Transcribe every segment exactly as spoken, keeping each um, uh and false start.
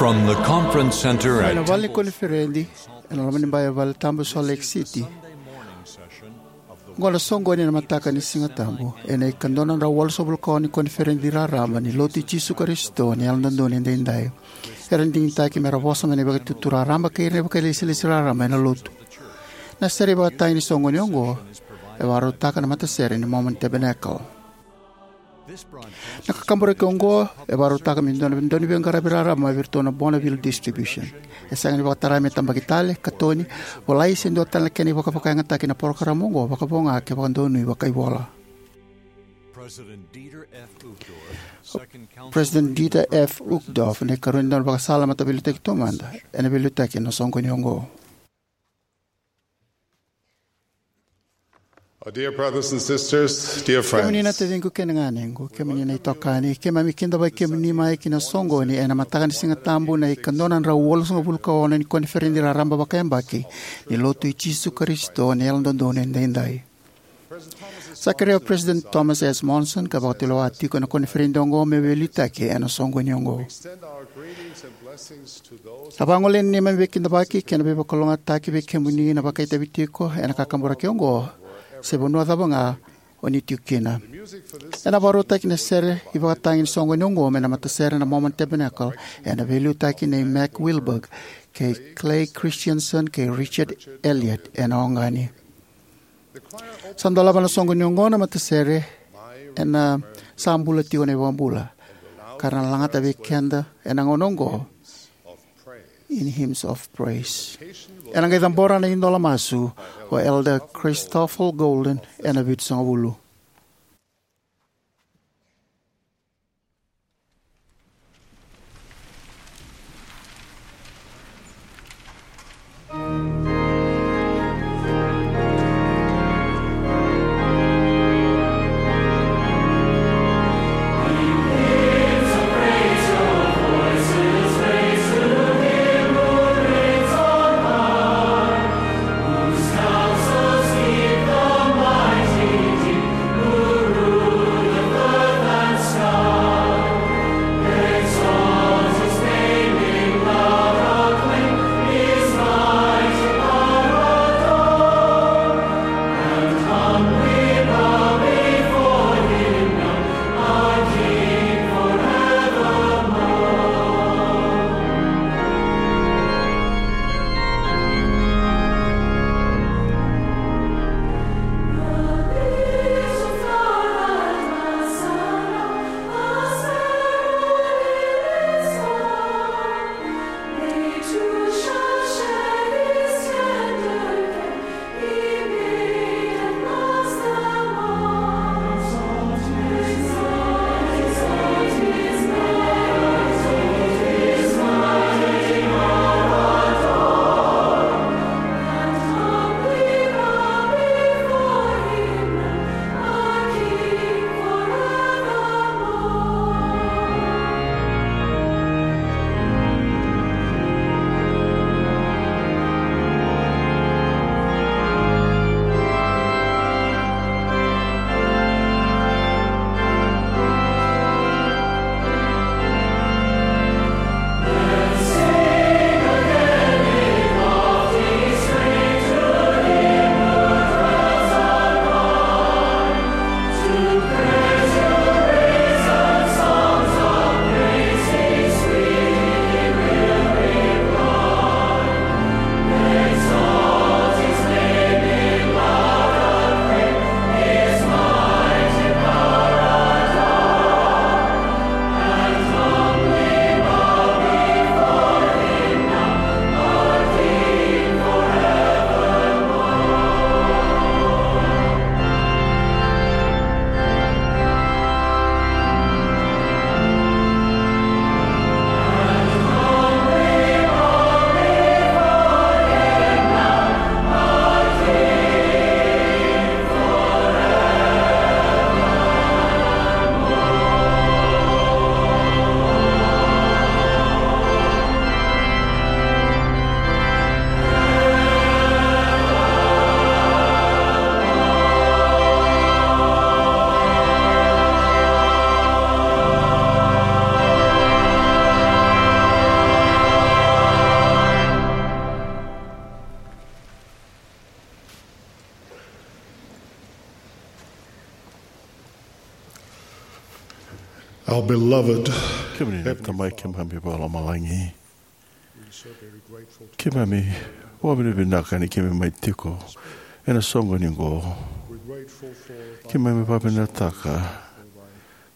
From the conference center mai na at vale ni koniferedi ena loma ni bai e vale tabu e Salt Lake City. Oqo na soqoni ena mataka ni Siga Tabu ena ikadua na drau walusagavulu ka ono ni koniferedi raraba ni Lotu i Jisu Karisito ni Yalododonu Edaidai. Era digitaki me ra vosa mai na ivakatutu raraba kei ira na vakailesilesi raraba ena Lotu. Na sere ivakatagi ni soqoni oqo e vakarautaka na matasere ni Mormon Tabernacle. Na kakaburaki oqo e vakarautaka me dua na dauniveiqaravi raraba mai vei iratou na Bonneville Distribution. E sega ni vakatara me tabaki tale, katoni, volai se dua tale na kena ivakavakayagataki na parokaramu oqo, vakavo ga ke vakadonui vakaivola. President Dieter F. Uchtdorf, na ikarua ni daunivakasala mataveiliutaki taumada, ena veiliutaki ena soqoni oqo. Our dear brothers and sisters, dear friends. Kemuni na taciqu kei na ganequ, kemuni na itokani, keimami kidavaki kemuni mai ki na soqoni ena mataka ni Siga Tabu na ikadua na drau walusagavulu ka ono ni koniferedi raraba vakayabaki ni Lotu i Jisu Karisito ni Yalododonu Edaidai. Sa kerea o President Thomas S. Monson ka vakatulewa tiko ena koniferedi oqo me veiliutaki ena soqoni oqo. A vagolea na neimami veikidavaki kei na veivakalougatataki vei kemuni na vakaitavi tiko ena kakaburaki oqo, se vanua cava ga o ni tiko kina. Ena vakarautaki na sere ivakatagi ni soqoni oqo mai na matasere na Mormon Tabernacle, ena veiliutaki nei Mac Wilberg, kei Clay Christensen, kei Richard Elliott ena oqani. Sa dolava na soqoni oqo na matasere ena Sa Bula Tiko na iVakabula, ka ra na lagata vei keda ena gauna oqo, In Hymns of Praise. Ena qai cabora na idola masu o Elder Christoffel Golden ena vitusagavulu. Our beloved Kemuni na Tamai keimami vakalomalagi. Keimami vakavinavinaka ni keimami mai tiko ena soqo ni oqo. Keimami vakavinavinakataka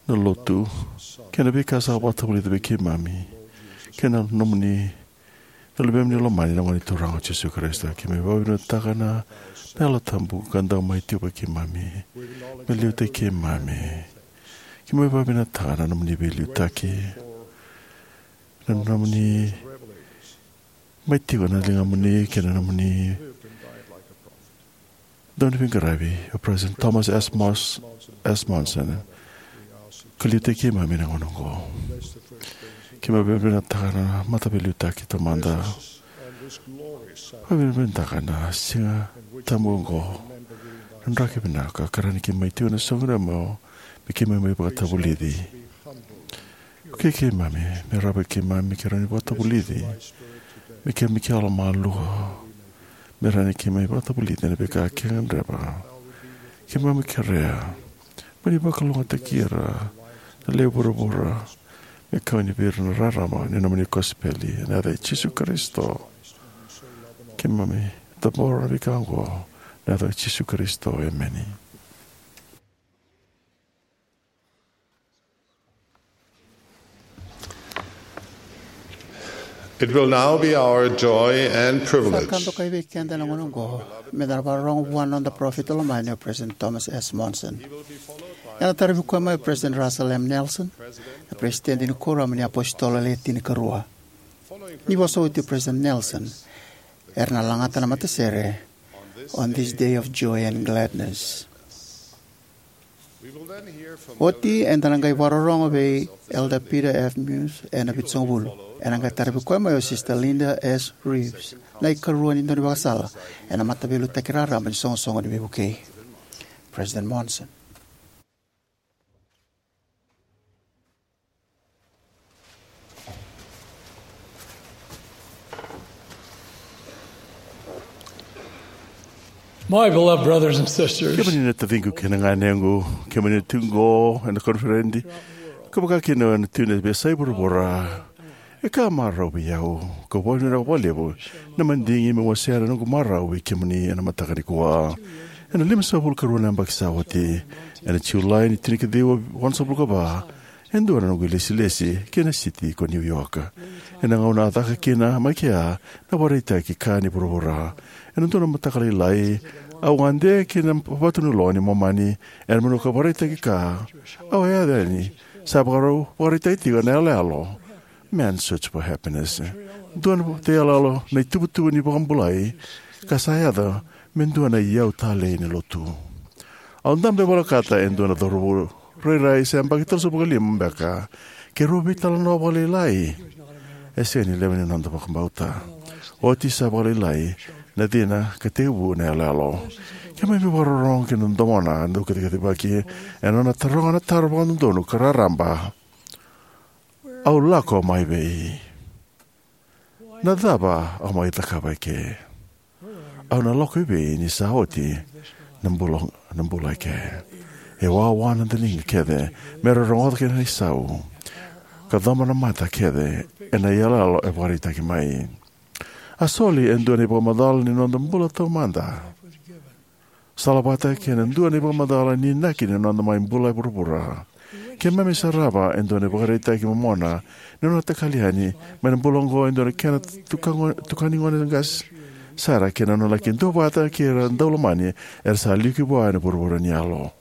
na lotu kei na veika sa vakatavulica vei keimami kei na nomuni na Luvemuni lomani na Gone Turaga o Jisu Karisito. Keimami vakavinavinakataka na Yalo Tabu ka dau mai tiko vei keimami me liutaki keimami. Keimami vakavinavinakataka na nomuni veiliutaki, na nomuni mai tiko na ligamuni kei na nomuni dau ni veiqaravi o President Thomas S. Mos-, S. Monson, ka liutaki keimami na gauna oqo. Keimami vakavinavinakataka na mataveiliutaki taumada. Vakavinavinakataka na siga tabu oqo, na draki vinaka ka rawa ni keimami tiko ena soqo ni yavu me keimami mai vakatavulici. Vukei keimami me rawa vei keimami me keimami vakatavulici, me keimami kila malua, me rawa ni keimami vakatavulici ena veika keimami gadreva. Keimami kerea mo ni vakalougatataki ira na lewe i vuravura me kau yani vei ira na rarama ni nomuni kosipeli. Ena yaca i Jisu Karisito keimami cabora na veika oqo, ena yaca i Jisu Karisito, emeni. It will now be our joy and privilege. Sa ka dokai vei keda ena gauna oqo meda na vakarorogo vua na noda parofita lomani o President Thomas S. Monson. Ena taravi koya mai o President Russell M. Nelson, na Peresitedi ni Kuoramu ni iApositolo Le Tinikarua. Ni vosa oti o President Nelson, era na lagata na matasere On This Day of Joy and Gladness. Oti eda na qai vakarorogo vei Elder Peter F. Muse ena Vitusagavulu. Ena qai taravi koya mai o Sister Linda S. Reeves, na ikarua ni daunivakasala ena Mataveiliutaki Raraba ni Soqosoqo ni Veivukei. President Monson. My beloved brothers and sisters, kemuni na taciqu kei na ganequ, kemuni na tiko oqo ena koniferedi, ka vaka kina na tiko ena veiyasai vuravura, e ka marau vei au, ka vakavinavinaka vakalevu na madigi meu wasea na noqu marau vei kemuni ena mataka nikua. Ena limasagavulu ka rua na yabaki sa oti, ena Julai ni tinikaciwa walusagavulu ka va, e dua na noqu ilesilesi ki na siti ko New York. Ena gauna a caka kina mai kea na ivakaraitaki ka ni vuravura. Ena dua na mataka lailai, au gade ki na vatu ni loga ni Momani ena vanua ka ivakaraitaki ka. Au a yaco yani, sa vakarau ivakaraitaki tiko na iyaloyalo Man's Search for Happiness. Dua na iyaloyalo na ituvatuva ni vakabulai ka sa yaco me dua na iyau talei ni lotu. Au dabe volekata e dua na cauravou rairai se yabaki tolusagavulu ka lima beka, keirau veitalanoa vakalailai. E sega ni levu ni noda vakabauta. Oti sa vakalailai na cina ka tekivu na iyaloyalo. Keimami vakarorogo ki na domona dau kacikacivaki ena nona taroga na taro vakadodonu ka raraba: Au lako mai vei? Na cava au mai cakava eke? Au na lako i vei ni sa oti na bula, na bula eke? E wawa na daliga kece me ra rogoca kina na isau, ka coba na mata kece ena iyaloyalo e vakaraitaki mai. A soli e dua na ivakamacala ni noda bula taumada. Salavata kei na dua na ivakamacala ni inaki ni noda mai bula e vuravura. Keimami sarava e dua na ivakaraitaki momona ni nona takali yani mai na bula oqo e dua na kena tuka-, tukani gone qase sara kei na nona laki duavata kei ira na daulomani era sa liuki vua ena vuravura ni yalo.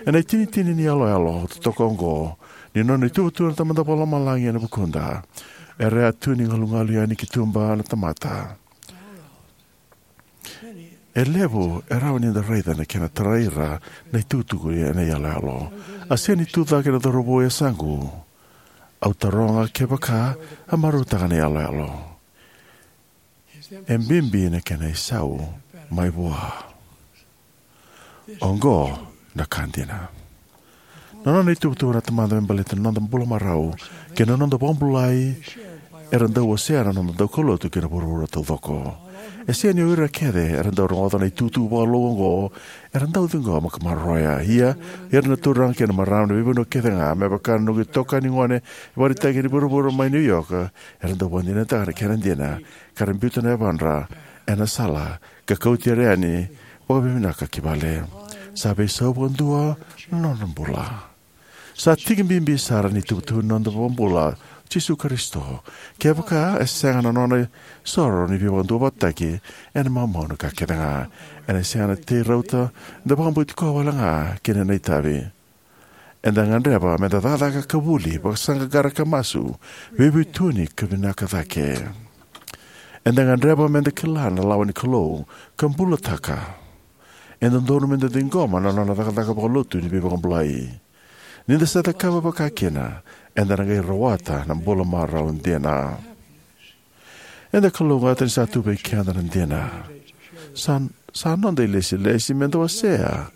Ena itinitini ni iyaloyalo totoka oqo ni nona ituvatuva na Tamada Vakalomalagi ena vukuda, era a tu ni galugalu yani ki tuba na tamata. E levu e rawa ni da raica na kena tarai ira na itukutuku ena iyaloyalo. A sega ni tucake na cauravou e yasaqu. Au taroga kevaka a marautaka na iyaloyalo. E bibi na kena isau mai vua. Oqo na ka dina. Na nona ituvatuva na Tamada me baleta na noda bula marau kei na noda vakabulai era dau wasea na noda daukaulotu kei na vuravura taucoko. E sega ni o ira kece era dau rogoca na itukutuku vakalou oqo era dau ciqoma ka maroroya. Ia, ira na turaga kei na marama ni veivanua kece ga, me vaka na noqu itokani gone e vakaraitaki ni vuravura mai New York, era dau vakadinadinataka na kena dina, ka ra biuta na yavadra ena sala ka kauti ira yani vakavinavinaka ki vale. Sa veisau vakadua na nodra bula. Sa tiki bibi sara ni tuvatuva ni noda iVakabula, Jisu Karisito. Kevaka e sega na nona isoro ni veivakaduavatataki, ena maumau na ka kece ga. Ena sega na tei rauta, eda vakabauti koya wale ga kina na itavi. Eda gadreva meda cakacaka ka vuli, vakasaqaqara ka masu, veivuetutuni ka vinaka cake. Eda gadreva meda kila na lawa ni Kalou ka bulataka. E dodonu meda ciqoma na nona cakacaka vakalotu ni veivakabulai. Ni da sa cakava vaka kina, eda na qai rawata na bula marau dina. Eda kalougata ni sa tu vei keda na dina. Sa, sa noda ilesilesi meda wasea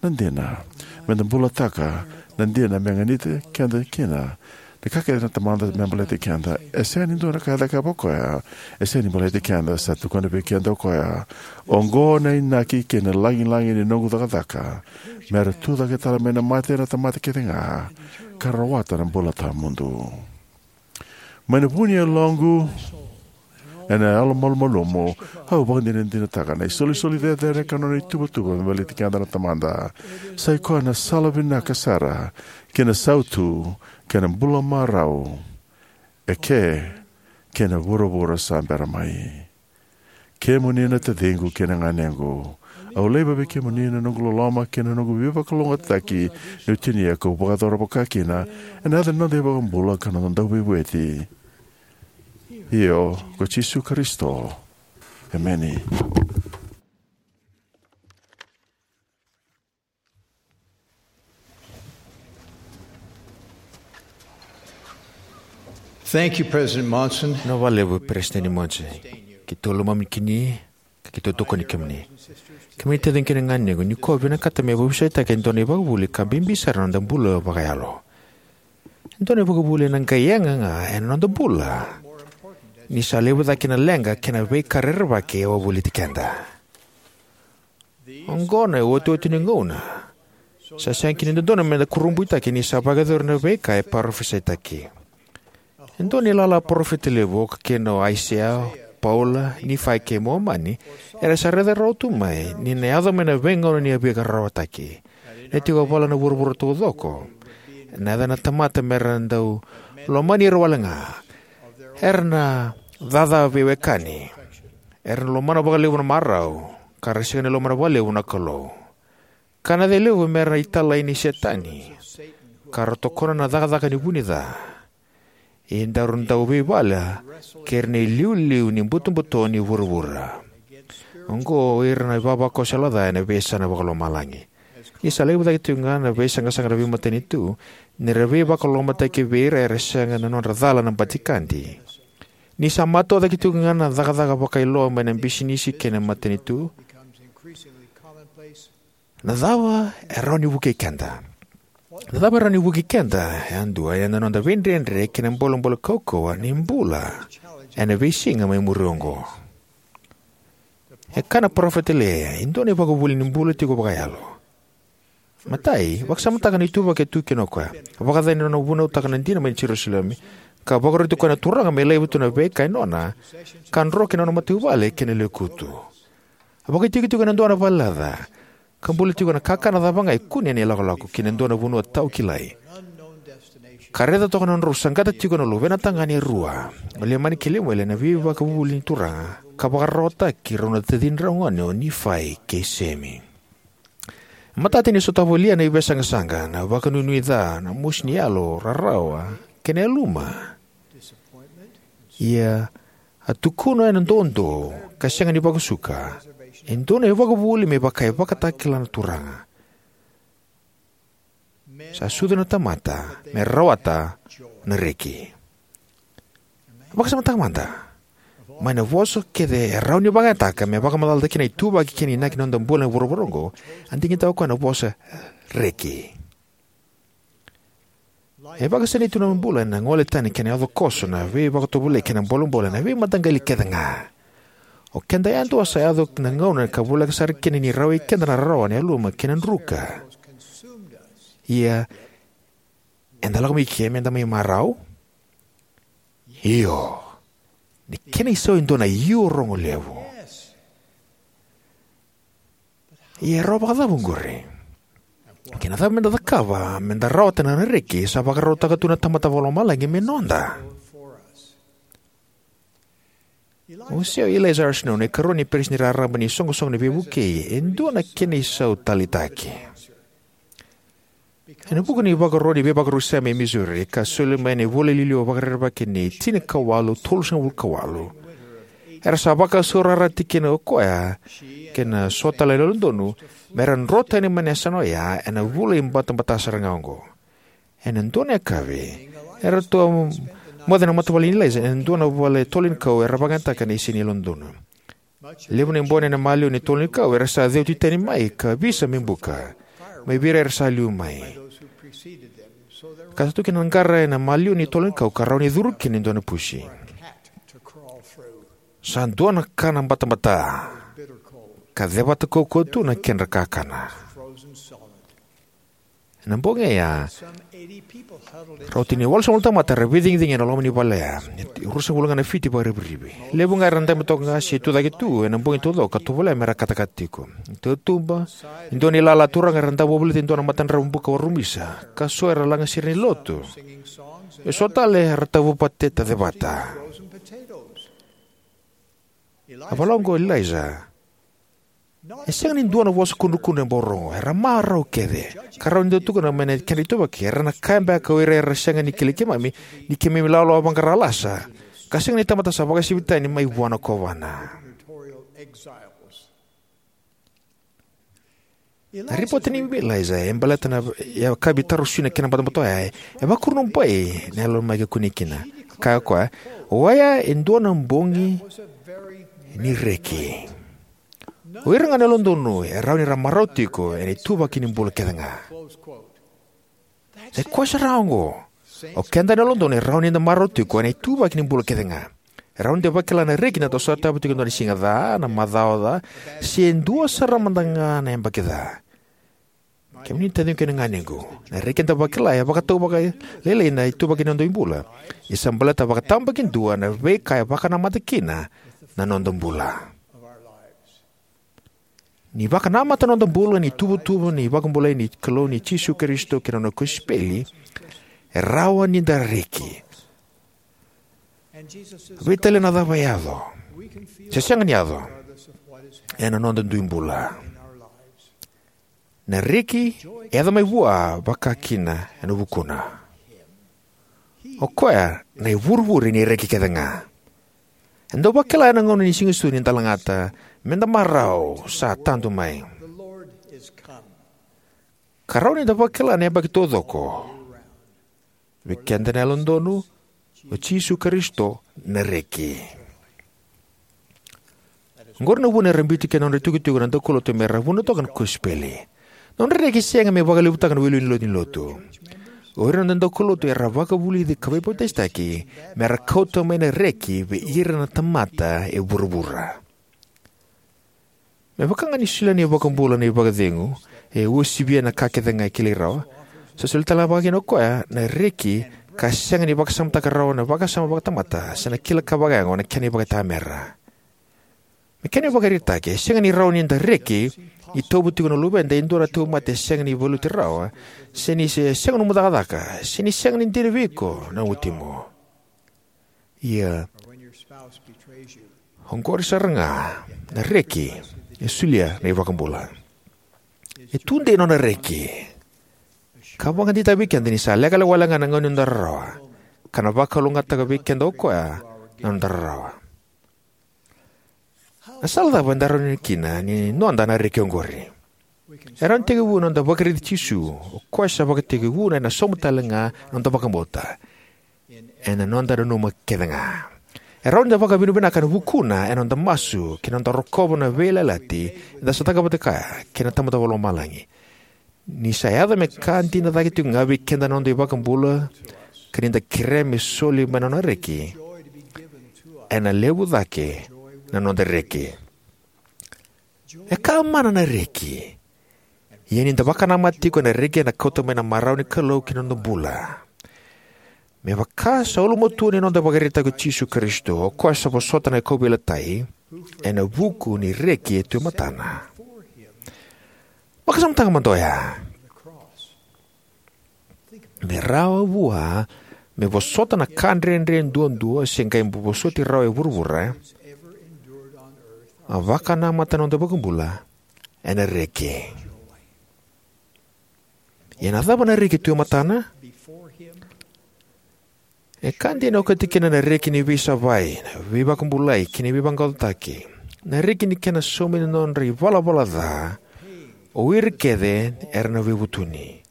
na dina, meda bulataka na dina me ganita keda kina. Na ka kece na Tamada me baleti keda, e sega ni dua na ka e cakava o koya e sega ni baleti keda. Sa tukuna vei keda o koya: "Oqo na inaki kei na lagilagi ni noqu cakacaka, me ra tu cake tale mai na mate na tamata kece ga, ka rawata na bula tawamudu." Mai na vu ni yaloqu, ena yalomalumalumu, au vakadinadinataka na isolisoli cecere ka nona ituvatuva me baleti keda na Tamada. Sa i koya na sala vinaka sara ki na sautu kei na bula marau, eke kei na vuravura sa bera mai. Kemuni na taciqu kei na ganequ, au laiva vei kemuni na noqu loloma kei na noqu veivakalougatataki niu tinia kau vakayacora vaka kina, ena yaca ni noda iVakabula ka noda Dauveivueti, io, ko Jisu Karisito. Emeni. Thank you, President Monson. Vinaka vakalevu, Peresitedi Monson. Keitou lomani kemuni, ka keitou tokoni kemuni. Kemuni taciqu kei na ganequ, nikua au vinakata meu veivusaitaka e dua na ivakavuvuli ka bibi sara ena noda bula vakayalo. E dua na ivakavuvuli ena qai yaga ga ena noda bula, ni sa levu cake na leqa kei na veika rerevaki e wavoliti keda. Oqo na iotioti ni gauna. Sa sega kina ni dodonu meda kurabuitaka ni sa vakayacori na veika e parofisaitaki. E dua na ilala parofita levu, oka kina o Aisea, Paula, Nifai kei Momani, era sa raica rawa tu mai ni na yaco mai na veigauna ni veirarawataki. Na tiko e vale na vuravura taucoko, na yaca na tamata mera dau lomani ira wale ga. Era na caca veiwekani. Era na lomana vakalevu na marau, ka ra sega ni lomana vakalevu na Kalou. Ka na yaco e levu mera italai nei Setani, ka ra tokona na cakacaka ni vunica. E daru dau veivala kei ira na iliuliu ni butobuto ni vuravura. Oqo o ira na ivavakoso yalo ca ena veiyasana vakalomalagi. Ni sa levu cake tiko ga na veisaqasaqa ena veimatanitu, ni ra veivakalolomataki vei ira era sega na nodra cala na batikadi. Ni sa matau cake tiko ga na cakacaka vakailoa mai na bisinisi kei na matanitu. Na cava e rawa ni vukei keda? Na cava e rawa ni vukei keda yadua ena noda veidredre kei na bolebole kaukauwa ni bula ena veisiga mai muri oqo? E kaya na parofita Elaija, e dua na ivakavuvuli ni bula tiko vakayalo. Matai, vakasamataka na ituvaki e tu kina o koya. Vakacacani na nona vunautaka na dina mai Jerusalemi, ka vakaroti koya na Turaga me laiva tu na veika e nona, ka dro ki na nona matavuvale kei na lekutu. A vakaitikotiko ena dua na valelaca, ka bula tiko ena kakana cava ga e kune ena ilakolako ki na dua na vanua tawakilai. Ka raica toka na nodrau saqata tiko na luvena tagane e rua, o Leimani kei Lemueli, ena veivakavuvuli ni Turaga, ka vakararawataki rau na tacidrau gone o Nifai kei Semi. Matata ni sotava o Elaija na veisaqasaqa, na vakanuinui ca, na mosi ni yalo, rarawa, kei na yaluma. Ia, a tukuna ena doudou, ka sega ni vakasuka, e dua na ivakavuvuli me vaka e vakatakila na Turaga. Sa sucu na tamata me rawata na reki. Vakasamataka mada. Mai na vosa kece e rawa ni vakayagataka me vakamacalataki na ituvaki kei na inaki ni noda bula ena vuravura oqo, a digitaka o koya na vosa reki. E vakasinaiti tu na bula ena gole tani kei na yaco koso, na veivakatovolei kei na bolebole ena veimataqali kece ga. O keda yadua sa yaco na gauna ka voleka sara kina ni rawai keda na rarawa, na yaluma kei na druka. Ia, eda lako mai ke meda mai marau? Io. Na kena isau e dua na io rogo levu. Ia e rawa vakacava oqori? Kei na cava meda cakava meda rawata na reki sa vakarautaka tu na Tamada Vakalomalagi me noda? O Eliza R. Snow, na ikarua ni peresitedi raraba ni iSoqosoqo ni Veivukei, e dua na kena isau taleitaki. Ena vuku ni ivakaro ni veivakarusai mai Missouri ka soli mai ena ivola liliwa vakarerevaki ni tinikawalu tolusagavulu ka walu, era sa vakasaurarataki kina o koya kei na so tale na Yalododonu me ra dro tani mai na yasana oya ena vula ibatabata sara ga oqo. Ena dua na yakavi, eratou a moce na matavuvale nei Eliza ena dua na vale tolo ni kau era vakayagataka na isini Yalododonu. Levu na ibono ena maliwa ni tolo ni kau era sa ceuti tani mai ka visa me buka mai vei ira era sa liu mai, ka sa tu kina na qara ena maliwa ni tolo ni kau ka rawa ni curu kina e dua na pusi. Sa dua na kana batabata, ka cevata kaukauwa tu na kedra kakana. Ena bogi oya, rauta ni walusagavulu na tamata era veicigicigi ena loma ni vale oya. E ruasagavulu ga na fiti vakarivirivi. Levu ga era dabe toka ga se tucake tu ena bogi taucoko ka tovolea me ra katakata tiko. E tautuba, e dua na ilala turaga era dau wavolita e dua na matadravu buka warumisa, ka so era lagasere ni lotu. E so tale era tavu pateta cevata. A vola oqo o Eliza, e sega ni dua na vosa kudrukudru e bau rogo, era marau kece, ka rawa ni da tukuna mai na kedra ituvaki, era na kaya beka o ira era sega ni kilai keimami ni keimami lawalawa vaqara lasa, ka sega ni tamata sa vakasevi tani mai vua na kovana. Na ripote nei Eliza e baleta na yakavi tarosui na kena batabata oya e vakurabui na yalo mai ka kunei kina. Kaya o koya, oya e dua na bogi ni reki. O ira ga na Yalododonu e rawa ni ra marau tiko ena ituvaki ni bula kece ga. Sa i koya sara oqo. O keda na Yalododonu e rawa ni da marau tiko ena ituvaki ni bula kece ga. E rawa ni da vakila na reki ni da sotava tiko e dua na siga ca, na macawa ca, se dua sara mada ga na yabaki ca. Kemuni na taciqu kei na ganequ, na reki eda vakila e vakatau vakalailai na ituvaki ni noda ibula. Ia sa baleta vakatabakidua na veika e vakanamata kina na noda bula. Ni vakanamata na noda bula ni tuvatuva ni vakabulai ni Kalou nei Jisu Karisito kei na nona kosipeli, e rawa ni da reki. Veitalia na cava e yaco, se sega ni yaco, ena noda dui bula. Na reki e yaco mai vua vakakina ena vukuna. O koya na ivurevure ni reki kece ga. Eda dau vakila ena gauna ni Siga Sucu ni da lagata, meda marau, sa tadu mai. Ka rawa ni da vakila na yabaki taucoko. Vei keda na Yalododonu, o Jisu Karisito na reki. Oqori na vuna era biuti kina na nodra itikotiko na daukaulotu me ra vunautaka na kosipeli. Na nodra reki e sega me vakalevutaka na iwiliwili ni lotu ni lotu. O ira na noda daukaulotu era vakavulici ka veipapitaisotaki me ra kauta mai na reki vei ira na tamata e vuravura. Me vaka ga ni solia na iVakabula na ivakacegu e uasivia na ka kece ga e kilai rawa, sa solia tale ga vakakina o koya na reki ka sega ni vakasamataka rawa na vakasama vakatamata se na kila ka vakayago na kena ivakaitamera. Me kena ivakaraitaki, e sega ni rawa ni da reki ni tauva tiko na luveda e dua na tauvimate e sega ni valuti rawa, se ni se sega nomu cakacaka, se ni sega ni dina vei iko na watimu. Ia, oqori sara ga na reki e solia na iVakabula. E tudei nona reki ka vakadeitaka vei keda ni sa lekaleka wale ga na gauna ni noda rarawa, ka na vakalougatataka vei keda o koya na noda rarawa. Na sala cava eda rawa ni kina ni noda na reki oqori? E rawa ni tekivu na noda vakaraici Jisu, o koya sa vakatekivu na ena sauma tale ga na noda vakabauta ena noda nanuma kece ga. E rawa ni da vakavinavinaka ena vukuna ena noda masu kei na noda rokova na veiyalayalati eda sa cakava vata kaya kei na Tamada Vakalomalagi. Ni sa yaco me ka dina cake tiko ga vei keda na noda iVakabula, ka ni da kerea me soli mai na nona reki, ena levu cake na noda reki. E ka mana na reki. Ia ni da vakanamata tiko ena reki, ena kauta mai na marau ni Kalou ki na noda bula. Me vaka sa ulumatua ni noda ivakaraitaki o Jisu Karisito, o koya sa vosota na kauveilatai ena vuku ni reki e tu e matana. Vakasamataka mada oya. Me rawa vua me vosota na ka dredre duadua se qai vosoti rawa e vuravura, a vakanamata na noda iVakabula ena reki. Ia na cava na reki tu e matana? E ka dina e okati kina na reki ni veisavai, na veivakabulai kei na veivaqaqacotaki. Na reki ni kena saumi na nodra ivalavala ca o ira kece era na veivutuni.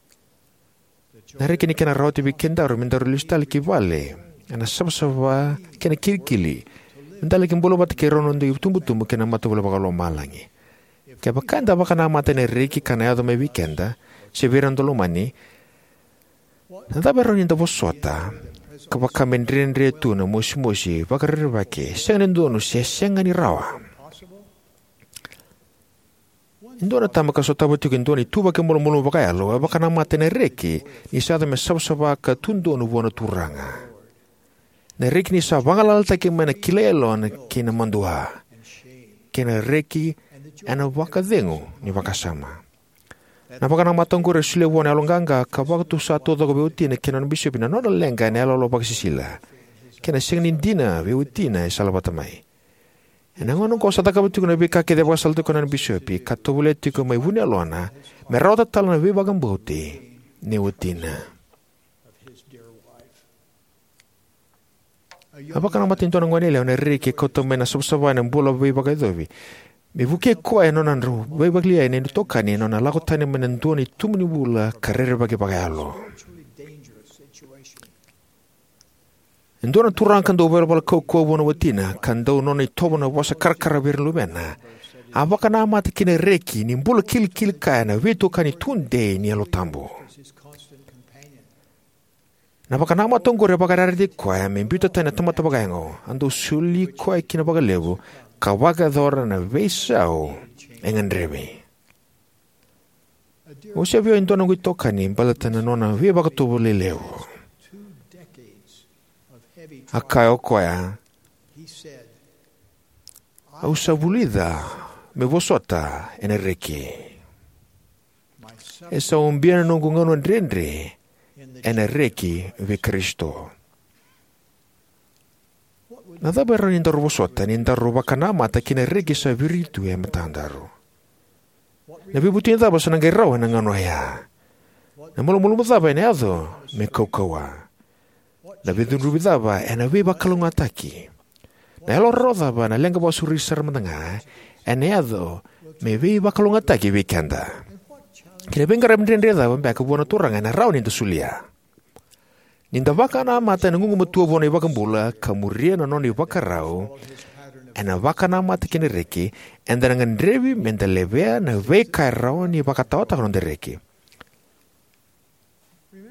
Na reki ni kena rawati vei kedaru me daru lesu tale ki vale ena savasava kei na kilikili, me da laki bula vata kei rau na noda itubutubu kei na matavuvale vakalomalagi. Kevaka eda vakanamata ena reki ka na yaco mai vei keda se vei ira na noda lomani, na cava e rawa ni da vosota ka vaka me dredre tu, na mosimosi, vakarerevaki, sega ni dodonu se sega ni rawa? E dua na tama ka sotava tiko e dua na ituvaki malumalumu vakayalo e vakanamata ena reki ni sa yaco me savasava ka tu donu vua na Turaga. Na reki ni sa vagalalataki mai na kilai yalona kei na madua, kei na reki ena vakacegu ni vakasama. Na vakanamata oqori e solia vua na yaloqaqa ka vakatusa taucoko vei watina kei na nona bisopi na nona leqa ena iyaloyalo vakasisila, kei na sega ni dina vei watina e salavata mai. Ena gauna oqo sa cakava tiko na veika kece e vakasalataki koya na nona bisopi, ka tovolea tiko mai vu ni yalona me rawata tale na veivakabauti nei watina. A vakanamata e dua na goneyalewa ena reki e kauta mai na savasava ena bula veivakayacovi, me vukei koya ena nona dravuvakalei na itokani ena nona lako tani mai na dua na itubu ni bula ka rerevaki vakayalo. E dua na turaga ka dau ivalavala kaukauwa vua na watina, ka dau nona itovo na vosa karakara vei ira na luvena, a vakanamata ki na reki ni bula kilikili kaya na veitokani tudei ni Yalo Tabu. Na vakanamata oqori e vakayarayarataki koya me biuta tani na tamata vakayago, a dau soli koya kina vakalevu, ka vakayacora na veisau e gadrevi. Au se via e dua noqu itokani baleta na nona veivakatovolei levu. A kaya o koya, "Au sa vulica meu vosota ena reki. E sa ubia na noqu gauna dredre ena reki vei Karisito." Na cava e rawa ni daru vosota ni daru vakanamata ki na reki sa viritu e matadaru? Na veivutuni cava sa na qai rawa ena gauna oya? Na malumalumu cava ena yaco me kaukauwa? Na veicudruvi cava ena veivakalougatataki? Na yalo rarawa cava, na leqa vakasauri sara mada ga, ena yaco me veivakalougatataki vei keda? Kei na veiqaravi dredre cava beka vua na Turaga ena rawa ni da solia? Ni da vakanamata ena gugumatua vua na iVakabula ka muria na nona ivakarau, ena vakanamata ki na reki, eda na gadrevi me da levea na veika e rawa ni vakataotaka na noda reki.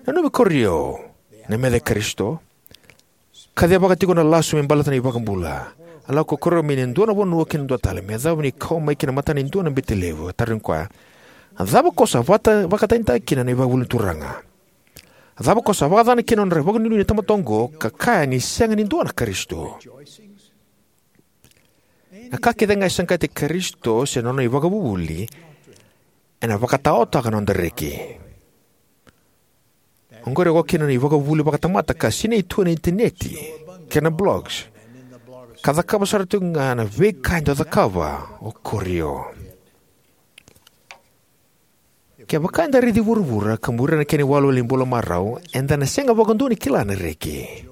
Nanumi Korio, na meca i Karisito. Kacivaka tiko na lasu me baleta na iVakabula. A lako o Korio mai na dua na vanua ki na dua tale, me yacova ni kau mai ki na matana e dua na bete levu. A tarogi koya, "A cava ko sa vata, vakatanitaka kina na ivakavuvuli ni Turaga? A cava ko sa vakacacana kina na nodra vakanuinui na tamata oqo, ka kaya ni sega ni dua na Karisito?" Na ka kece ga e saqati Karisito se na nona ivakavuvuli, ena vakataotaka na noda reki. Oqori e oka kina na ivakavuvuli vakatamata ka sinai tu ena initaneti kei na blogs, ka cakava sara tiko ga na veika e dau cakava o Korio. Kevaka eda raici vuravura ka muria na kena iwalewale ni bula marau, eda na sega vakadua ni kila na reki.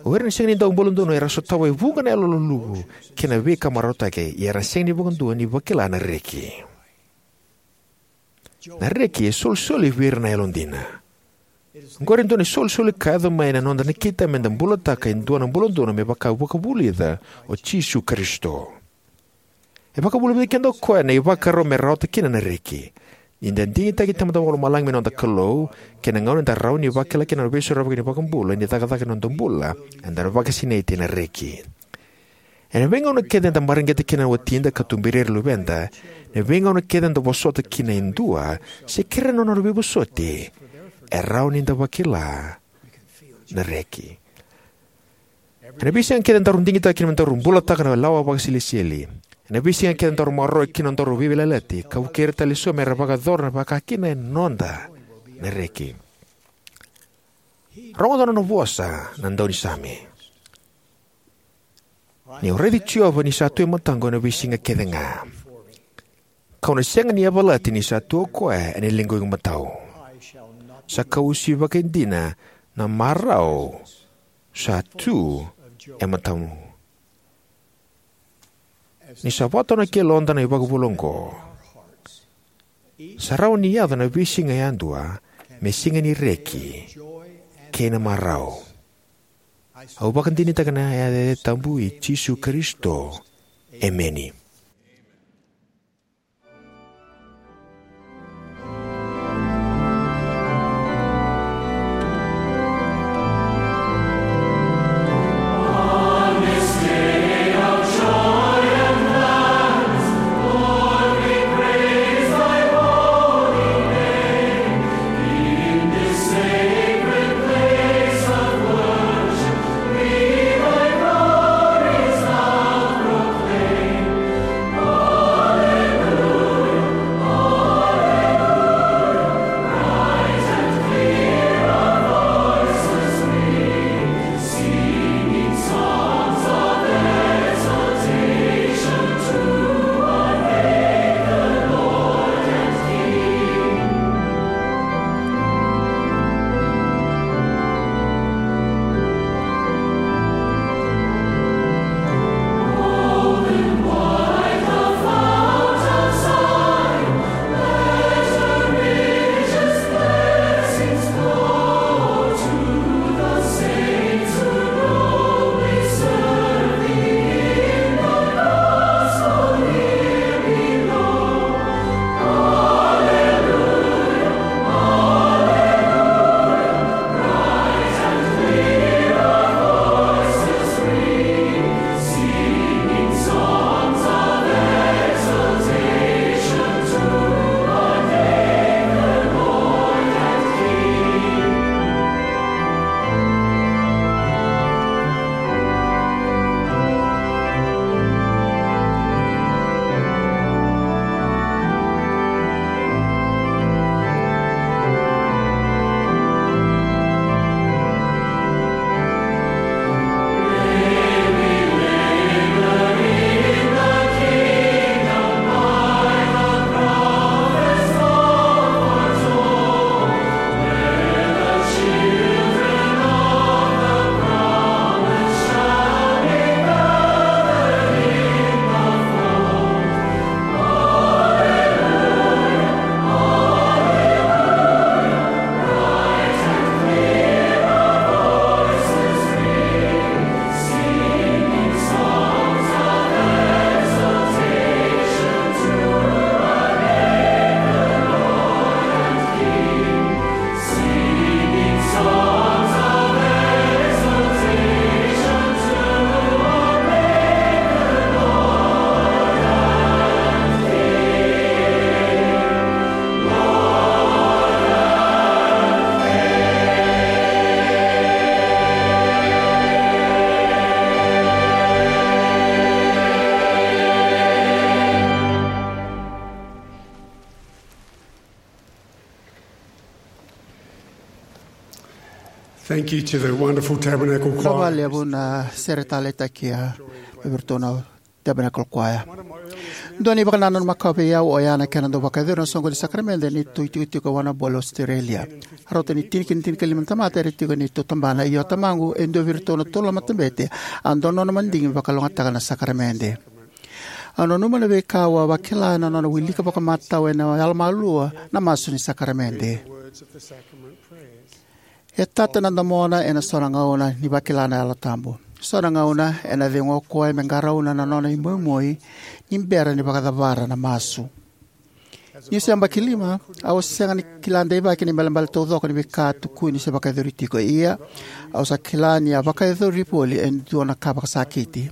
O ira na sega ni dau bula donu era sotava e vuqa na yalo luluvu kei na veika marautaki, ia era sega ni vakadua ni vakila na reki. Na reki e solisoli vei ira na yalodina. Oqori e dua na isolisoli ka yaco mai na noda nakita me da bulataka e dua na bula donu me vaka e vakavulica o Jisu Karisito. E vakavulica vei keda o koya na ivakarau me rawata kina na reki. Ni da digitaki Tamada Vakalomalagi me noda Kalou, kei na gauna eda rawa ni vakila kina na veisorovaki ni iVakabula ni cakacaka ni noda bula, eda na vakasinaiti ena reki. Ena veigauna kece eda mareqeta kina na watida ka tuberi ira na luveda, na veigauna kece eda vosota kina e dua se kerea na nona veivosoti, e rawa ni da vakila na reki. Ena veisiga kece daru digitaka kina me daru bulataka na lawa vakasilesitieli, ena veisiga kece daru maroroya kina na nodaru veiyalayalati ka vukei ira tale eso me ra vakayacora na vakakina, e noda na reki. Rogoca na nona vosa na daunisame: Niu raici Jiova ni sa tu e mataqu ena veisiga kece ga, kau na sega ni yavalati ni sa tu o koya ena liqu imatau. Sa kausi vakaidina na marau sa tu e matamu. Ni sa vakatawa na yaloda na ivakavuvuli oqo, sa rawa ni yaco na veisiga yadua me siga ni reki kei na marau. Au vakadinadinataka ena yaca tabu i Jisu Karisito, emeni. Thank you to the wonderful Tabernacle Choir. Vinaka vakalevu na sere taleitaki, a, mai vei iratou na Tabernacle Choir. Dua na ivakanananu makawa vei au oya na kena dau vakayacori na soqoni ni sakaramede ni neitou itikotiko e Warrnambool, Australia. Rauta ni tini ki na tinikalima na tamata era tiko e neitou tabana, ia o tamaqu e dua vei iratou na tolu na matabete a dau nona madigi me vakalougatataka na sakaramede. Au nanuma na veika au a vakila ena nona wilika vakamatau ena yalomalua na masu ni sakaramede. E tata na domona ena so na gauna ni vakila na Yalo Tabu. So na gauna ena cegu o koya me qarauna na nona imoimoi ni bera ni vakacavara na masu. Niu se yabaki lima, au a sega ni kila deivaki na ibalebale taucoko ni veika a tukuni se vakayacori tiko. Ia, au sa kila ni a vakayacori voli e dua na ka vakasakiti.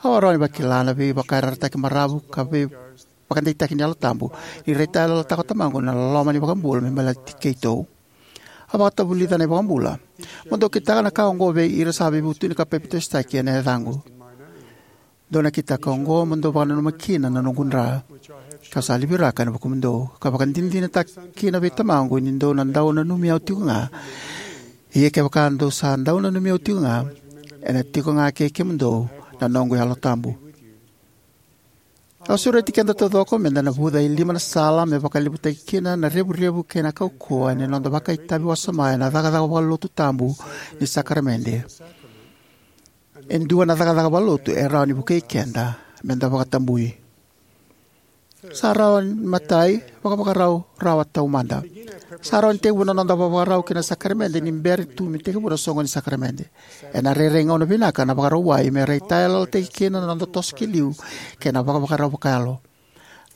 Au a rawa ni vakila na veivakayarayarataki maravu ka veivakadeitaki ni Yalo Tabu ni raitayaloyalotaka o Tamaqu na loloma ni iVakabula me baleti keitou. A vakatavulica na iVakabula: Mo dou kitaka na ka oqo vei ira sa veivutuni ka papitaisotaki ena yacaqu. Dou na kitaka oqo mo dou vakananuma kina na noqu dra, kau sa liviraka ena vukumudou, ka vakadinadinataka kina vei Tamaqu ni dou na dau nanumi au tiko ga. Ia kevaka dou sa dau nanumi au tiko ga, ena tiko ga kei kemudou na noqu Yalo Tabu. Au sureti keda taucoko meda navuca e lima na sala me vakalevutaki kina na revurevu kei na kaukauwa ni noda vakaitavi wasoma ena cakacaka vakalotu tabu ni sakaramede. E dua na cakacaka vakalotu e rawa ni vukei keda meda vakatabui. Sa rawa ni matai, vakavakarau rawa taumada. Sa rawa ni tekivu na noda vakavakarau ki na sakaramede ni bera tu me tekivu na soqoni ni sakaramede. Ena rairai gauna vinaka na Vakarauwai me raitayaloyalotaki kina na noda toso ki liu kei na vakavakarau vakayalo.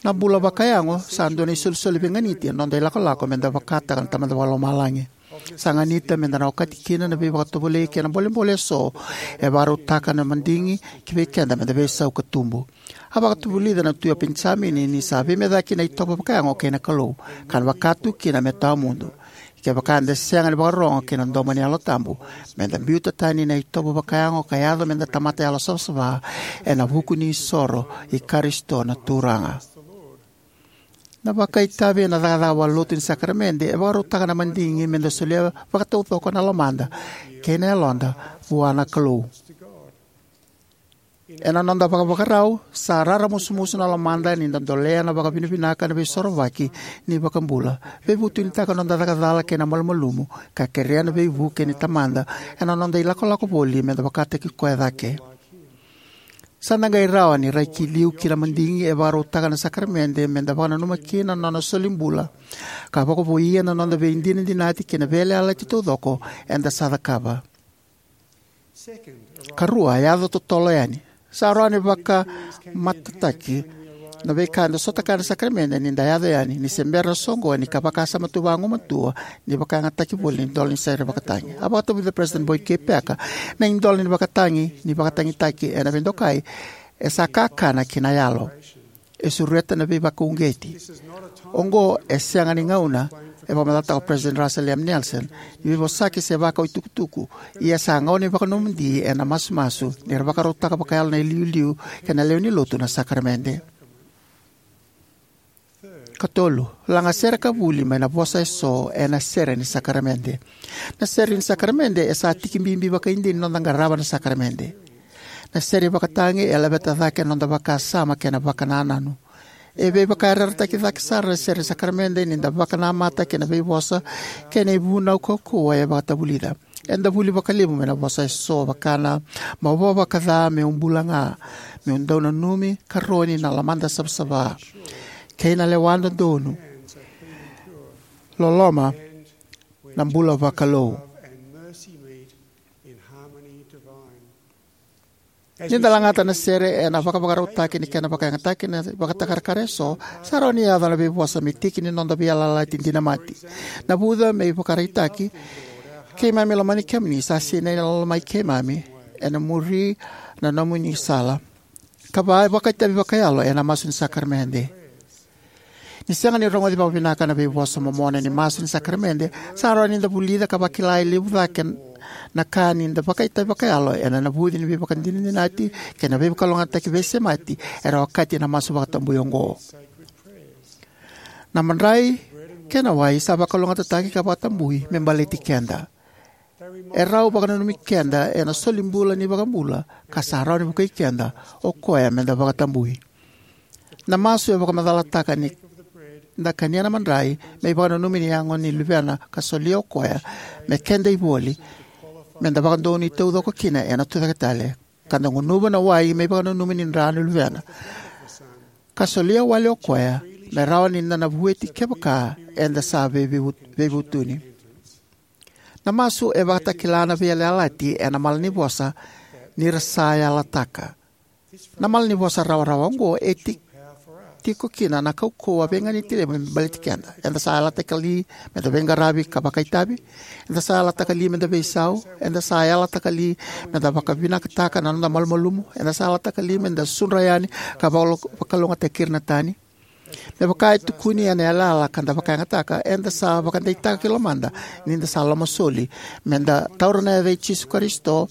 Na bula vakayago sa dua na isolisoli veiganiti ena noda ilakolako meda vakataka na Tamada Vakalomalagi. Sa ganita meda na okati kina na veivakatovolei kei na bolebole eso e vakarautaka na madigi ki vei keda meda veisau ka tubu. A vakatavulica na Tui o Penijamini ni sa veimecaki na itovo vakayago kei na Kalou, ka na vaka tu kina me tawamudu. Kevaka eda sega ni vakarorogo ki na domo ni Yalo Tabu, meda biuta tani na itovo vakayago ka yaco meda tamata yalosavasava ena vuku ni isoro i Karisito na Turaga. Na vakaitavi ena cakacaka vakalotu ni sakaramede e vakarautaka na madigi meda solia vakataucoko na lomada kei na yaloda vua na Kalou. Ena noda vakavakarau, sa raramusumusu na lomada ni da dolea na vakavinavinaka ena Veisorovaki ni iVakabula, veivutunitaka noda caka cala kei na malumalumu, ka kerea na veivuke ni Tamada ena noda ilakolako voli meda vakataki Koya cake. Sa da qai rawa ni rai ki liu ki na madigi e vakarautaka na sakaramede meda vakananuma kina na Nona solibula, ka vakavouia na noda veidinadinati kei na veiyalayalati taucoko eda sa cakava. Karua, yaco totolo yani. Sa rawa ni vakamatataki na veika eda sota kaya ena sakaramede ni da yaco yani ni se bera na soqoni ka vakasama tu vagumatua ni vakayagataki voli na idola ni sere vakatagi. A vakatavulica President Boyd K. Packer, na idola ni vakatagi ni vakatagitaki ena veidokai e sa kakana ki na yalo. E sureta na veivakauqeti. Oqo e sega ni gauna, e vakamacalataka o President Russell M. Nelson, ni veivosaki se vakaitukutuku, ia sa gauna ni vakanomodi ena masumasu ni ra vakarautaka vakayalo na iliuliu kei na lewe ni Lotu na sakaramede. Katolu, lagasere ka vuli mai na vosa eso ena sere ni sakaramede. Na sere ni sakaramede e sa tiki bibi vakaidina ni noda qarava na sakaramede. Na sere vakatagi e laveta cake na noda vakasama kei na vakanananu. E veivakayarayarataki cake sara na sere ni sakaramede ni da vakanamata kei na veivosa kei na ivunau kaukauwa e vakatavulica. Eda vuli vakalevu mai na vosa eso vaka na: mavoa vakaca, meu bula ga, meu dau nanumi karoni na lomada savasava, kei na lewa dodonu, loloma, na bula vakalou. Ni da lagata na sere ena vakavakarautaki ni kena vakayagataki na ivakatakarakara eso, sa rawa ni yaco na veivosa me tiki ni noda veiyalayalati dinamati. Navuca me ivakaraitaki: Keimami lomani kemuni, sa sinai na loma i keimami, ena muri na nomuni sala. Kava, vakaitavi vakayalo ena masu ni sakaramede. Ni sega ni rogoci vakavinaka na veivosa momona ni masu ni sakaramede, sa rawa ni da vulica ka vakila e levu cake na ka ni da vakaitavi vakayalo ena navuci ni veivakadinadinati kei na veivakalougatataki veisemati era okati ena masu vakatabui oqo. Na madrai kei na wai sa vakalougatataki ka vakatabui me baleti keda. E rau vakananumi keda ena solibula ni iVakabula ka sa rawa ni vukei keda o Koya meda vakatabui. Na masu e vakamacalataka ni da kania na madrai me ivakananumi ni yago ni Luvena ka solia o Koya me keda ivoli meda vakadonui taucoko kina ena Tucaketale, ka da gunuva na wai me ivakananumi ni dra ni Luvena, ka solia wale o Koya me rawa ni da na vueti kevaka eda sa veivu-, veivutuni. Na masu e vakatakila na veiyalayalati ena malanivosa ni ra sa yalataka. Na malanivosa rawarawa oqo e tiki tiko kina na kaukauwa veiganiti levu me baleti keda. Eda sa yalataka li meda veiqaravi ka vakaitavi? Eda sa yalataka li meda veisau? Eda sa yalataka li meda vakavinakataka na noda malumalumu? Eda sa yalataka li meda sudra yani ka vakalo- vakalougatataki ira na tani? Me vaka e tukuni ena yalayala ka da vakayagataka, eda sa vakadeitaka ki lomada ni da sa lomasoli, meda taura na yaca i Jisu Karisito,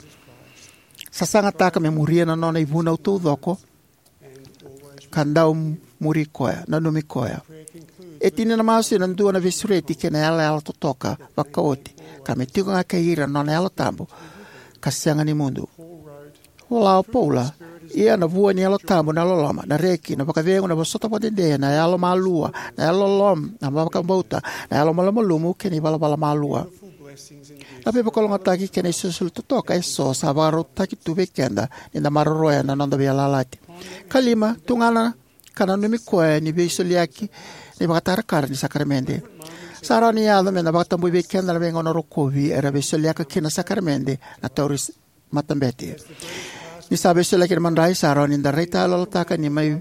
sasagataka me muria na nona ivunau taucoko, ka dau muri koya, nanumi koya. E tini na masu ena dua na veisureti kei na yalayala totoka vakaoti, ka me tiko ga kei ira na nona Yalo Tabu ka sega ni mudu. Vola o Paula: Ia na vua ni Yalo Tabu na loloma, na reki, na vakacegu, na vosota vakadede, na yalomalua, na yalololoma, na vakabauta, na yalomalumalumu, kei na ivalavala malua. Na veivakalougatataki kei na isolisoli totoka eso sa vakarautaki tu vei keda ni da maroroya na noda veiyalayalati. Ka lima, tugana ka nanumi koya ni veisoliyaki ni vakatakarakara ni sakaramede. Sa rawa ni yaco me na vakatabui vei keda na veigauna rokovi era veisoliyaka kina na sakaramede na tauri s- matabete. Ni sa veisoliyaki na madrai, sa rawa ni da raitayaloyalotaka ni mai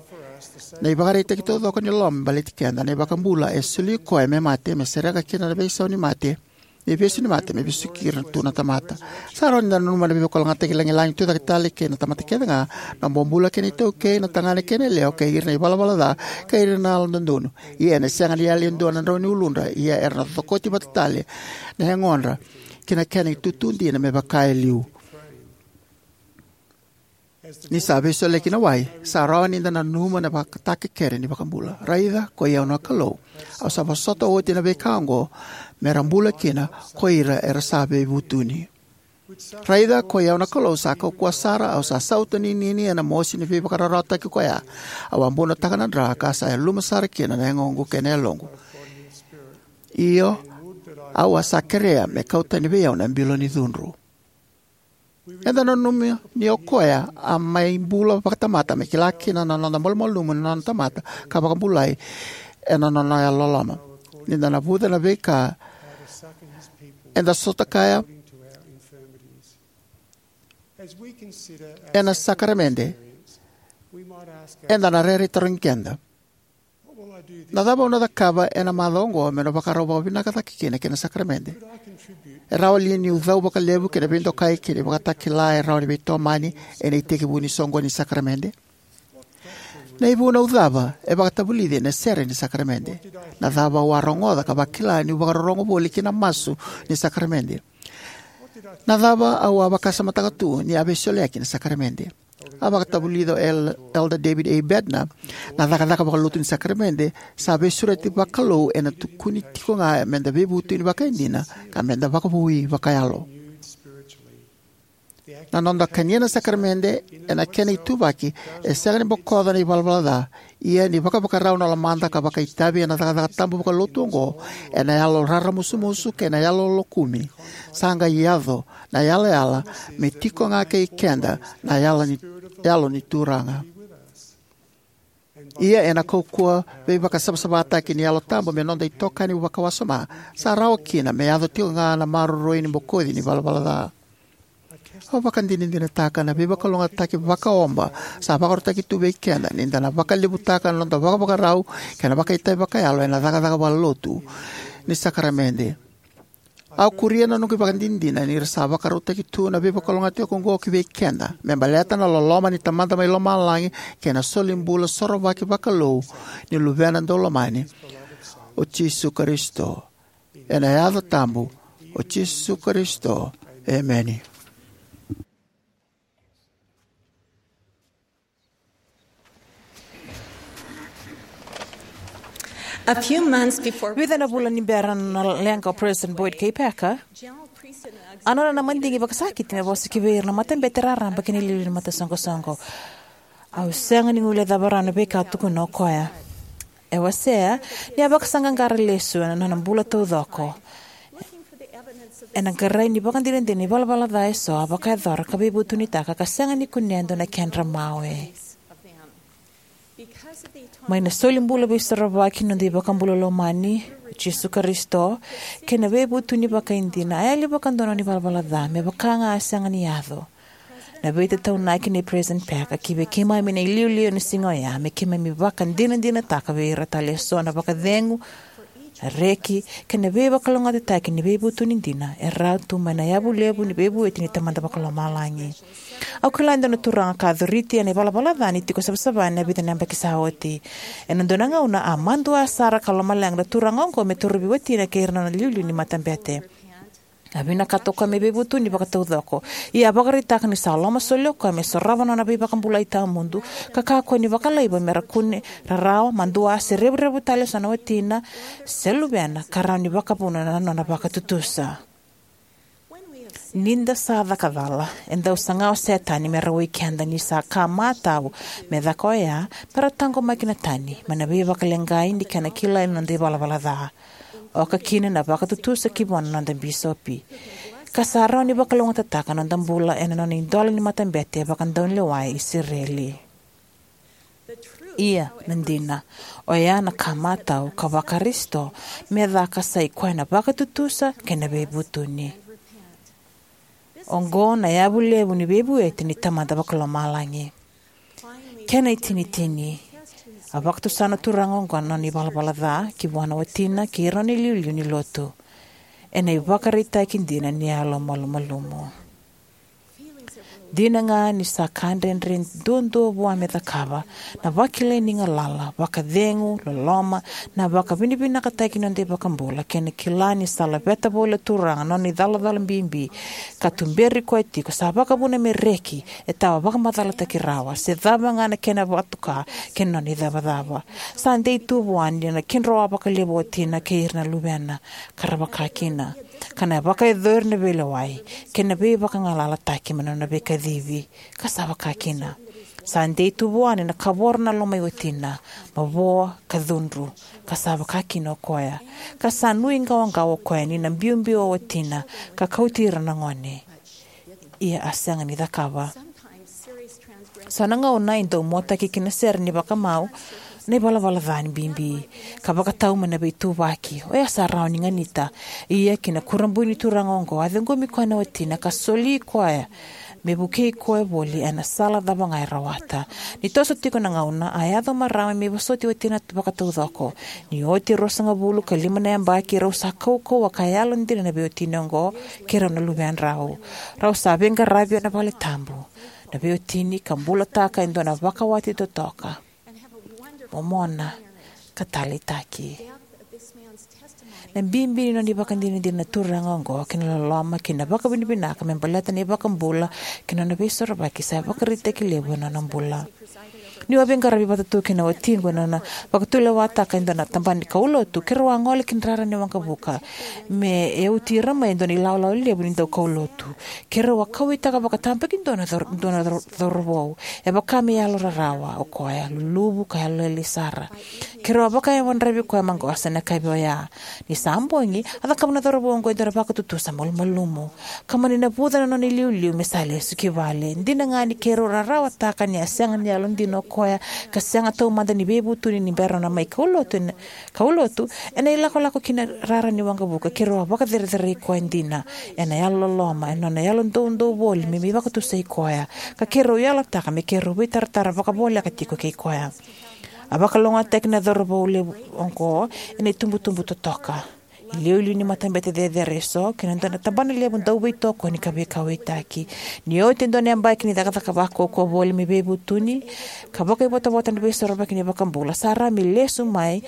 na ivakaraitaki taucoko ni loloma me baleti keda. Na iVakabula e soli koya me mate, me sereka kina na veisau ni mate, na ivesu ni mate, me vesuki ira tu na tamata. Sa rawa ni da nanuma na veivakalougatataki lagilagi tucake tale kei na tamata kece ga, na bobula kei na itaukei, na tagane kei na yalewa, kei ira na ivalavala ca, kei ira na yalododonu. Ia ena sega ni yali e dua na drau ni uludra, ia era na cokoti vata tale na yagodra ki na kena itutu dina me vaka e liu. Ni sa veisoliyaki na wai, sa rawa ni da nanuma na vakatakekere ni iVakabula: Raica, ko i au na Kalou, au sa vosota oti na veika oqo me ra bula kina ko ira era sa veivutuni. Raica, ko i au na Kalou sa kaukauwa sara, au sa sautaninini ena mosi ni veivakararawataki koya. Au a bunotaka na dra ka sa yaluma sara kina na yagoqu kei na yaloqu. Io, au a sa kerea me kau tani vei au na bilo ni cudru. Eda nanuma ni o koya a mai bula vakatamata me kila kina na noda malumalumu na nona tamata ka vakabulai ena nona yalololoma. Ni da navuca na veika eda sota kaya ena sakaramede, eda na rairai tarogi keda: Na cava au na cakava ena macawa oqo meu na vakarau vakavinaka cake kina ki na sakaramede? E rawa li niu cau vakalevu ki na veidokai kei na ivakatakila e rawa ni veitomani ena itekivu ni soqoni ni sakaramede? Na ivunau cava e vakatavulici ena sere ni sakaramede? Na cava au a rogoca ka vakila niu vakarorogo voli ki na masu ni sakaramede? Na cava au a vakasamataka tu ni a veisoliyaki na sakaramede? A vakatavulica o El- Elder David A. Bednar: Na cakacaka vakalotu ni sakaramede sa veisureti vakalou ena tukuni tiko ga meda veivutuni vakaidina ka meda vakavoui vakayalo. Na noda kania na sakaramede ena kena ituvaki e sega ni bokoca na ivalavala ca. Ia ni vakavakarau na lomada ka vakaitavi ena cakacaka tabu vakalotu oqo ena yalo raramusumusu kei na yalo lokumi, sa qai yaco na yalayala me tiko ga kei keda na yalo ni, yalo ni Turaga. Ia ena kaukauwa veivakasavasavataki ni Yalo Tabu me noda itokani vakawasoma, sa rawa kina me yaco tiko ga na maroroi ni bokoci ni valavala ca. Au vakadinadinataka na veivakalougatataki vakaoba sa vakarautaki tu vei keda ni da na vakalevutaka na noda vakavakarau kei na vakaitavi vakayalo ena cakacaka vakalotu ni sakaramede. Au kuria na noqu ivakadinadina ni ra sa vakarautaki tu na veivakalougatataki oqo ki vei keda me baleta na loloma ni Tamada mai Lomalagi kei na solibula sorovaki vakalou ni Luvena Daulomani, o Jisu Karisito. Ena yaca tabu o Jisu Karisito, emeni. A few months before Vica na vula ni bera na leqa o President Boyd K. Packer, a nona na madigi vakasakiti me vosa ki vei ira na matabete raraba kei na iliuliu ni matasoqosoqo. Au sega ni guilecava rawa na veika a tukuna o koya. E wasea ni a vakasaqaqara lesu ena nona bula taucoko ena qarai ni vakadinadina ni valavala ca eso a vakayacora ka veivutunitaka ka sega ni kunea e dua na kedra mawe. Mai na solibula veisorovaki ni noda iVakabula lomani, o Jisu Karisito, kei na veivutuni vakaidina, a yali vakadua na nona ivalavala ca me vaka ga a sega ni yaco. Na veitataunaki nei President Packer ki vei keimami na iliuliu ena siga oya me keimami vakadinadinataka vei ira tale eso na vakacegu, na reki, kei na veivakalougatataki ni veivutuni dina e rawa tu mai na yavu levu ni veivueti ni Tamada Vakalomalagi. Au kila e dua na turaga ka a coriti ena ivalavala ca ni tiko savasava ena vica na yabaki sa oti. Ena dua na gauna a madua sara ka lomaleqa na turaga oqo me torovi watina kei ira na nona iliuliu ni matabete. A vinakata o koya me veivutuni vakataucoko, ia a vakaraitaka ni sa lomasoli o koya me sorova na nona veivakabulai tawamudu ka kakua ni vakalaiva me ra kune rarawa, madua, se revurevu tale eso na watina se luvena ka rawa ni vakavuna na nona vakatutusa. Ni da sa caka cala, e dau saga o Setani me rawai keda ni sa ka matau me caka oya me ra taqomaki na tani mai na veivakaleqai ni kena kilai na noda ivalavala ca, oka kina na vakatutusa ki vua na noda bisopi. Ka sa rawa ni vakalougatataka na noda bula ena nona idola ni matabete e vakadaunilewa e Isireli. Ia, na dina, oya na ka matau ka vaKarisito me caka sa i koya na vakatutusa kei na veivutuni. Oqo na yavu levu ni veivueti ni Tamada Vakalomalagi. Kena itinitini, a vakatusa na turaga oqo na nona ivalavala ca ki vua na watina kei ira na nona iliuliu ni lotu ena ivakaraitaki dina ni yalomalumalumu. Dina ga ni sa ka dredre duadua vua me cakava, na vakilai ni galala, vakacegu, loloma, na vakavinavinakataki ni noda iVakabula, kei na kila ni sa laveta voli na Turaga na nona icalacala bibi ka tuberi koya tiko, sa vakavuna me reki e tawa vakamacalataki rawa se cava ga na kena vakatoka kei na nona icavacava. Sa dei tu vua ni na kidroa vakalevu o watina kei ira na luvena ka ra vaka kina, ka na vakayacori na veilewai kei na veivakagalalataki mai na nona veikacivi, ka sa vaka kina. Sa dei tu vua ni na kavoro na lomai watina, mavoa ka cudru, ka sa vaka kina o koya. Ka sa nuiqawaqawa o koya ni na biubiu o watina ka kauti ira na gone. Ia a sega ni cakava. So na gauna e dau muataki kina sere ni vakamau na ivalavala ca ni bibi ka vakatau mai na veituvaki, oya sa rawa ni ganita. Ia ki na kurabui ni turaga oqo, a ciqomi koya na watina ka soli koya me vukei koya voli ena sala cava ga e rawata. Ni toso tiko na gauna, a yaco o marama me vosoti watina vakataucoko. Ni oti e ruasagavulu ka lima na yabaki, rau sa kaukauwa ka yalodina na veiwatini oqo kei rau na luvedrau. Rau sa veiqaravi ena vale tabu na veiwatini ka bulataka e dua na vakawati totoka, momona, ka taleitaki. Na bibi ni nona ivakadinadina na turaga oqo kei na loloma kei na vakavinavinaka me baleta na iVakabula kei na nona veisorovaki sa ivakaraitaki levu ena nona bula. Niu a veiqaravi vata tu kei na watiqu ena nona vakatulewataka e dua na tabana ni kaulotu, keirau a gole ki na rara ni waqavuka me yauti ira mai e dua na ilawalawa levu ni daukaulotu. Keirau a kauwaitaka vakatabakidua na cau-, dua na cau-, cauravou. E vaka me yalo rarawa o koya, luluvu ka yalolailai sara. Keirau a vakayadravi koya maqosa ena yakavi oya. Ni sa bogi, a cakava na cauravou oqo e dua na vakatutusa malumalumu ka mani navuca na nona iliuliu me sa lesu ki vale. Dina ga ni keirau rarawataka ni a sega ni yalodina o koya ka sega taumada ni veivutuni ni bera nona mai kaulotu ena, kaulotu, ena ilakolako ki na rara ni waqavuka, keirau a vakacerecerei koya dina ena yalololoma, ena nona yalodoudou voli me mai vakatusai koya, ka keirau yalataka me keirau veitaratara vakavoleka tiko kei koya. A vakalougatataki na cauravou levu oqo ena itubutubu totoka, iliuliu ni matabete cecere eso kei na dua na tabana levu dauveitokoni ka veikauwaitaki. Ni oti e dua na yabaki ni cakacaka vakaukauwa voli me veivutuni ka vakaivotavota ena veisorovaki ni iVakabula, sa rawa me lesu mai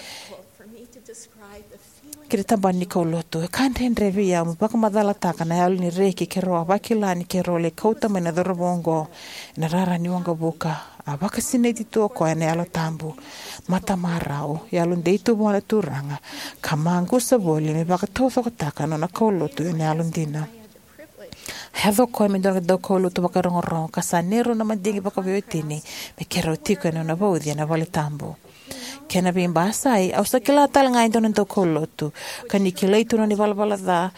ki na tabana ni kaulotu. E ka dredre vei au meu vakamacalataka na yalo ni reki keirau a vakila ni keirau lai kauta mai na cauravou oqo ena rara ni waqavuka. A vakasinaiti tu o koya ena Yalo Tabu, matamarau, yalodei tu vua na Turaga, ka maqusa voli me vakataucokotaka na nona kaulotu ena yalodina. A yaco o koya me dua na daukaulotu vakarogorogo ka sa neirau na madigi vakaveiwatini me keirau tiko ena nona vauci ena vale tabu. Kena veibasai, au sa kila tale ga e dua na daukaulotu, ka ni kilai tu na nona ivalavala ca,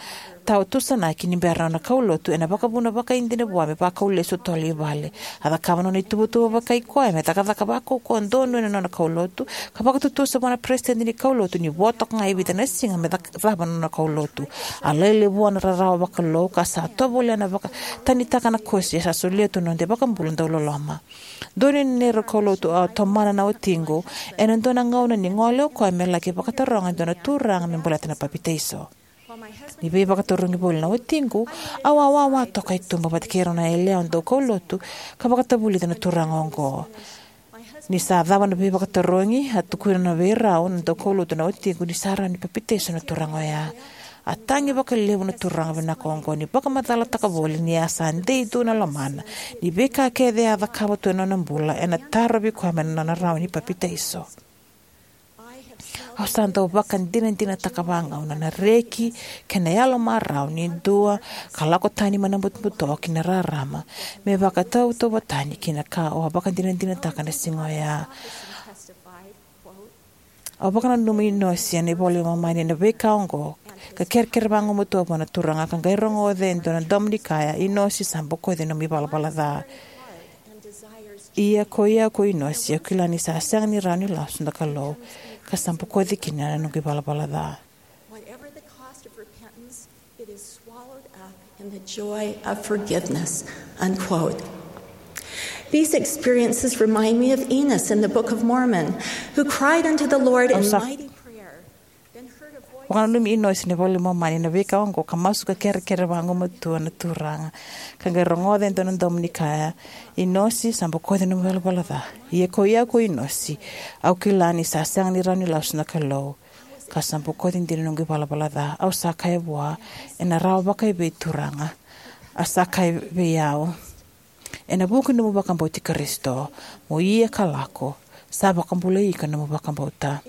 tawa tusanaki ni bera na nona kaulotu ena vakavuna vakaidina vua me vakau lesu totolo i vale. A cakava na nona ituvatuva vakaikoya me cakacaka vakaukauwa donu ena nona kaulotu, ka vakatutusa vua na peresitedi ni kaulotu ni vo toka ga e vica na siga me cak- cava na nona kaulotu. A lailai vua na rarawa vakalou, ka sa tovolea na vakatanitaka na kosi e sa solia tu na noda iVakabula dauloloma. Donuya na neirau kaulotu, au a tomana na watiqu ena dua na gauna ni gole o koya me laki vakataroga e dua na turaga me baleta na papitaiso. Ni veivakatarogi voli na watiqu, au a wawa toka e tuba vata kei rau na yalewa daukaulotu ka vakatavulica na turaga oqo. Ni sa cava na veivakatarogi, a tukuna vei rau na daukaulotu na watiqu ni sa rawa ni papitaiso na turaga oya. A tagi vakalevu na turaga vinaka oqo ni vakamacalataka voli ni a sa dei tu na lomana, ni veika kece a cakava tu ena nona bula ena tarovi koya mai na nona rawa ni papitaiso. Au sa dau vakadinadinataka vagauna na reki kei na yalo marau ni dua ka lako tani mai na butobuto ki na rarama me vakatautauvatani kei na ka au a vakadinadinataka na siga oya. Au vakananuma Inosi ena iVola i Momani ena veika oqo, ka kerekere vagumatua vua na Turaga, ka qai rogoca e dua na domo ni kaya, Inosi, sa bokoci nomu ivalavala ca. Ia ko i au ko Inosi, au kila ni sa sega ni rawa ni lasu na Kalou, ka sa bokoci kina na noqu ivalavala ca. Whatever the cost of repentance, it is swallowed up in the joy of forgiveness. Unquote. These experiences remind me of Enos in the Book of Mormon, who cried unto the Lord in mighty prayer. Vakananumi Inosi ena iVola i Momani ena veika oqo, ka masu ka kerekere vagumatua na Turaga, ka qai rogoca e dua na domo ni kaya, Inosi, sa bokoci nomu ivalavala ca. Ia ko i au ko Inosi, au kila ni sa sega ni rawa ni lasu na Kalou, ka sa bokoci dina noqu ivalavala ca. Au sa kaya vua, ena rawa vakaevei Turaga? A sa kaya vei au, ena vuku ni nomu vakabauti Karisito, mo ia ka lako, sa vakabulai iko na nomu vakabauta.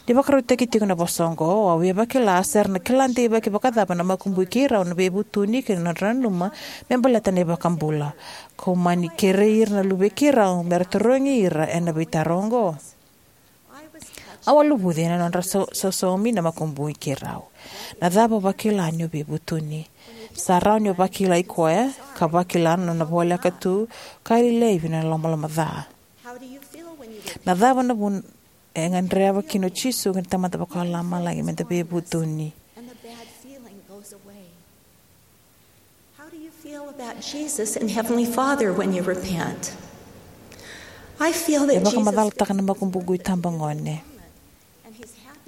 Ni vakarautaki tiko na vosa oqo, au via vakila se ra na kila deivaki vakacava na makubui keirau na veivutuni kei na nodra nanuma me baleta na iVakabula. Kau mani kerei ira na luvei keirau me ra tarogi ira ena veitaro oqo. Au a luvuci ena nodra sau- sausaumi na makubui keirau. Na cava o vakila ni o veivutuni? Sa rawa ni o vakilai koya, ka vakila na nona voleka tu, ka lelevi na lomaloma ca. Na cava na vuna e gadreva kina o Jisu kei na Tamada Vakalomalagi me da veivutuni? How do you feel about Jesus and Heavenly Father when you repent? I feel E that Jesus vakamacalataka na makubuqu itabagone.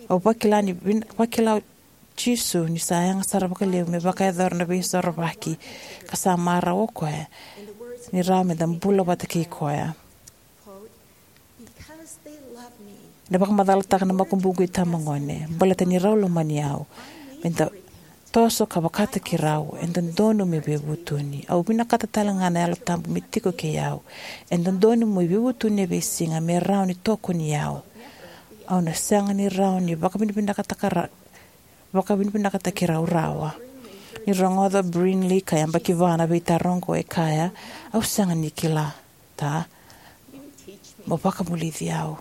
Au vakila ni vin- vakila o Jisu ni sa yaga sara vakalevu me vakayacora na veisorovaki, ka sa marau o koya ni rawa me da bula vata kei koya. Because they love me. Na vakamacalataka na makubuqu itabagone, baleta ni rau lomani au, me da toso ka vakataki rau, e dodonu me veivutuni. Au vinakata tale ga na Yalo Tabu me tiko kei au. E dodonu mo veivutuni e veisiga me rawa ni tokoni au. Au na sega ni rawa ni vakavinavinakataka ra- vakavinavinakataki rau rawa. Ni rogoca o Brynlee ka yabaki va na veitaro oqo, e kaya, au sega ni kila, ta, mo vakavulici au.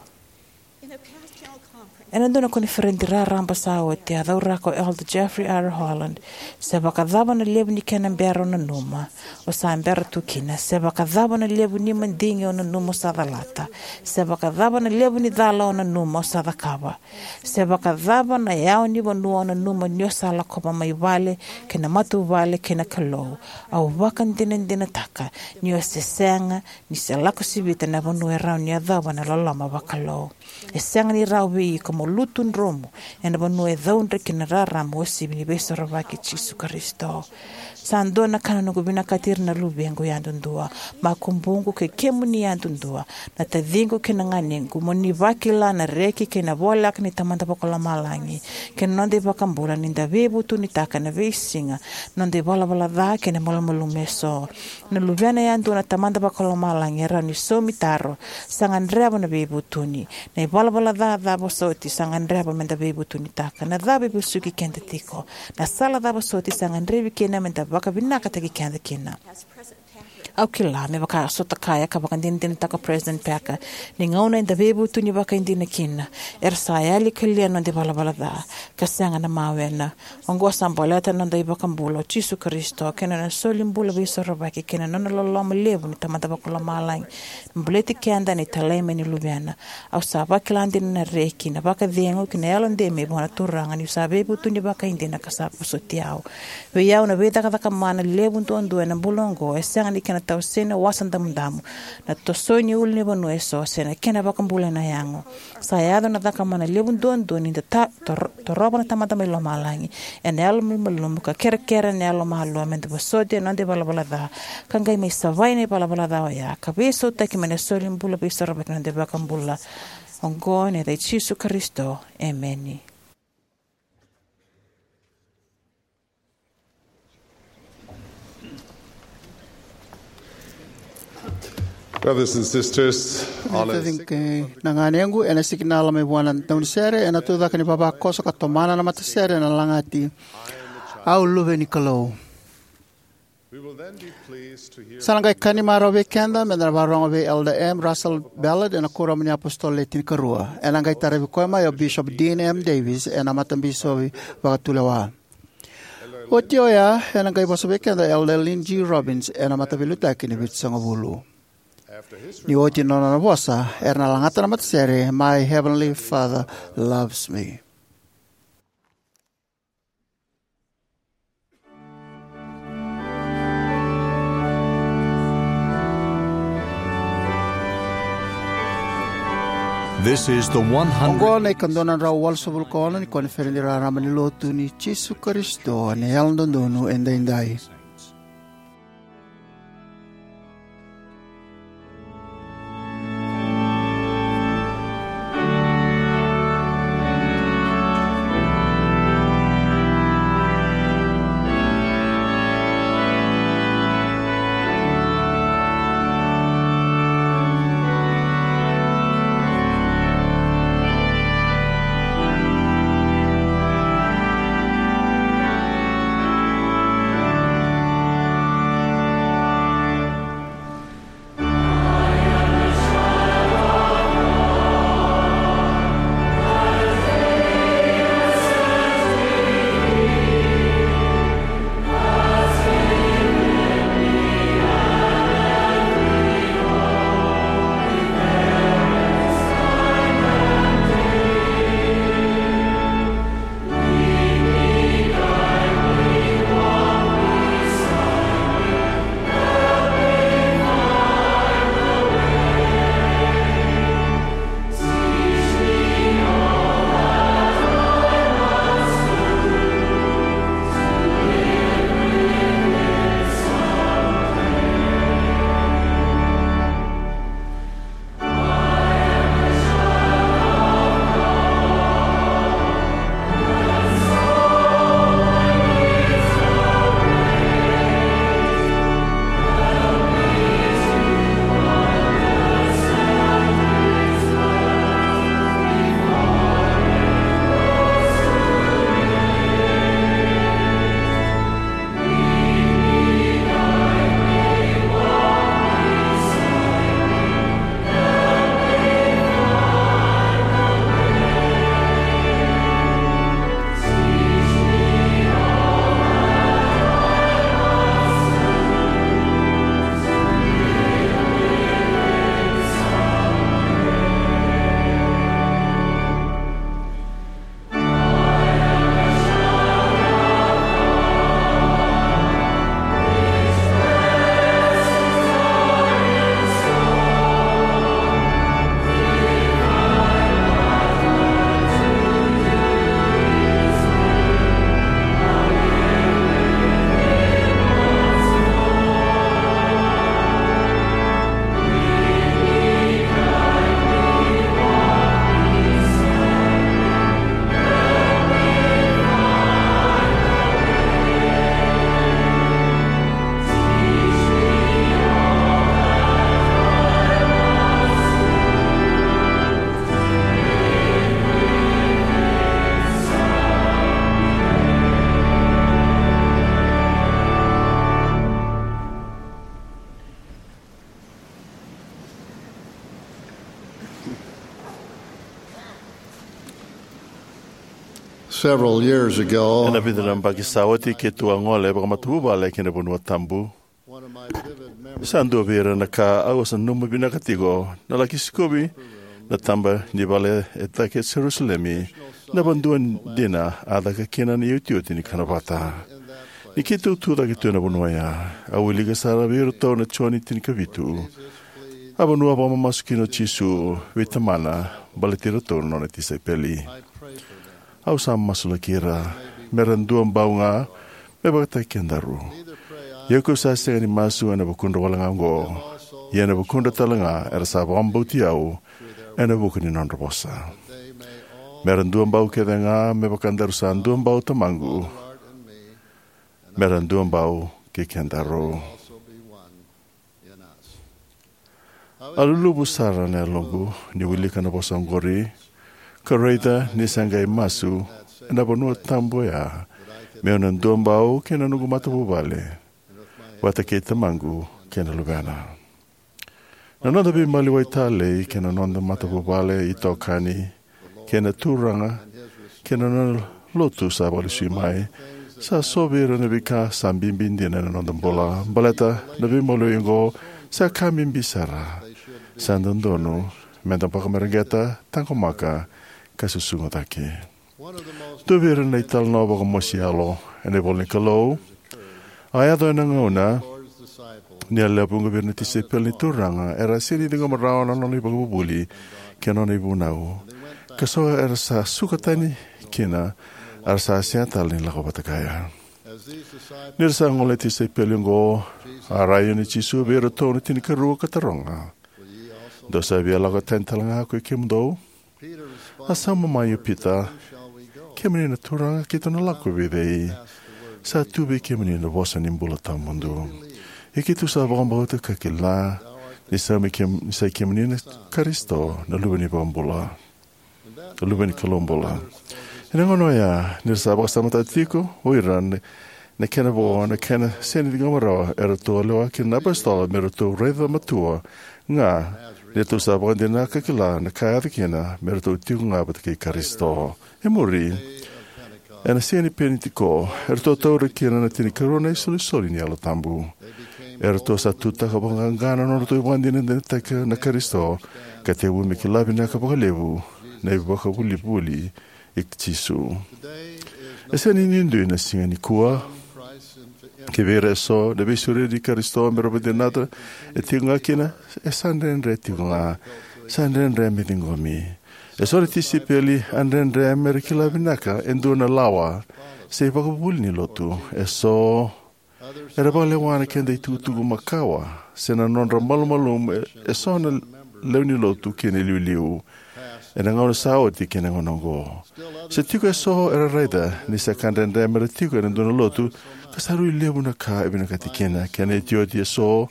Ena dua na koniferedi raraba sa oti, a cauraka o Elder Jeffrey R. Holland, se vakacava na levu ni kena bera o nanuma, o sa bera tu kina. Se vakacava na levu ni madigi o nanuma, o sa calata. Se vakacava na levu ni cala o nanuma, o sa cakava. Se vakacava na yawa ni vanua o nanuma ni o sa lakova mai vale kei na matavuvale kei na Kalou, au vakadinadinataka ni o se sega ni se lako sivita na vanua e rawa ni yacova na loloma vakalou. E sega ni rawa vei iko mo lutu dromu ena vanua e caudre kina na rarama uasivi ni Veisorovaki i Jisu Karisito. Sa dua na ka na noqu vinakati ira na luvequ yadudua, makubuqu kei kemuni yadudua, na taciqu kei na ganequ, mo ni vakila na reki kei na voleka ni Tamada Vakalomalagi kei na noda iVakabula, ni da veivutunitaka ena veisiga na noda ivalavala ca kei na malumalumu eso. Na luvena yadua na Tamada Vakalomalagi e rawa ni saumi taro, sa gadreva na veivutuni. Na ivalavala ca cava soti sa gadreva me da veivutunitaka? Na cava e vesuki keda tiko? Na sala cava soti sa gadrevi kina me da vakavinakataki keda kina? Au kila, me vaka a sota kaya ka vakadinadinataka o President Packer, ni gauna eda veivutuni vakaidina kina, era sa yali kalia na noda ivalavala ca, ka sega na mawena. Oqo sa baleta na noda iVakabula o Jisu Karisito, kei na nona soli bula veisorovaki, kei na nona loloma levu ni Tamada Vakalomalagi, me baleti keda ena italai mai ni Luvena. Au sa vakila dina na reki, na vakacegu kei na yalodei mai vua na Turaga, niu sa veivutuni vakaidina ka sa vosoti au. Vei au na veicakacaka mana levu duadua ena bula oqo, e sega ni kena tawasei na Wasa Damudamu, na tosoi ni ulunivanua eso, se na kena vakabulai na yago. Sa yaco na cakamana levu duadua ni da ta-, tor-, torova na Tamada mai lomalagi ena yalo malumalumu, ka kerekere ena yalomalua me da vosoti ena noda ivalavala ca, ka qai mai savai na ivalavala ca oya, ka veisautaki mai na soli bula veisorovaki na noda iVakabula. Oqo ena yaca i Jisu Karisito. Emeni. Brothers and sisters, all is Tacida kei na ganequ, ena sikinala mai vua na daunisere, ena tucake ni vavakoso ka tomana na matasere ena lagati, "Au luve ni Kalou." We will then be pleased to hear Sa na qai ka ni marau vei keda, me da na vakarorogo vei Elder M. Russell Ballard, ena Kuoramu ni iApositolo Le Tinikarua. Ena qai tarovi koya mai o Bishop Dean M. Davis, ena Matabisopi Vakatulewa. Oti oya, ena qai vosa vei keda o Elder Lynn G. Robbins, ena Mataveiliutaki ni Vitusagavulu. Ni oti na nona vosa, era na lagata na matasere, "My Heavenly Father Loves Me." This is the one hundred Oqo na ikadua na drau walusagavulu ka ono ni koniferedi raraba ni lotu ni Jisu Karisito ni Yalododonu Edaidai. Several years ago, ena vica na yabaki sa oti, keitou a gole vakamatavuvale ki na vanua tabu. Sa dua vei ira na ka au sa nanuma vinaka tiko na laki sikovi na taba ni vale e cake e Jerusalemi, na vanua dina a caka kina na iotioti ni kana vata. Ni keitou tu cake tu ena vanua oya, au wilika sara vei iratou na Joni tinikavitu, a vanua a vakamamasu kina o Jisu vei Tamana baleti iratou na nona tisaipeli. Au sa masulaki ira me ra duabau ga me vakataki kedaru. Ia kau sa sega ni masu ena vukudra wale ga oqo, ia ena vukudra tale ga era sa vakabauti au ena vuku ni nodra vosa, me ra duabau kece ga me vaka daru sa duabau Tamaqu, me ra duabau kei kedaru. A luluvu sara na yaloqu ni wilika na vosa oqori, ka raica ni sa qai masu ena vanua tabu oya, meu na duabau kei na noqu matavuvale, vata kei Tamaqu kei na Luvena. Na noda veimaliwai talei kei na noda matavuvale, itokani, kei na Turaga kei na nona lotu sa vakalesui mai, sa so vei ira na veika sa bibi dina ena noda bula. Baleta na veimaliwai oqo sa ka bibi sara, sa dodonu meda vakamareqeta, taqomaka, ka susuga cake. Dua vei ira na italanoa vakamosi yalo ena ivola ni Kalou a yaco ena gauna ni a lewe vuqa vei ira na tisaipeli ni Turaga era a sega ni ciqoma rawa na nona ivakavuvuli kei na nona ivunau, ka so era sa suka tani kina, era sa sega tale ni lako vata kaya. Ni ra sa gole na tisaipeli oqo, a rai yani o Jisu vei iratou na tinikarua ka taroga, "Dou sa via lako tani tale ga ko i kemudou?" A sauma mai o Pita, "Kemuni na Turaga, keitou na lako vei cei? Sa tu vei kemuni na vosa ni bula tawamudu. Ia keitou sa vakabauta ka kila ni sa mai kem-, ni sa i kemuni na Karisito, na Luve ni Vakabula, na Luve ni Kalou bula." Ena gauna oya, ni ra sa vakasamataka tiko o ira na, na kena vo, na kena sega ni ciqoma rawa, eratou a lewa kina na apositolo me ratou raica matua ga ni ratou sa vakadinata ka kila na ka e yaco kina, me ratou tiko ga vata kei Karisito. E muri, ena siga ni Penitiko, eratou taura kina na tinikarua na isolisoli ni Yalo Tabu. Eratou sa tutaka vakaqaqa na nodratou ivakadinadinataka na Karisito, ka tekivu me kila vinaka vakalevu na ivakavuvuli i Jisu. E sega ni duidui na siga nikua. Kivei ira eso, na veisureti i Karisito me ra vakadinata e tiko ga kina, e sa dredre tiko ga. Sa dredre me ciqomi. Eso na tisaipeli a dredre me ra kila vinaka e dua na lawa se ivakavuvuli ni lotu. Eso era vakalewa na keda itukutuku makawa se na nodra malumalumu e, eso na lewe ni lotu kei na iliuliu ena gauna sa oti kei na gauna oqo. Se tiko eso era raica ni sa ka dredre me ra tiko ena dua na lotu ka sa rui levu na ka e vinakati kina, kei na iotioti eso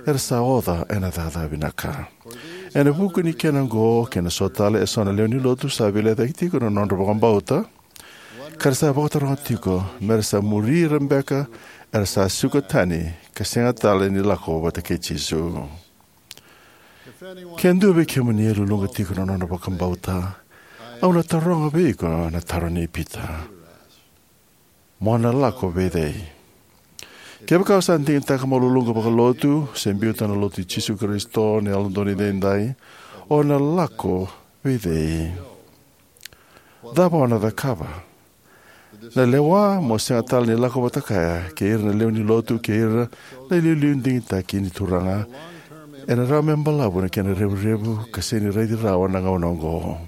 era sa oca ena cakacaka vinaka. Ena vuku ni kena oqo kei na so tale, eso na lewe ni lotu sa veilecayaki tiko na nodra vakabauta, ka ra sa vakataroga tiko me ra sa muri ira beka era sa suka tani ka sega tale ni lako vata kei Jisu. Ke dua vei kemuni e luluqa tiko na nona vakabauta, au na taroga vei iko na taro nei Pita: "Mo na lako vei cei?" Kevaka o sa digitaka mo luluqa vakalotu se biuta na Lotu i Jisu Karisito ni Yalododonu Edaidai, o na lako vei cei? Cava o na cakava? Na lewa mo sega tale ni lako vata kaya kei ira na lewe ni lotu kei ira na iliuliu digitaki ni Turaga ena rawa me balavu na kena revurevu ka sega ni raici rawa na gauna oqo.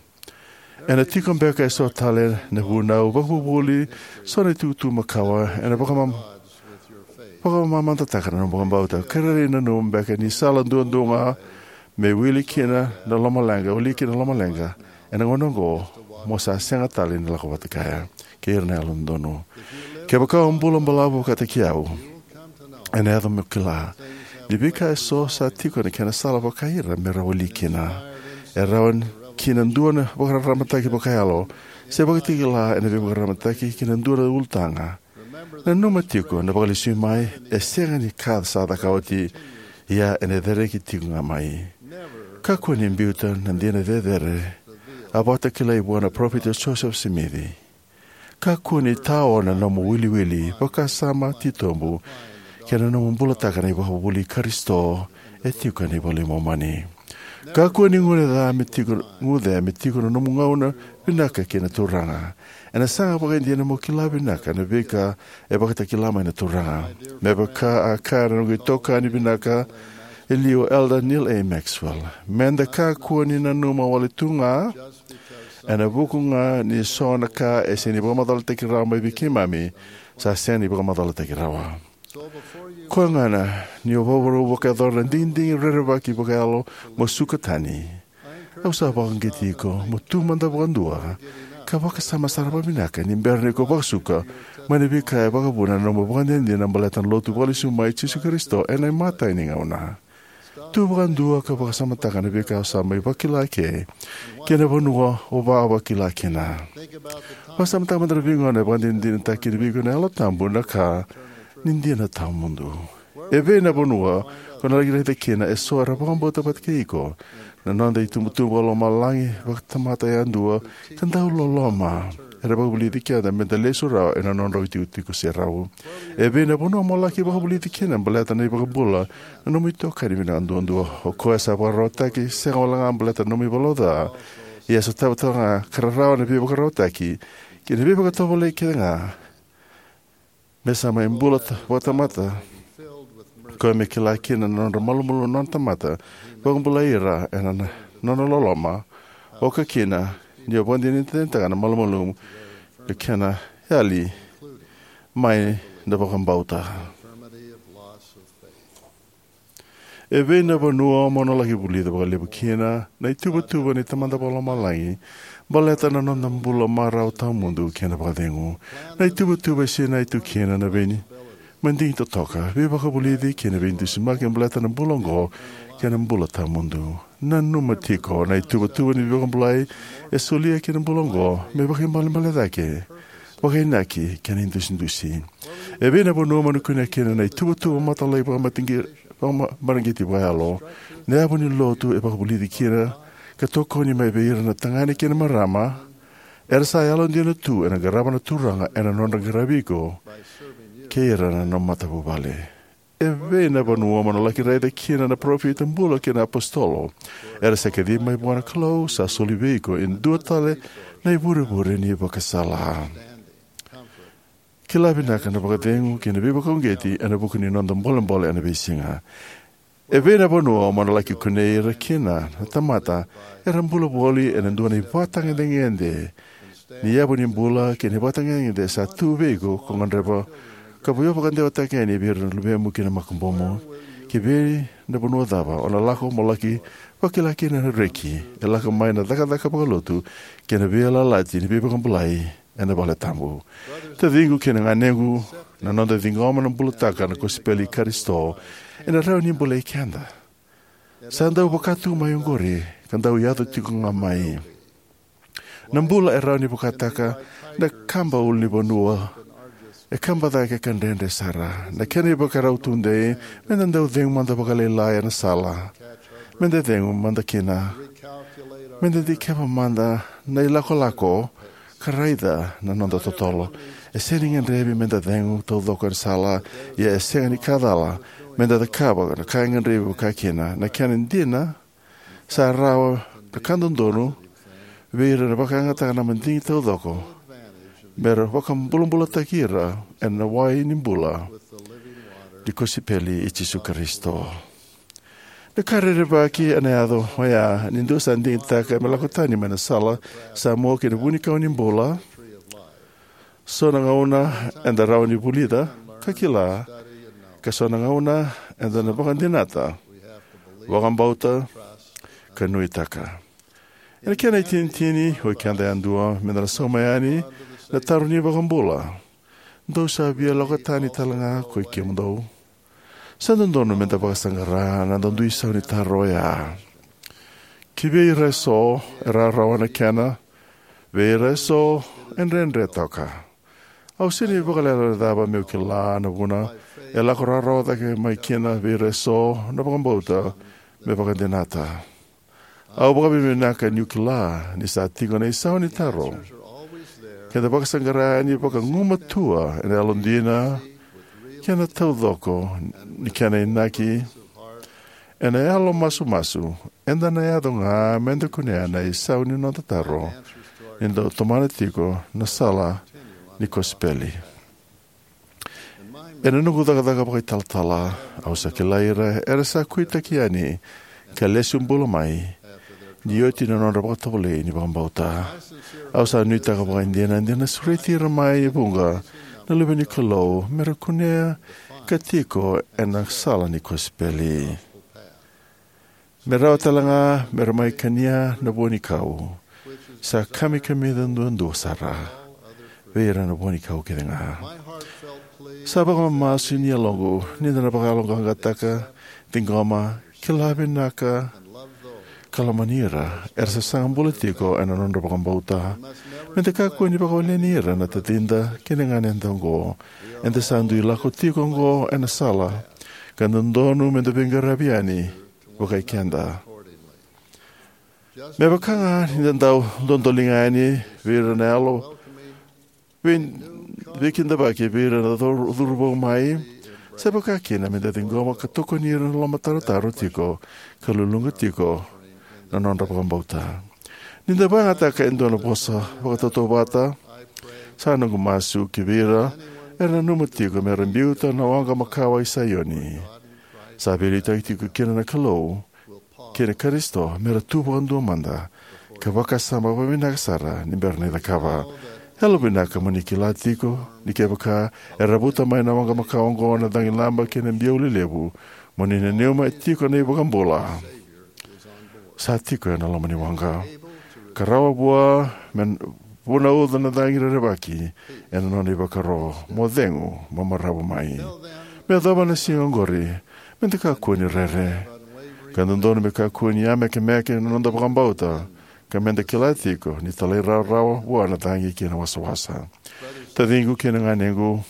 Ena tiko beka eso tale na vunau vakavuvuli, so na itukutuku makawa ena vakamam-, vakamamadataka na nomu vakabauta. Ka rairai nanuma beka ni sala duadua ga me wili kina na lomaleqa, wili kina na lomaleqa ena gauna oqo, mo sa sega tale ni lako vata kaya kei ira na yalododonu. Kevaka o bula balavu vakataki au, ena yaco mo kila ni veika eso sa tiko na kena sala vakaira me ra wili kina. E rawa kina dua na vakararamataki vakayalo se vakatakila ena veivakararamataki ki na dua na ulutaga. Nanuma tiko na vakalesui mai e sega ni ka sa caka oti, ia ena cereki tiko ga mai. Kakua ni biuta na dina cecere a vakatakilai vua na Parofita Josefa Simici. Kakua ni tao na nomu wiliwili, vakasama titobu, kei na nomu bulataka na ivakavuvuli i Karisito e tiko ena iVola i Momani. Kakua ni guce me tiko, guce me tiko na nomu gauna vinaka kei na Turaga. Ena saga vakaidina mo kila vinaka na veika e vakatakila mai na Turaga. Me vaka a kaya na noqu itokani vinaka e liu, Elder Neal A. Maxwell, meda kakua ni nanuma wale tu ga ena vuku ga ni so na ka e sega ni vakamacalataki rawa mai vei keimami, sa sega ni vakamacalataki rawa. Koya gona, ni o vakarau vakayacora na digidigi rerevaki vakayalo mo suka tani, au sa vakauqeti iko mo tu mada vakadua ka vakasama sara vakavinaka ni bera ni ko vakasuka mai na veika e vakavuna na nomu ivakadinadina baleta na Lotu vakalesui mai i Jisu Karisito ena imatai ni gauna. Tu vakadua ka vakasamataka na veika o sa mai vakila eke kei na vanua o vakila kina. Vakasamataka mada na veigauna e vakadinadinataki kina vei iko na Yalo Tabu na ka ni dina tawamudu. Evei na vanua ko na laki raica kina eso era vakabauta vata kei iko, na noda itubutubu vakalomalagi vakatamata yadua ka dau loloma, era vakavulici keda meda lesu rawa ena nodrau itikotiko serau? Evei na vanua mo laki vakavulici kina baleta na iVakabula na nomu itokani vinaka duadua, o koya sa vakararawataki sega walega baleta na nomu ivalavala ca, ia sa tautauvata ka rarawa na veivakararawataki kei na veivakatovolei kece ga, me sa mai bula ta- vakatamata, koya me kila kina na nodra malumalumu na nona tamata, vakabulai ira ena na- nona loloma, oka kina ni o vakadinadinataka na malumalumu ni kena yali mai na vakabauta. Evei na vanua mo na laki vulica vakalevu kina na ituvatuva ni Tamada Vakalomalagi baleta na noda bula marau tawamudu kei na vakacegu? Na ituvatuva e sinai tu kina na vei madigi totoka, veivakavulici kei na veidusimaki baleta na bula oqo kei na bula tawamudu. Nanuma tiko, na ituvatuva ni veivakabulai e solia ki na bula oqo me vakaibalebale cake, vakainaki kei na idusidusi. Evei na vanua mo na kunea kina na ituvatuva matalailai vakamareqeti vakayalo? Na yavu ni Lotu e vakavulici kina ka tokoni mai vei ira na tagane kei na marama era sa yalodina tu ena qarava na Turaga ena nodra qaravi iko kei ira na nomu matavuvale. Evei na vanua mo na laki raica kina na parofita bula kei na apositolo era sa kacivi mai vua na Kalou, sa soli vei iko e dua tale na ivurevure ni ivakasala, kila vinaka, na vakacegu kei na veivakauqeti ena vuku ni noda bolebole ena veisiga? Evei na vanua mo na laki kunei ira kina na tamata era bula voli ena dua na ivakatagedegede ni yavu ni bula kei na ivakatagedegede sa tu vei iko ko gadreva ka vakadeitaki yani vei ira na luvemu kei na makubumu? Kei na vanua cava o na lako mo laki vakila kina na reki e lako mai na cakacaka vakalotu kei na veiyalayalati ni veivakabulai ena valetabu? Taciqu kei na ganequ, na noda ciqoma na bulataka na kosipeli i Karisito ena rawa ni bolei keda. Sa dau vaka tu mai oqori ka dau yaco tiko ga mai. Na bula e rawa ni vakataka na kaba ulunivanua, e kaba cake ka dredre sara. Na kena ivakarau tudei me da dau cegu mada vakalailai ena sala, me da cegu mada kina, me da dikeva mada na ilakolako ka raica na noda totolo. E sega ni gadrevi me da cegu taucoko ena sala, ia e sega ni ka cala me da cakava na ka e gadrevi vakakina. Na kena dina, sa rawa na ka dodonu vei ira na vakayagataka na madigi taucoko me ra vakabulabulataki ira ena wai ni bula ni kosipeli i Jisu Karisito. Na ka rerevaki ena yaco oya ni dua sa digitaka me lako tani mai na sala sa mua ki na vunikau ni bula. So na gauna eda rawa ni vulica ka kila, ka so na gauna eda na vakadinata, vakabauta, ka nuitaka. Ena kena itinitini, o keda yadua meda na sauma yani na taro ni iVakabula: "Dou sa via lako tani tale ga koi kemudou?" Sa dodonu meda vakasaqara na noda dui sau ni taro oya. Ki vei ira eso e rawarawa na kena, vei ira eso e dredre toka. Au sega ni vakalecalecava meu kila na vuna e lako rawarawa cake mai kina vei ira eso na vakabauta me vakadinata. Au vakavinavinaka niu kila ni sa tiko na isau ni taro Keda vakasaqara yani vakagumatua ena yalodina kei na taucoko ni kena inaki, ena yalo masumasu, eda na yaco ga meda kunea na isau ni noda taro ni da tomana tiko na sala ni kosipeli. Ena noqu cakacaka vakaitalatala, au sa kilai ira era sa kuitaki yani ka lesu bula mai ni oti na nodra vakatovolei ni vakabauta. Au sa nuitaka vakaidina ni na sureti ira mai e vuqa na luve ni Kalou me ra kunea ka tiko ena sala ni kosipeli, me rawa tale ga me ra mai kania na vua ni kau, sa kamikamica duadua sara vei ira na vua ni kau kece ga. Sa vakamamasu ni yaloqu ni da na vakayaloqaqataka, ciqoma, kila vinaka, ka lomani ira era sa saga bula tiko ena nodra vakabauta. Me da kakua ni vakawaleni ira na tacida kei na ganeda oqo. Eda sa dui lako tiko oqo ena sala ka dodonu me da veiqaravi yani vakai keda. Me vaka ga ni da dau dodoliga yani vei ira na yalo vei, veikidavaki vei ira na curu, curuvou mai, sa vaka kina me da ciqoma ka tokoni ira na lomatarotaro tiko ka luluqa tiko na nodra vakabauta. Ni da vakayagataka e dua na vosa vakatautauvata, sa noqu masu ki vei ira era nanuma tiko me ra biuta na waqa makawa i Saioni. Sa veiliutaki tiko kina na Kalou kei na Karisito me ra tu vakadua mada ka vakasama vakavinaka sara ni bera ni cakava. Yalovinaka mo ni kila tiko ni kevaka era vuta mai na waqa makawa oqo na cagilaba kei na biau lelevu, mo ni nanuma e tiko na iVakabula sa tiko ena loma ni waqa, ka rawa vua me vunauca na cagi rerevaki ena nona ivakaro. Mo cegu, mo maravu mai. Me yacova na siga oqori, me da kakua ni rere ka dodonu me kakua ni yamekemeke na noda vakabauta, ka me da kila tiko ni talairawarawa vua na cagi kei na wasawasa. Taciqu kei na ganequ,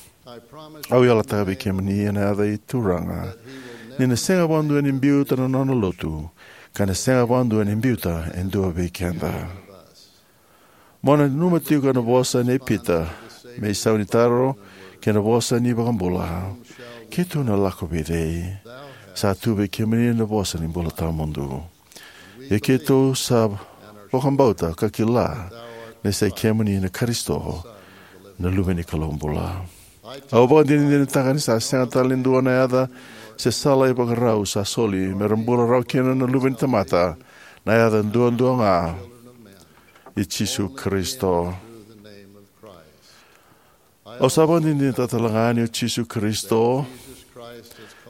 au yalataka vei kemuni ena yaca i Turaga ni na sega vakadua ni biuta na nona lotu, ka na sega vakadua ni biuta e dua vei keda. Mo nanuma tiko na vosa nei Pita me isau ni taro kei na vosa ni iVakabula: Keitou na lako vei cei? Sa tu vei kemuni na vosa ni bula tawamudu. Ia keitou sa vakabauta ka kila ni sa i kemuni na Karisito, na Luve ni Kalou bula. Au vakadinadinataka ni sa sega tale ni dua na yaca se sala ivakarau sa soli me ra bula rawa kina na luve ni tamata, na yaca duadua ga i Jisu Karisito. Au sa vakadinadinataka talega ni o Jisu Karisito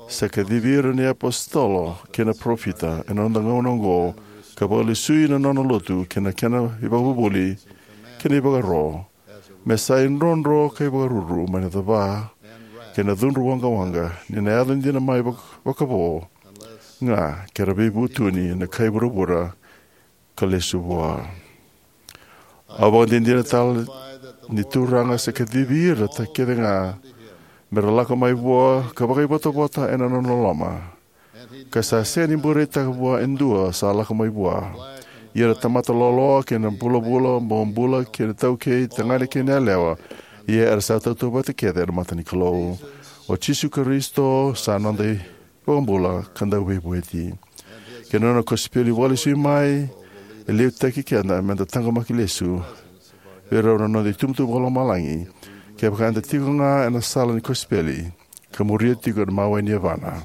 sa kacivi ira na iapositolo kei na parofita ena noda gauna oqo, ka vakalesui na nona lotu kei na kena ivakavuvuli kei na ivakaro, me sa idrodro ka ivakaruru mai na cava kei na cudru waqawaqa, ni na yaco dina mai vak-, vakavo ga ke ra veivutuni na kai vuravura ka lesu vua. Au vakadinadina tale ni Turaga sa kacivi ira ta kece ga me ra lako mai vua ka vakaivotavota ena nona loloma, ka sa sega ni bureitaka vua e dua sa lako mai vua. Ia na tamata loaloa kei na vulavula, bobula kei na taukei, tagane kei na yalewa, ia era sa tautauvata kece ena mata ni Kalou. O Jisu Karisito sa noda iVakabula ka Dauveivueti, kei na nona kosipeli vakalesui mai e liutaki keda me da taqomaki lesu vei rau na noda itubutubu vakalomalagi, kevaka eda tiko ga ena sala ni kosipeli ka muria tiko na mawe ni yavana.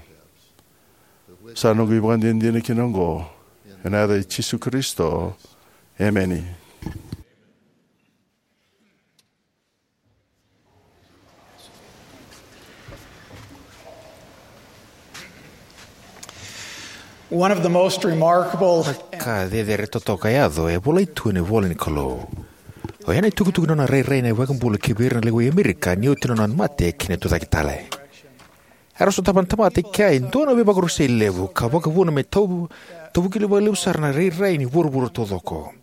Sa noqu ivakadinadina kina oqo ena yaca i Jisu Karisito. Emeni. One of the most remarkable Ka cecere totoka e yaco e volai tu ena ivola ni Kalou. Oya na itukutuku ni nona rairai na iVakabula ki vei ira na lewei Amerika ni oti na nona mate kei na tucake tale. Era sotava na tamata i kea e dua na veivakarusai levu ka vakavuna me tau-, taukili vakalevu sara na rairai ni vuravura taucoko.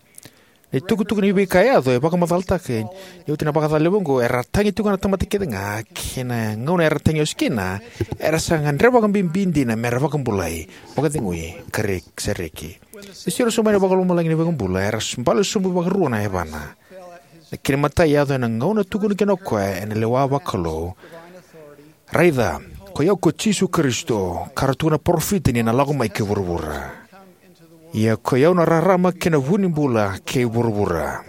Na itukutuku ni veika e yaco e vakamacalataka ni oti na vakacala levu oqo, era tagi tiko ga na tamata kece ga, kei na gauna era tagi ose kina, era sa gadreva vakabibi dina me ra vakabulai, vakacegui, ka re-, sereki. Ni siro sobu mai na vakalomalagi ni iVakabula, era s-, bale sobu vakarua na yavana. Na kena imatai e yaco ena gauna tukuna kina o koya ena lewa vakalou, "Raica, koi au ko Jisu Karisito, ka ra tukuna na parofita ni na lako mai ki vuravura. Ia koi au na rarama kei na vu ni bula kei vuravura."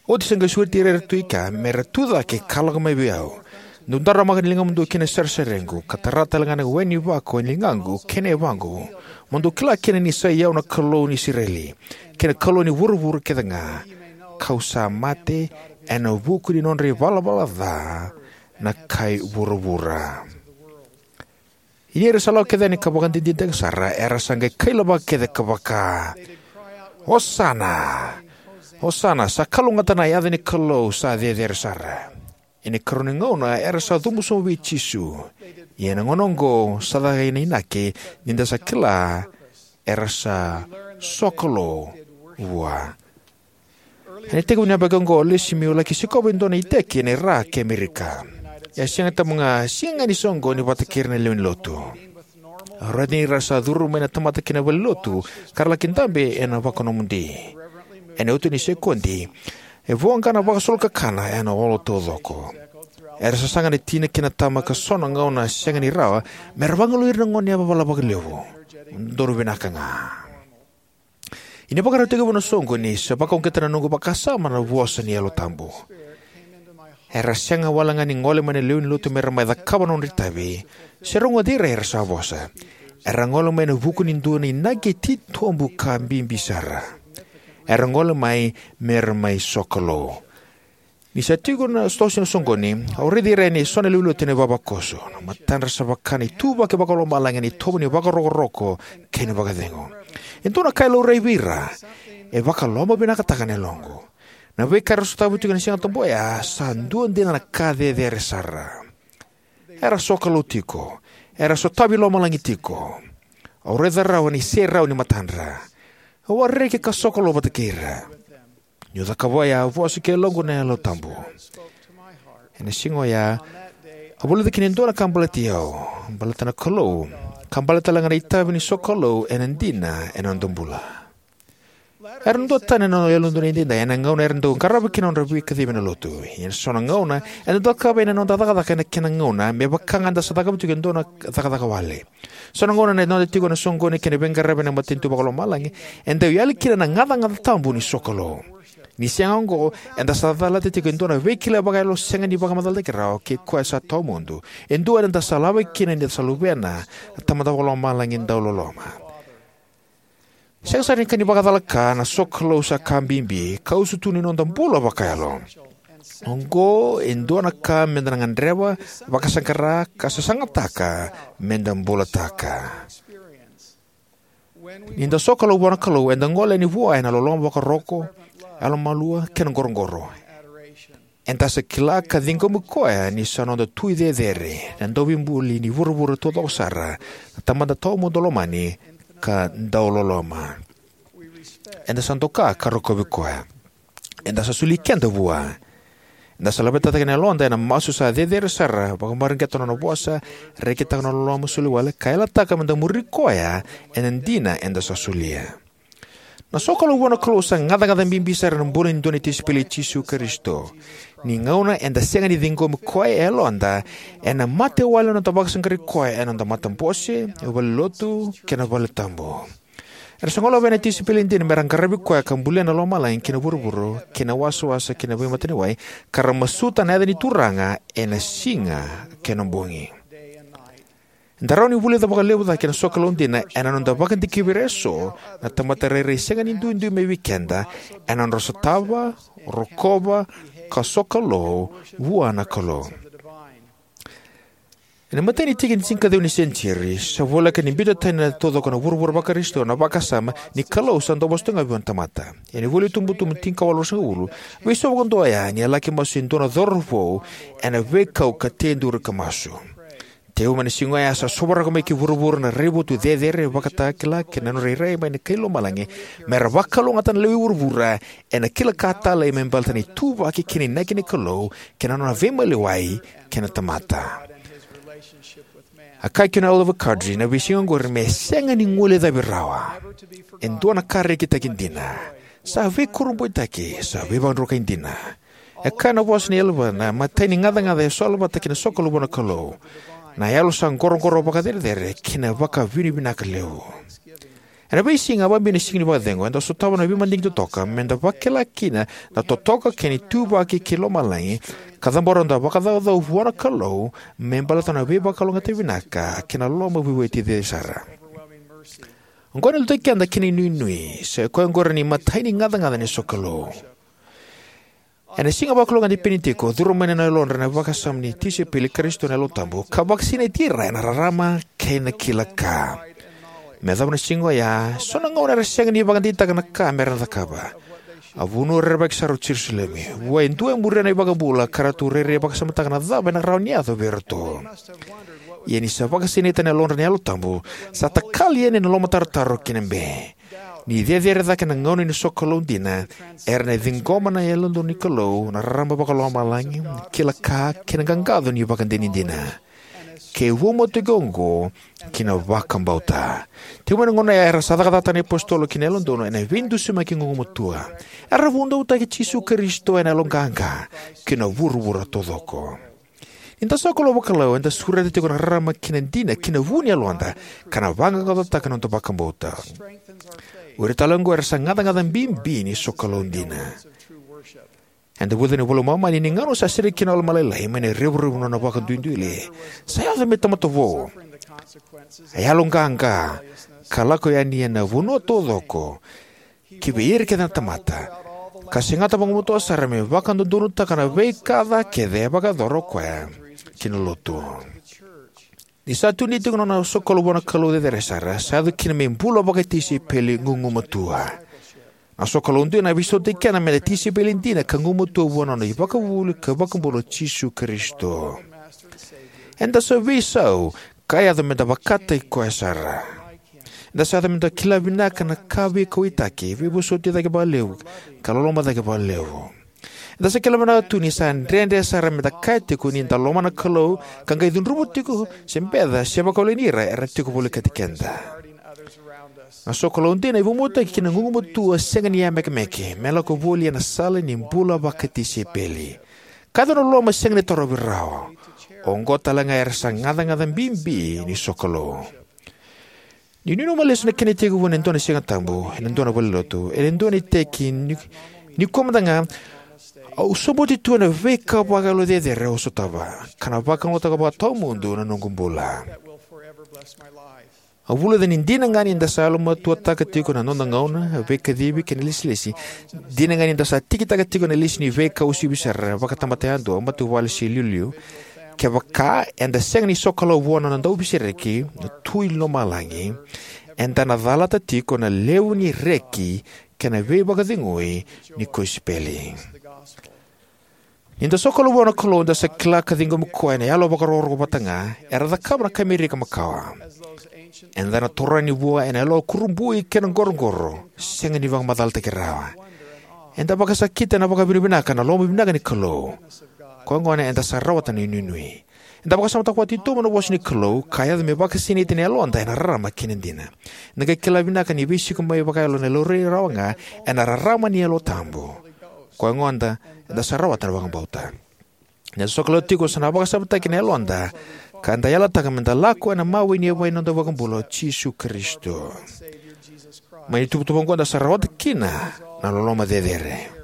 Oti sa qai sureti ira era tu i kea me ra tu cake ka lako mai vei au. Dou daramaka na ligamudou ki na sarisariqu, ka tara talega na we ni vako e na ligaqu kei na yavaqu, mo dou kila kina ni sa i au na Kalou ni Isireli, kei na Kalou ni vuravura kece ga, ka'u sa mate ena vuku ni nodra ivalavala ca na kai vuravura. Ia ni ra sa lako kece yani ka vakadinadinataka sara, era sa qai kailavaka kece ka vaka, "Osana! Osana! Sa kalougata na yaca ni Kalou sa Cecere Sara!" Ena ikarua ni gauna era sa cubu sobu vei Jisu. Ia ena gauna oqo sa caka na inaki ni da sa kila era sa sokalou vua. Ena itekivu ni yabaki oqo au lesi meu laki sikova e dua na iteki ena Iraq kei Amerika. E a sega tabu ga, sega ga ni soqoni vata kei ira na lewe ni lotu. Au raica ni ra sa curu mai na tamata ki na valenilotu ka ra laki dabe ena vakanomodi. Ena iotioti ni sekodi, e voqa na vakasolokakana ena olo taucoko. Era sasaga na tina kei na tama ka so na gauna sega ni rawa me ra vagalui ira na goneyavavala vakalevu. Dodonu vinaka ga. Ia ni vakarau tekivu na soqoni, sa vakauqeta na noqu vakasama na vosa ni Yalo Tabu. Era sega wale ga ni gole mai na lewe ni lotu me ra mai cakava na nodra itavi se rogoci ira era sa vosa. Era gole mai ena vuku ni dua na inaki titobu ka bibi sara. Era gole mai me ra mai sokalou. Ni sa tiko na tosi na soqoni, au raici ira yani eso na lewe ni lotu ena ivavakoso. Na matadra sa vaka na ituvaki vakalomalagi ena itovo ni vakarokoroko kei na vakacegu. E dua na ka e laurai vei ira e vakalomavinakataka na yaloqu. Na veika era sotava tiko ena Siga Tabu oya sa dua dina na ka cecere sara. Era sokalou tiko. Era sotavi lomalagi tiko. Au raica rawa na iserau ni matadra. Au a reki ka sokalou vata kei ira. Niu cakava oya, a vosa ki yaloqu na Yalo Tabu. Ena siga oya, a vulica kina e dua na ka baleti au, baleta na Kalou, ka baleta talega na itavi ni sokalou ena dina ena noda bula. Era duatani na Yalododonu Edaidai ena gauna era dau qarava kina na nodra veikacivi ena lotu. Ia ena so na gauna eda dau cakava yani na noda cakacaka ena kena gauna, me vaka ga eda sa cakava tiko e dua na cakacaka wale. So na gauna ena noda tiko na soqoni kei na veiqaravi ena matanitu vakalomalagi, e dau yali kina na gacagaca tabu ni sokalou. Ni sega oqo, eda sa calata tiko e dua na veikilai vakayalo sega ni vakamacalataki rawa kei koya sa tawamudu, e dua eda sa lavaki kina ni da sa luvena na Tamada Vakalomalagi dauloloma. Sega sara ni ka ni vakacalaka, na sokalou sa ka bibi ka usutu ni noda bula vakayalo. Oqo e dua na ka meda na gadreva, vakasaqara ka sasagataka meda bulataka. Ni da sokalou vua na Kalou, eda gole yani vua ena loloma vakarokoroko, yalomalua kei na qoroqoro. Eda sa kila ka ciqomi koya ni sa noda Tui Cecere, na Dauveibuli ni vuravura taucoko sara, na Tamada tawamudu lomani ka dauloloma. Eda sa doka ka rokovi koya. Eda sa soli keda vua. Eda sa laveta cake na yaloda ena masu sa cecere sara, vakamareqeta na nona vosa, rekitaka na nona loloma soliwale, ka yalataka meda muri koya ena dina eda sa solia. Na sokalou vua na Kalou sa gacagaca bibi sara ena bula ni dua na tisaipeli i Jisu Karisito. Ni gauna eda sega ni ciqomi koya e yaloda, ena mate wale na noda vakasaqarai koya ena noda matabose, valenilotu kei na valetabu. Era sa goleva na tisaipeli dina me ra qaravi koya ka bulia na lomalagi kei na vuravura kei na wasawasa kei na veimataniwai, ka ra masuta na yaca ni Turaga ena siga kei na bogi. Eda rawa ni vulica vakalevu cake na sokalou dina ena noda vakadikevi ira eso na tamata rairai sega ni duidui mai vei keda ena nodra sotava, rokova, ka sokalou vua na Kalou. Ena imatai ni tiki ni tinikaciwa ni senitiuri, sa voleka ni biuta tani taucoko na vuravura vaKarisito na vakasama ni Kalou sa dau vosa tu ga vei ira na tamata. Ena ivola ni iTubutubu tinikawalu ruasagavulu, veisau vakadua oya ni a laki masu e dua na cauravou ena veikau ka teduri ka masu. Tekivu mai na siga oya sa sovaraka mai ki vuravura na raivotu cecere, vakatakila kei na nodra irairai mai na kai lomalagi, me ra vakalougatataka na lewe i vuravura ena kila ka talei me baleta na ituvaki kei na inaki ni Kalou kei na nona veimaliwai kei na tamata. A kaya kina o Oliver Cowdery, na veisiga oqori me sega ni guilecavi rawa. E dua na ka rekitaki dina. Sa veikurabuitaki, sa veivakadrukai dina. E kaya na vosa ni yalevana, matai ni gacagaca e sola vata kei na sokalou vua na Kalou, na yalo sa qoroqoro vakacerecerei kei na vakavinavinaka levu. Ena veisiga, vakabibi na Siga ni Vakacecegu, eda sotava na veimadigi totoka meda vakila kina na totoka kei na ituvaki kei lomalagi, ka cabora noda vakacaucau vua na Kalou me baleta na veivakalougatataki vinaka kei na loloma veivueti cecere sara. Oqo ena liutaki keda ki na inuinui, sa i koya oqori na imatai ni gacagaca ni sokalou. Ena siga vakalougatataki ni Penitiko, curu mai na yalodra na vakasama ni tisaipeli i Karisito na Yalo Tabu, ka vakasinaiti ira ena rarama kei na kila ka. Me yacova na siga oya, so na gauna era sega ni vakadeitaka na ka mera na cakava. A vanua rerevaki sara o Jerusalemi. Vua e dua e muria na iVakabula, ka ratou rairai vakasamataka na cava ena rawa ni yaco vei iratou. Ia ni sa vakasinaita na yalodra na Yalo Tabu, sa takali yani na lomatarotaro kei na be. Ni cecere cake na gauna ni sokalou dina, era na ciqoma na Yalododonu ni Kalou, na rarama vakalomalagi, na kila ka, kei na qaqaco ni ivakadinadina. Ke vakamatautaki oqo ki na vakabauta. Tiko mai na gauna ya era sa cakacakataka na iapositolo kei na Yalododonu ena veidusimaki gugumatua. Era vunautaki Jisu Karisito ena yaloqaqa ki na vuravura taucoko. Ni da sokalou vakalawa, eda sureta tiko na rarama kei na dina ki na vu ni yaloda, ka na vaqaqacotaka na noda vakabauta. O ira tale oqo era sa gacagaca bibi ni sokalou dina. Eda vulica ena iVola i Momani ni gauna sa sereki kina o Alama Lailai mai na revurevu ni nona vakaduiduile, sa yaco me tamata vou. A yaloqaqa, ka lako yani ena vanua taucoko, ki vei ira kece na tamata, ka segata vagumatua sara me vakadodonutaka na veika ca kece e vakayacora o koya ki na lotu. Ni sa tukuni tiko na nona sokalou vua na Kalou cecere sara, sa yaco kina me bula vakatisaipeli gugumatua. Na sokalou dina e veisautaki keda meda tisaipeli dina ka gugumatua vua na nona iVakavuvuli ka iVakabula o Jisu Karisito. Eda sa veisau, ka yaco meda vakataki koya sara. Eda sa yaco meda kila vinaka na ka veikauwaitaki, veivosoti cake vakalevu, ka loloma cake vakalevu. Eda sa kila vinaka tu ni sa dredre sara meda kaya tiko ni da lomana na Kalou, ka qai cudruva tiko se beca se vakawaleni ira era tiko volekati keda. Na sokalou dina e vakabauta kina na gugumatua sega ni yamekemeke, me lako voli ena sala ni bula vakatisaipeli. Ka yaco na loloma sega ni tarovi rawa. Oqo tale ga era sa gacagaca bibi ni sokalou. Niu nanuma lesu na kena itekivu ena dua na Siga Tabu ena dua na valenilotu, ena dua na iteki ni, nikua mada ga, au sobuti tu ena veika vakayalo cecere au sotava, ka na vakalougatataka vakatawamudu na noqu bula. Au vulica ni dina ga ni da sa yalomatuataka tiko na noda gauna, veikacivi kei na ilesilesi, dina ga ni da sa tikitaka tiko na lesu ni veika uasivi sara, vakatamata yadua, matavuvale se iliuliu, kevaka eda sega ni sokalou vua na nona Dauveisereki, na Tui lomalagi, eda na calata tiko na levu ni reki kei na veivakacegui ni kosipeli. Ni da sokalou vua na Kalou, da sa kila ka ciqomi koya ena yalo vakarokoroko vata ga, era cakava na ka Amerika makawa. Eda na taura yani vua ena yalo kurabui kei na qoroqoro, sega ni vakamacalataki rawa. Eda vakasakita ena vakavinavinaka na loma vinaka ni Kalou. Koya gona eda sa rawata na inuinui. Eda vakasamataka vakatitobu na vosa ni Kalou, ka yaco me vakasinaiti na yaloda ena rarama kei na dina. Eda qai kila vinaka ni veisiko mai vakayalo ena laurai rawa ga ena rarama ni Yalo Tabu. Koya gona eda sa rawata na vakabauta. Ni da sokalou tiko sa na vakasamataki na yaloda, ka da yalataka meda lako ena mawe ni yavai ni noda iVakabula o Jisu Karisito. Mai na ituvatuva oqo da sa rawata kina na loloma cecere.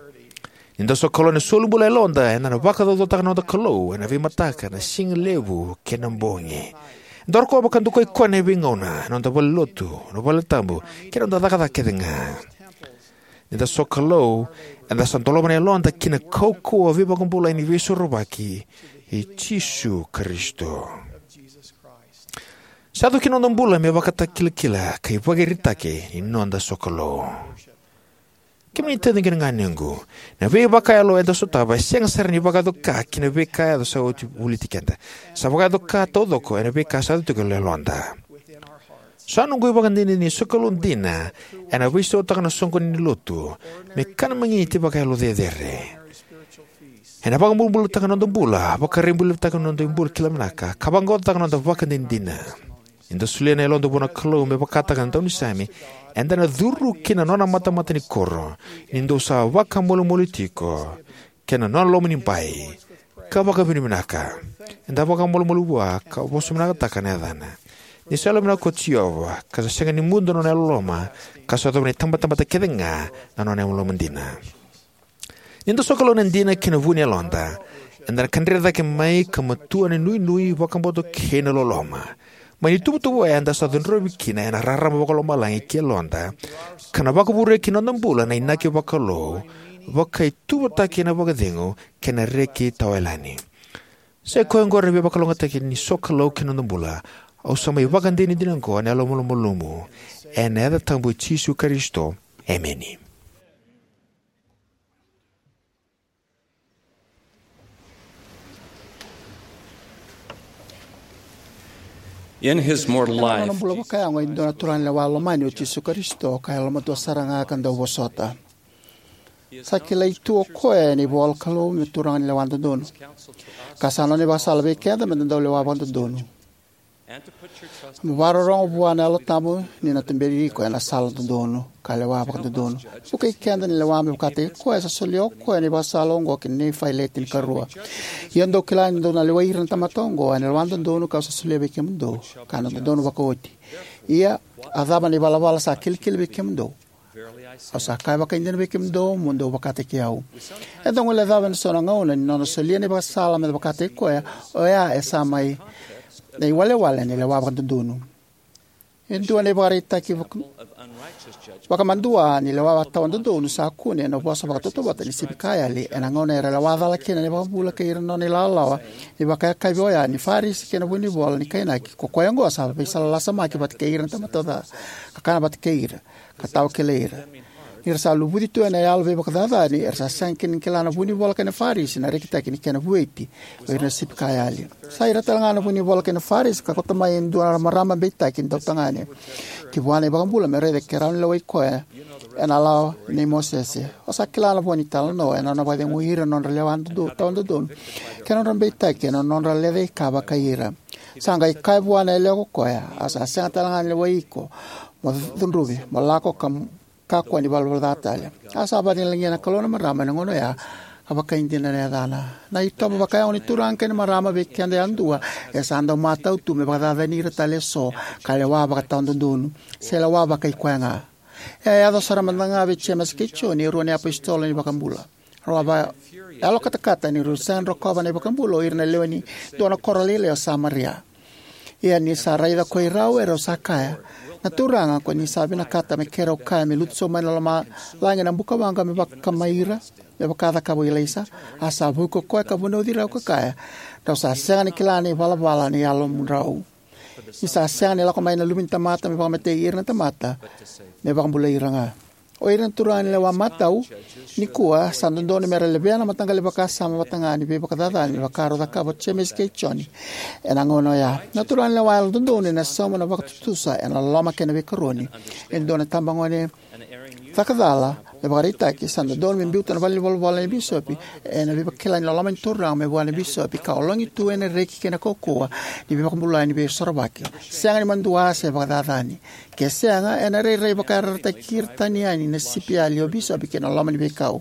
Ni da sokalou ena solibula yaloda, eda na vakacaucautaka na noda Kalou ena veimataka, na siga levu kei na bogi. Eda rokova ka dokai koya ena veigauna, ena noda valenilotu, na valetabu, kei na noda cakacaka kece ga. Ni da sokalou, eda sa dolava na yaloda ki na kaukauwa veivakabulai ni Veisorovaki i Jisu Karisito. Sa yaco ki na noda bula me vakatakilakila ka ivakaraitaki ni noda sokalou. Kemuni na taciqu kei na ganequ, na veivakayalo eda sotava e sega sara ni vakayaco ka ki na veika yaco sa oti voliti keda. Sa vakayaco ka taucoko ena veika sa yaco tiko e yaloda. Sa noqu ivakadinadina ni sokalou dina ena veisautaka na soqoni ni lotu me kana magiti vakayalo cecere. Ena vakabulabulataka na noda bula, vakarabailevutaka na noda bula kila vinaka, ka vaqaqacotaka na noda ivakadinadina. Ni da solia na yaloda vua na Kalou me vakataka na daunisame, eda na curu ki na nona matamata ni koro, ni dou sa vakamolimoli tiko, kei na nona lomanibai, ka vakavinavinaka. Eda vakamolimoli vua, ka vosa vinakataka na yacana. Ni sa yalovinaka ko Jiova, ka sa sega ni mudu na nona yalololoma, ka sa yacova na itabatamata kece ga na nona yalololoma dina. Ni da sokalou ena dina kei na vu ni yaloda, eda na kadre cake mai ka matua na inuinui, vakabauta kei na loloma. Mai na ituvatuva oya eda sa cudruvi kina ena rarama vakalomalagi ki yaloda, ka na vakavurea ki na noda bula na inaki vakalou, vakaituvatuvataki ena vakacegu kei na reki tawayalani. Sa i koya oqori na veivakalougatataki ni sokalou ki na noda bula. Au sa mai vakadinadina oqo ena yalomalumalumu, ena yaca tabu i Jisu Karisito. Emeni. In his mortal Ena nona life, bula vakayago, e dua na turaga ni lewa lomani o Jisu Karisito, ka yalomatua sara ga ka dau vosota. Sa kilai tu o koya ena ivolanikalou me turaga ni lewa dodonu, ka sa nona ivakasala vei keda me da dau lewa vakadodonu. Mo vakarorogo vua na Yalo Tabu ni na tuberi iko ena sala dodonu ka lewa vakadodonu. Vukei keda ni lewa me vakataki koya sa solia o koya na ivakasala oqo ki Nifai, le tinikarua. Ia dou kila ni dou na lewai ira na tamata oqo ena lewa dodonu kau sa solia vei kemudou, ka na dodonu vakaoti. Ia, a cava na ivalavala sa kilikili vei kemudou? Au sa kaya vakaidina vei kemudou, mo dou vakataki au. Eda guilecava ena so na gauna ni nona solia na ivakasala me vakataki koya, oya e sa mai na iwalewale ni lewa vakadodonu. E dua na ivakaraitaki vaka-, vakamadua ni lewa tawa dodonu sa kune ena vosa vakatautauvata ni sipi ka yali, ena gauna era lewa cala kina na iVakabula kei ira na nona ilawalawa ni vakayakavi oya ni Farisi kei na vunivola ni kainaki, ko koya oqo sa veisala lasamaki vata kei ira na tamata ca, ka kana vata kei ira, ka tawa kilai ira. Ni ra sa luvuci tu ena yalo veivakacacani, era sa sega kina ni kila na vunivola kei na Farisi na rekitaki ni kena vueti o ira na sipi ka yali. Sa ira tale ga na vunivola kei na Farisi ka kauta mai e dua na marama beitaki dautagane ki vua na iVakabula me raica ke rawa ni lewai koya ena lawa nei Mosese. O sa kila na vo ni talanoa, ena nona vakacegui ira na nodra lewa dodo-, tawa dodonu kei na nodra beitaki ena nodra lecaika vakai ira. Sa qai kaya vua na yalewa ko koya, au sa sega tale ga ni lewai iko mo cudruvi, mo lako ka, kakua ni valavala ca tale. A sa vakalagilagia na Kalou na marama ena gauna oya, ka vakaidina na yacana. Na itovo vakayago ni turaga kei na marama vei keda yadua e sa dau matau tu me vakacacani ira tale eso ka lewa vakatawa dodonu, se lewa vakai koya ga. E a yaco sara mada ga vei Jemesa kei Joni, e rua na iapositolo ni iVakabula. Rau a vakayalokatakata ni rau sega ni rokova na iVakabula o ira na lewe ni dua na koro lailai o Samaria. Ia ni sa raica ko i rau, e rau sa kaya, "Na Turaga, ko ni sa vinakata me keirau kaya me lutu sobu mai na lomalagi na bukawaqa me vaka mai ira, me vaka a cakava o Ilaisa?" A sa vuki ko koya ka vunauci rau ka kaya, "Drau sa sega ni kila na ivalavala ni yalomudrau. Ni sa sega ni lako mai na Luve ni tamata me vakamatei ira na tamata, me vakabulai ira ga." O ira na turaga ni lewa matau nikua, sa dodonu me ra levea na mataqali vakasama vata ga ni veivakacacani me vaka rau cakava o Jemesa kei Joni ena gauna oya. Na turaga ni lewa yalododonu ena sauma na vakatutusa ena loloma kei na veikaroni. E dua na tabagone cakacala me vakaraitaki, sa dodonu me biuta na valenivolavola nei bisopi ena veivakila ni loloma ni Turaga mai vua na bisopi, ka ologi tu ena reki kei na kaukauwa ni veivakabulai ni veisorovaki. Sega ni madua se vakacacani. Ke sega, ena rairai vakayarayarataki ira tani yani na sipi yali o bisopi kei na loma ni veikau.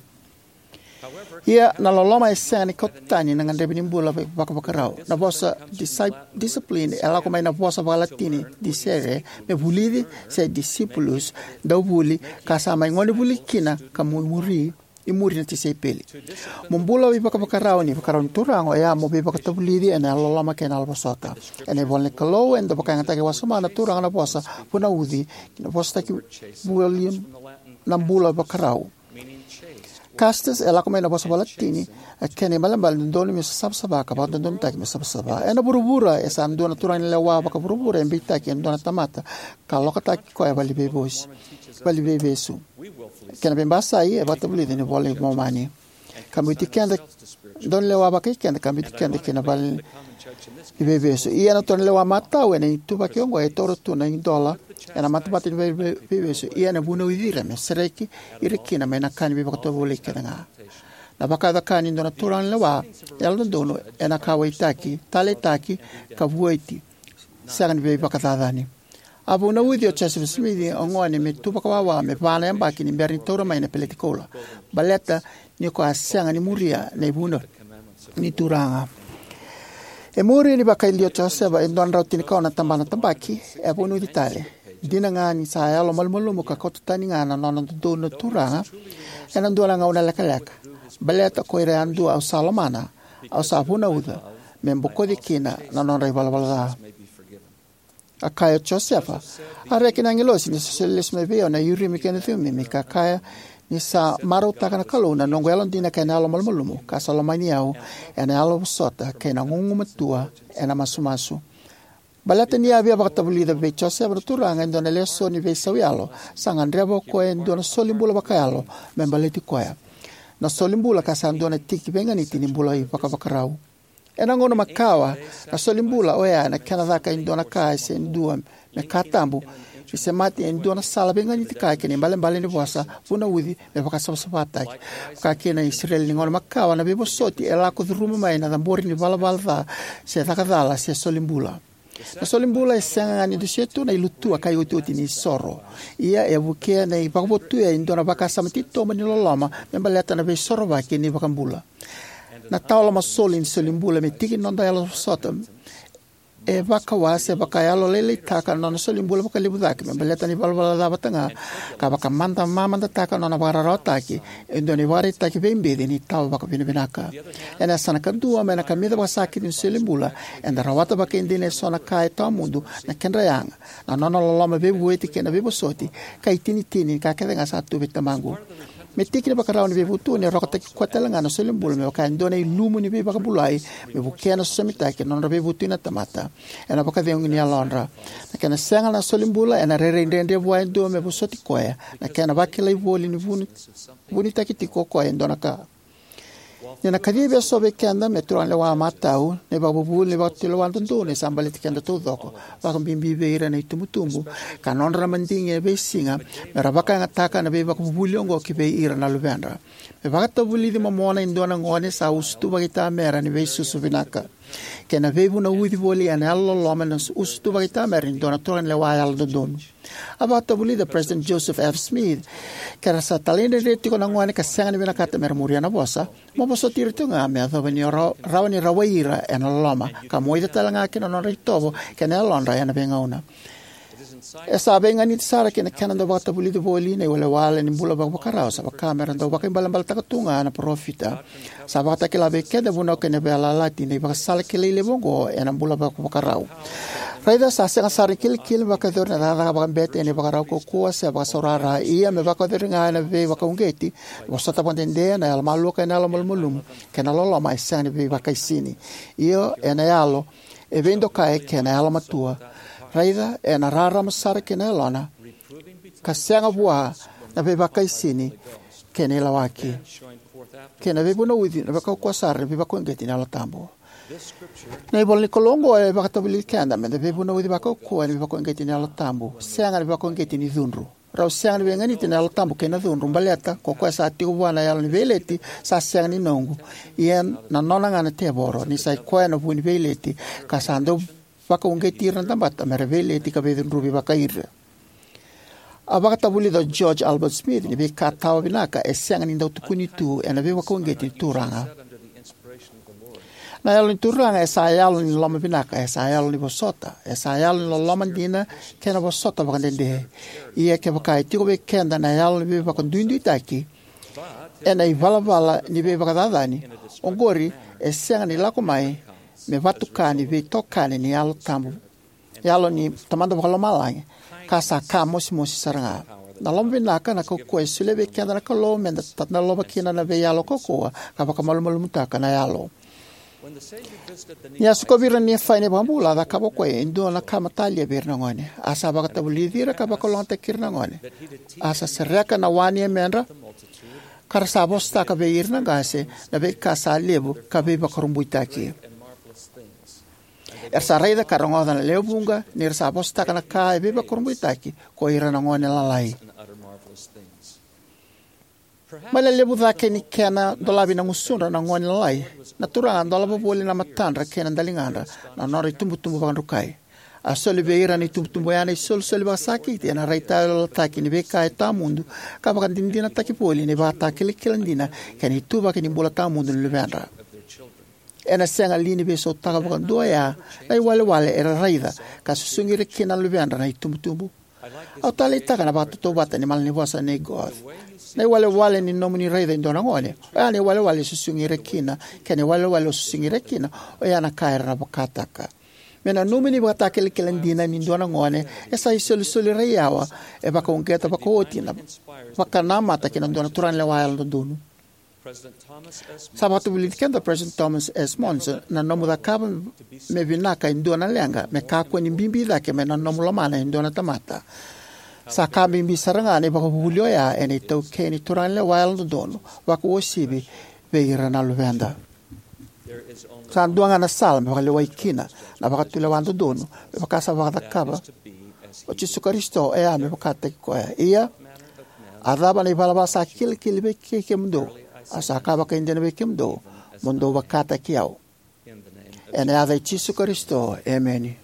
Ia, na loloma e sega ni kauta tani na gadrevi ni bula vakavakarau. Na vosa disci-, discipline e lako mai na vosa vakaLatini discere, me vulici, se discipulus, dau vuli, ka sa mai gonevuli kina ka mu-, muri, imuri na tisaipeli. Mo bula vakavakarau ni vakarau ni Turaga, oya mo veivakatavulici ena yalololoma kei na yalovosota. Ena ivola ni Kalou, e dau vakayagataki wasoma na Turaga na vosa vunauci, na vosataki voli na bula vakarau. Castus e lako mai na vosa vakaLatini, e kena ibalebale dodonu me savasava ka vakadodonutaki me savasava. Ena vuravura, e sa dua na turaga ni lewa vakavuravura e beitaki e dua na tamata ka lokataki koya valeniveivesu. Kena veibasai, e vakatavulici ena iVola i Momani. Ka biuti keda, dua na lewa vakai keda, ka biuti keda kei na valeniveivesu. Ia na turaga ni lewa matau ena ituvaki oqo e taura tu na idola ena matamata ni vei-, vei-, veivesu. Ia ena vunauci ira me sereki ira kina mai na ka ni veivakatovolei kece ga. Na vakayaco-ka ni dua na turaga ni lewa yalododonu ena kauwaitaki, taleitaki, ka vueti. sega ni veivakacacani. A vunauci o Josefa Simici o gone me tu vakawawa me va na yabaki ni bera ni taura mai na peleti koula, baleta ni ko a sega ni muria na ivunau ni Turaga. E muri ni vakayalia o Josefa e dua na drau tinikaono na tabana tabaki, e a vunauci tale. Dina ga ni sa yalo malumalumu ka kauta tani ga na nona dodonu na Turaga ena dua na gauna lekaleka, baleta ko ira yadua au sa lomana, au sa vunauca me bokoci kina na nodra ivalavala ca. A kaya o Josefa, a reki na agilosi ni sa solia lesu mai vei au na Urimi kei na Cumimi, ka kaya ni sa marautaka na Kalou na noqu yalodina kei na yalo malumalumu, ka sa lomani au ena yalo vosota kei na gugumatua ena masumasu. Baleta ni a via vakatavulica vei Josefa na Turaga e dua na lesoni veisau yalo, sa gadreva o koya e dua na solibula vakayalo me baleti koya. Na solibula ka sa dua na tiki veiganiti ni bula ivakavakarau. Ena gauna makawa, na solibula oya ena kena caka e dua na ka se dua me ka tabu, ni semati e dua na sala veiganiti ka kina ibalebale ni vosa, vunauci, me vakasavasavataki. Vaka kina na Isireli ni gauna makawa, na veivosoti e lako curuma mai na cabori ni valavala ca, se caka cala, se solibula. Na solibula e sega ga ni dusia tu na ilutua ka iotioti ni soro. Ia e vukea na ivakavotuya e dua na vakasama titobu ni loloma me baleta na veisorovaki ni iVakabula. Na tawa lomasoli ni solibula me tiki ni noda yalo vosota e vakawa se vakayalolailaitaka na nona solibula vakalevu cake me baleta na ivalavala ca vata ga, ka vakamada mamadataka na nona vakararawataki e dua na ivakaraitaki veibeci ni tawa vakavinavinaka. Ena yasana kadua mai na kamica vakasakiti ni solibula, eda rawata vakaidina eso na ka e tawamudu, na kedra yaga, na nona loloma veivueti kei na veivosoti, ka itinitini ni ka kece ga sa tu vei tamaqu. Me tiki ni vakarau ni veivutuni, e rokataki koya tale ga na solibula me vaka e dua na ilumu ni veivakabulai, me vukea na sosomitaki na nodra veivutuni na tamata ena vakacegu ni yalodra. Na kena sega na solibula ena rairai dredre vua e dua me vosoti koya, na kena vakilai voli ni vuni, vunitaki tiko o koya e dua na ka. Ni na kacivi eso vei keda me turaganilewa matau, na ivakavuvuli ni vakatulewa dodonu e sa baleti keda taucoko, vakabibi vei ira na itubutubu, ka nodra na madigi e veisiga, me ra vakayagataka na veivakavuvuli oqo ki vei ira na luvedra. Me vakatavulici momona e dua na gone sa usutu vakaitamera ni veisusu vinaka. Kei na veivunauci voli ena yalololoma na usutu vakaitamera ni dua na turaganilewa yalododonu. A vakatavulica o President Joseph F. Smith, ke ra sa talaidredre tiko na gone ka sega ni vinakata me ra muria na vosa, mo vosoti ira tiko ga me yacova ni o ra-, rawa ni rawai ira ena loloma, ka moica tale ga kina na nodra itovo kei na yalodra ena veigauna. E sa veiganiti sara kei na kena dau vakatavulici voli na iwalewale ni bula vakavakarau, sa vaka me ra dau vakaibalebaletaka tu ga na parofita. Sa vakatakila vei keda vunau kei na veiyalayalati na ivakasala kilai levu oqo ena bula vakavakarau. Raica sa sega sara ni kilikili me vakayacori na cakacaka vakabete ena ivakarau kaukauwa se vakasaurara, ia me vakayacori ga ena veivakauqeti, na vosota vakadede, na yalomalua kei na yalomalumalumu, kei na loloma e sega ni veivakaisini. Io, ena yalo e veidokai kei na yalomatua. Raica, ena rarama sara kei na yalona, ka sega vua na veivakaisini kei na ilawaki, kei na veivunauci, na veikaukauwa sara ni veivakauqeti ni Yalo Tabu. Na ivola ni Kalou oqo e vakatavulici keda meda veivunauci vakaukauwa ena veivakauqeti ni Yalo Tabu, sega na veivakauqeti ni cudru. Rau sega ni veiganiti na Yalo Tabu kei na cudru, baleta ko koya sa tiko vua na yalo ni veileti sa sega ni noqu. Ia na nona ga na tevoro, ni sa i koya na vu ni veileti, ka sa dau vakauqeti ira na tamata me ra veileti ka veicudruvi vakai ira. A vakatavulica o George Albert Smith ni veika tawa vinaka e sega ni dau tukuni tu ena veivakauqeti ni Turaga. Na Yalo ni Turaga e sa yalo ni loloma vinaka, e sa yalo ni vosota, e sa yalo ni loloma dina kei na vosota vakadede. Ia kevaka e tiko vei keda na yalo ni veivakaduiduitaki ena ivalavala ni veivakacacani, oqori e sega ni lako mai me vatuka ni veitokani ni Yalo Tabu, Yalo ni Tamada Vakalomalagi, ka sa ka mosimosi sara ga. Na loma vinaka, na kaukauwa e solia vei keda na Kalou meda tadalova kina na veiyalo kaukauwa ka vakamalumalumutaka na yalo. Ni a sikovi ira na Nifai na iVakabula, a cakava o koya e dua na ka matalia vei ira na gone. A sa vakatavulici ira ka vakalougatataki ira na gone. A sa sereka na wa ni yamedra, ka ra sa vosataka vei ira na qase na veika sa levu ka veivakurabuitaki. Era sa raica ka rogoca na lewe vuqa ni ra sa vosataka na ka e veivakurabuitaki ko ira na gone lalai. Mai na levu cake ni kena dolavi na gusudra na gone lalai, na Turaga a dolava voli na matadra kei na daligadra na nodra itubutubu vakadrukai. A soli vei ira na itubutubu oya na isolisoli vakasakiti ena raitayaloyalotaki ni veika e tawamudu ka vakadinadinataki voli na ivakatakilakila dina kei na ituvaki ni bula tawamudu ni luvedra. Ena sega li ni veisautaka vakadua oya na iwalewale era raica ka susugi ira kina na luvedra na itubutubu? Au taleitaka na vakatautauvata ni malanivosa nei Goethe: Na iwalewale ni nomuni raica e dua na gone, oya na iwalewale o susugi ira kina, kei na iwalewale o susugi ira kina, oya na ka era na vakataka. Me nanumi ni ivakatakilakila dina ni dua na gone e sa isolisoli raiyawa e vakauqeta vakaoti na vakanamata ki na dua na turaganilewa yalododonu. Sa vakatavulici keda o President Thomas S. Monson: Na nomu cakava me vinaka e dua na leqa me kakua ni bibi cake mai na nomu lomana e dua na tamata. Sa ka bibi sara ga na ivakavuvuli oya ena itaukei ni turaganilewa yalododonu, vakauasivi vei ira na luveda. Sa dua ga na sala me vakalewai kina na vakatulewa dodonu, me vaka sa vakacakava o Jisu Karisito, oya me vakataki koya. Ia, a cava na ivalavala sa kilikili vei kei kemudou? Au sa kaya vakaidina vei kemudou, mo dou vakataki au. Ena yaca i Jisu Karisito, emeni.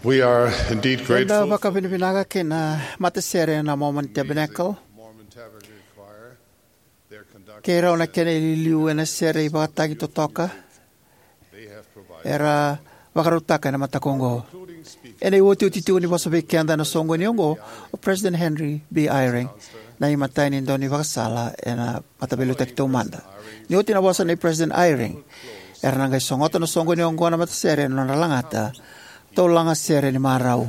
We are indeed grateful. Eda vakavinavinaka kei na matasere na Mormon Tabernacle. Kei rau na kena iliuliu ena sere ivakatagi totoka era vakarautaka ena mataka oqo. Ena iotioti tiko ni vosa vei keda ena soqoni oqo o President Henry B. Eyring, na imatai ni daunivakasala ena Mataveiliutaki Taumada. Ni oti na vosa nei President Eyring, era na qai sogota na soqoni oqo na matasere ena nodra lagata: Tou laga sere ni marau.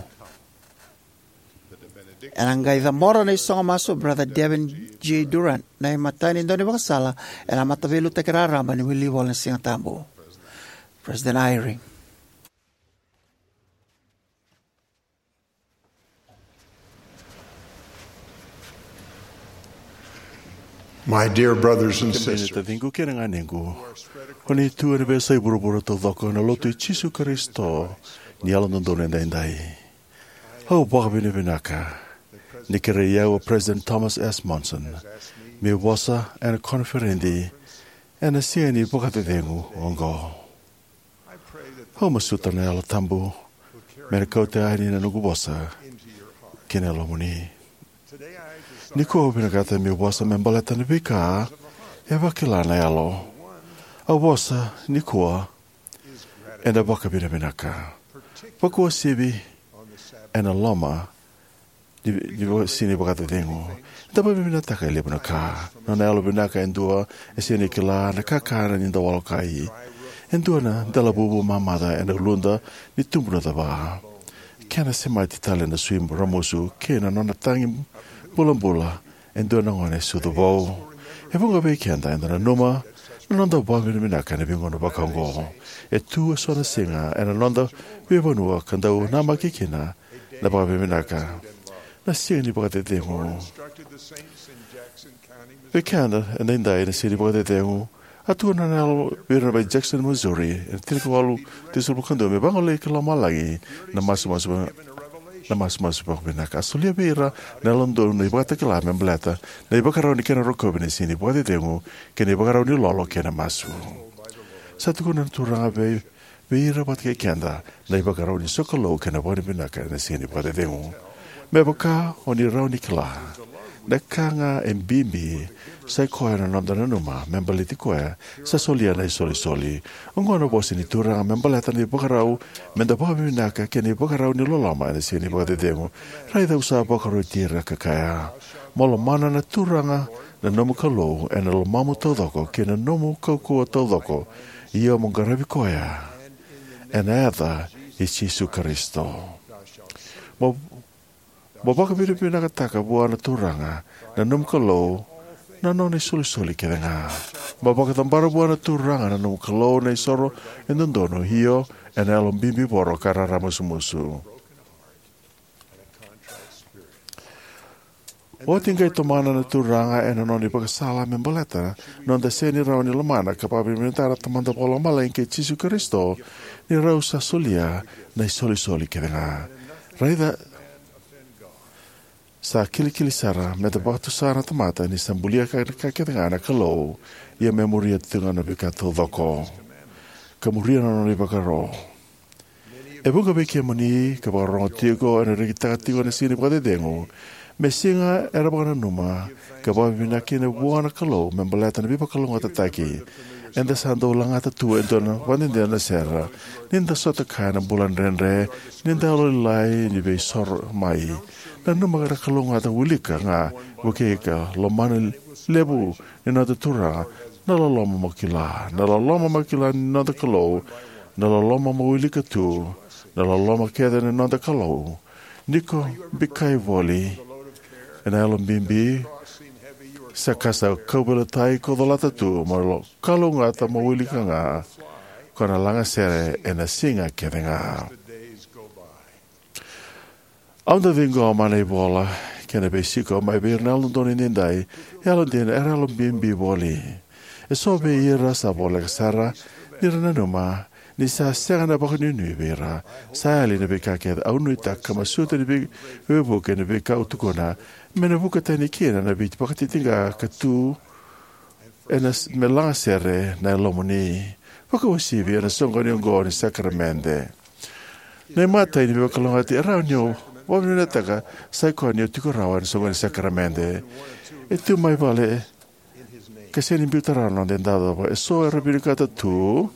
Ena qai cabora na isogo masu o Brother Devin G. Durrant, na imatai ni daunivakasala ena Mataveiliutaki Raraba ni Wilivola ni Sigatabu. President Eyring. My dear brothers and Kemuni na sisters, taciqu kei na ganequ, o ni tu ena veiyasai vuravura taucoko ena Lotu i Jisu Karisito ni Yalododonu Edaidai. Au vakavinavinaka ni kerei au o President Thomas S. Monson meu vosa ena koniferedi ena siga ni vakacecegu oqo. Au masuta na Yalo Tabu me na kauta yani na noqu vosa ki na yalomuni. Nikua au vinakata meu vosa me baleta na veika e vakila na Yalo. Au vosa nikua ena vakavinavinaka, vakauasivi ena loma ni, ni va-, siga ni vakacecegu. Eda vakavinavinakataka e levu na ka. Nona yalovinaka e dua e sega ni kila na kakana ni dau walokai. E dua na delavuvu mamaca ena uluda ni tubu na cava. Kena semati tale na sui ramusu kei na nona tagi bulabula e dua na gone sucu vou. E vuqa vei keda eda nanuma na noda vakavinavinaka ena veigauna vakaoqo. E tu eso na siga ena noda veivanua ka dau namaki kina na vakavinavinaka. Na siga ni vakacecegu. Vei keda edaidai na siga ni vakacecegu, a tukuna na Yalo vei ira mai Jackson, Missouri, ena tinikawalu tinikava ka dua, me vagolei ki lomalagi na masumasu, na masumasu vakavinaka. A solia vei ira na Yalododonu na ivakatakila me baleta na ivakarau ni kena rokovi na siga ni vakacecegu kei na ivakarau ni lolo kei na masu. Sa tukuna na Turaga vei vei ira vata kei keda na ivakarau ni sokalou kei na vakavinavinaka ena siga ni vakacecegu. Me vaka o ni rawa ni kila, na ka ga e bibi sai koya na noda nanuma me baleti koya sa solia na isolisoli. Oqo na vosa ni Turaga me baleta na ivakarau me da vakavinavinaka kei na ivakarau ni loloma ena siga ni vakacecegu. Raica au sa vakaroti ira ka kaya, mo lomana na Turaga na nomu Kalou ena lomamu taucoko kei na nomu kaukauwa taucoko, ia mo qaravi koya ena yaca i Jisu Karisito. Mo, mo vakavinavinakataka vua na Turaga na nomu Kalou na nona isolisoli kece ga. Mo vakacabora vua na Turaga na nomu Kalou na isoro e dodonu, io, ena yalo bibi voro ka raramusumusu. Oti qai tomana na Turaga ena nona ivakasala me baleta na noda sega ni rawa ni lomana ka vakavinavinakataka na Tamada Vakalomalagi kei Jisu Karisito ni rau sa solia na isolisoli kece ga. Raica, sa kilikili sara me da vakatusa na tamata ni sa bulia ka, ka kece ga na Kalou, ia me muria tu ga na veika taucoko ka muria na nona ivakaro. E vuqa vei kemuni ka vakarorogo tiko ena rekitaka tiko na siga ni vakacecegu me siga era vakananuma ka vakavinavinaka kina vua na Kalou me baleta na veivakalougatataki. Eda sa dau lagata tu e dua na vakadede na sere, ni da sota kaya na bula dredre, ni da yalolailai ni veisoro mai. Nanuma na kalougata, wilika ga, vukei ika, lomana levu ni noda Turaga, na loloma mo kila, na loloma mo kila ni noda Kalou, na loloma mo wilika tu, na loloma kece ni noda Kalou. Ni ko bikai voli ena yalo bibi, sa ka sa kauveilatai ko colata tu, mo lo-, kalougata mo wilika ga, ko na lagasere ena siga kece ga. Au dau ciqoma na ivola kei na veisiko mai vei ira na Yalododonu Edaidai, yalodina era yalo bibi voli. Eso vei ira sa voleka sara ni ra nanuma ni sa sega na vakanuinui vei ira. Sa yali na veika kece. Au nuitaka ka masuta ni vei-, veivuke na veika au tukuna me na vuka tani kina na veivakatitiqa ka tu ena s-, me lagasere na yalomuni. Vakauasivi ena soqoni oqo ni sakaramede. Na imatai ni veivakalougatataki e rawa ni o vakavinavinakataka sai koya ni o tiko rawa ena soqoni ni sakaramede. E tu mai vale ka sega ni biuta rawa na noda icavacava. Eso era vinakata tu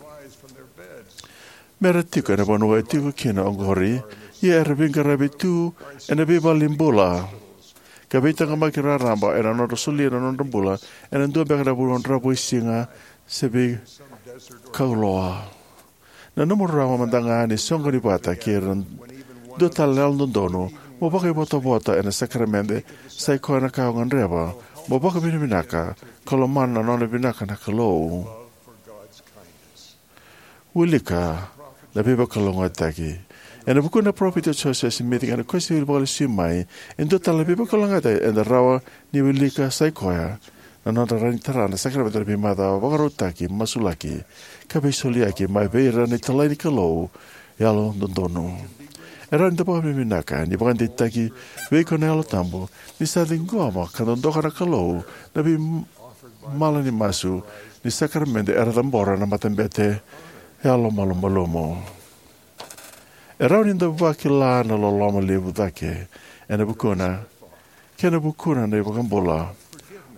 me ra tiko ena vanua e tiko kina oqori, ia era veiqaravi tu ena veivalenibula ka veitaqomaki raraba ena nodra solia na nodra bula ena dua beka na vanua dravuisiga se veikauloa. Na nomu rarawa mada ga ni soqoni vata kei ira dua tale na yalododonu Mo vakaivotavota ena sakaramede sai koya na ka o gadreva mo vakavinavinaka ka lomana na nona vinaka na Kalou. Wilika na veivakalougatataki. Ena vukuna na Parofita o Josefa Simici kei na Kosipeli vakalesui mai, e dua tale na veivakalougatataki eda rawa ni wilika sai koya na noda rawa ni tara na sakaramede ni veimacawa, vakarautaki, masulaki, ka veisoliyaki mai vei ira na italai ni Kalou yalododonu. E rawa ni da vakavinavinaka ni vakadeitaki vei iko na Yalo Tabu ni sa ciqoma ka dodoka na Kalou na veimalanimasu ni sakaramede era cabora na matabete yalomalumalumu. E rawa ni da vakila na loloma levu cake ena vukuna kei na vukuna na iVakabula,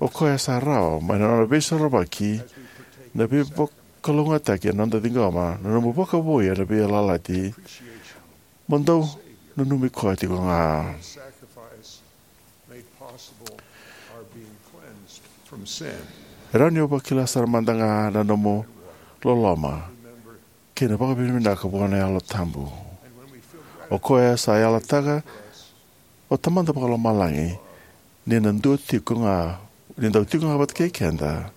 o koya sa rawa mai na nona veisorovaki na veivakalougatataki ena noda ciqoma na nomu vakavouya na veiyalayalati mo dau nanumi koya tiko ga. E rawa ni o vakila sara mada ga na nomu loloma kei na vakavinavinaka vua na Yalo Tabu, o koya sa yalataka o Tamada Vakalomalagi ni na dau tiko ga, ni dau tiko ga vata kei keda,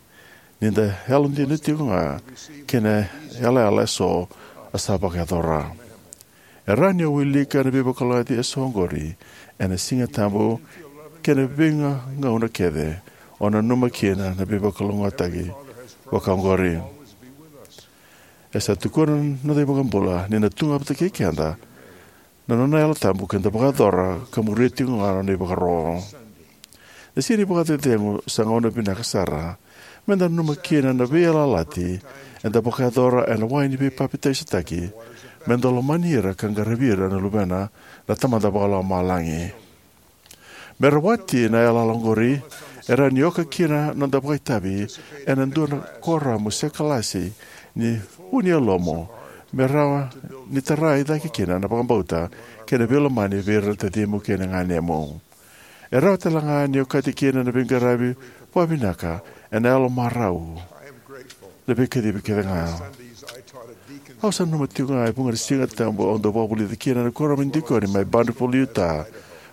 ni da yalodina tiko ga kei na yalayala eso a sa vakayacora. E rawa ni o wilika na veivakalougatataki eso oqori ena Siga Tabu kei na veigauna kece o nanuma kina na veivakalougatataki vakaoqori. E sa tukuna na noda iVakabula ni na tu ga vata kei keda na nona Yalo Tabu ke da vakayacora ka muria tiko ga na nona ivakaro. Na Siga ni Vakacecegu sa gauna vinaka sara me da nanuma kina na veiyalayalati eda vakayacora ena wai ni veipapitaisotaki, me da lomani ira ka qaravi ira na luvena na Tamada Vakalomalagi. Me rawati na yalayala oqori, e rawa ni oka kina na noda vakaitavi ena dua na kuoramu se kalasi ni vu ni yalomu, me rawa ni tara i cake kina na vakabauta kei na veilomani vei ira na tacimu kei na ganemu. E rawa tale ga ni okati kina na veiqaravi vakavinaka ena yalo marau, na veikacivi kece ga. Au sa nanuma tiko ga e vuqa na Siga Tabu au dau vakavulica kina na kuoramu ni dikoni mai Bountiful, Utah,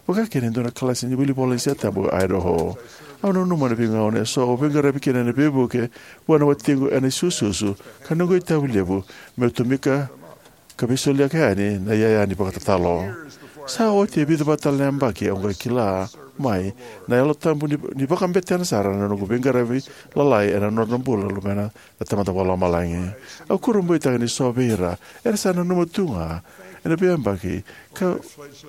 vaka kina e dua na kalasi ni wilivola ni Siga Tabu e Idaho. Au nanuma na veigauna eso au veiqaravi kina ena veivuke vua na watiqu ena isususu, ka noqu itavi levu meu tomika ka veisoliyaka yani na iyaya ni vakatatalo. Sa oti e vica vata tale na yabaki au qai kila mai na Yalo Tabu ni, ni vakabetena sara na noqu veiqaravi lalai ena nodra bula na luvena na Tamada Vakalomalagi. Au kurabuitaka ni so vei ira era sa nanuma tu ga ena veiyabaki ka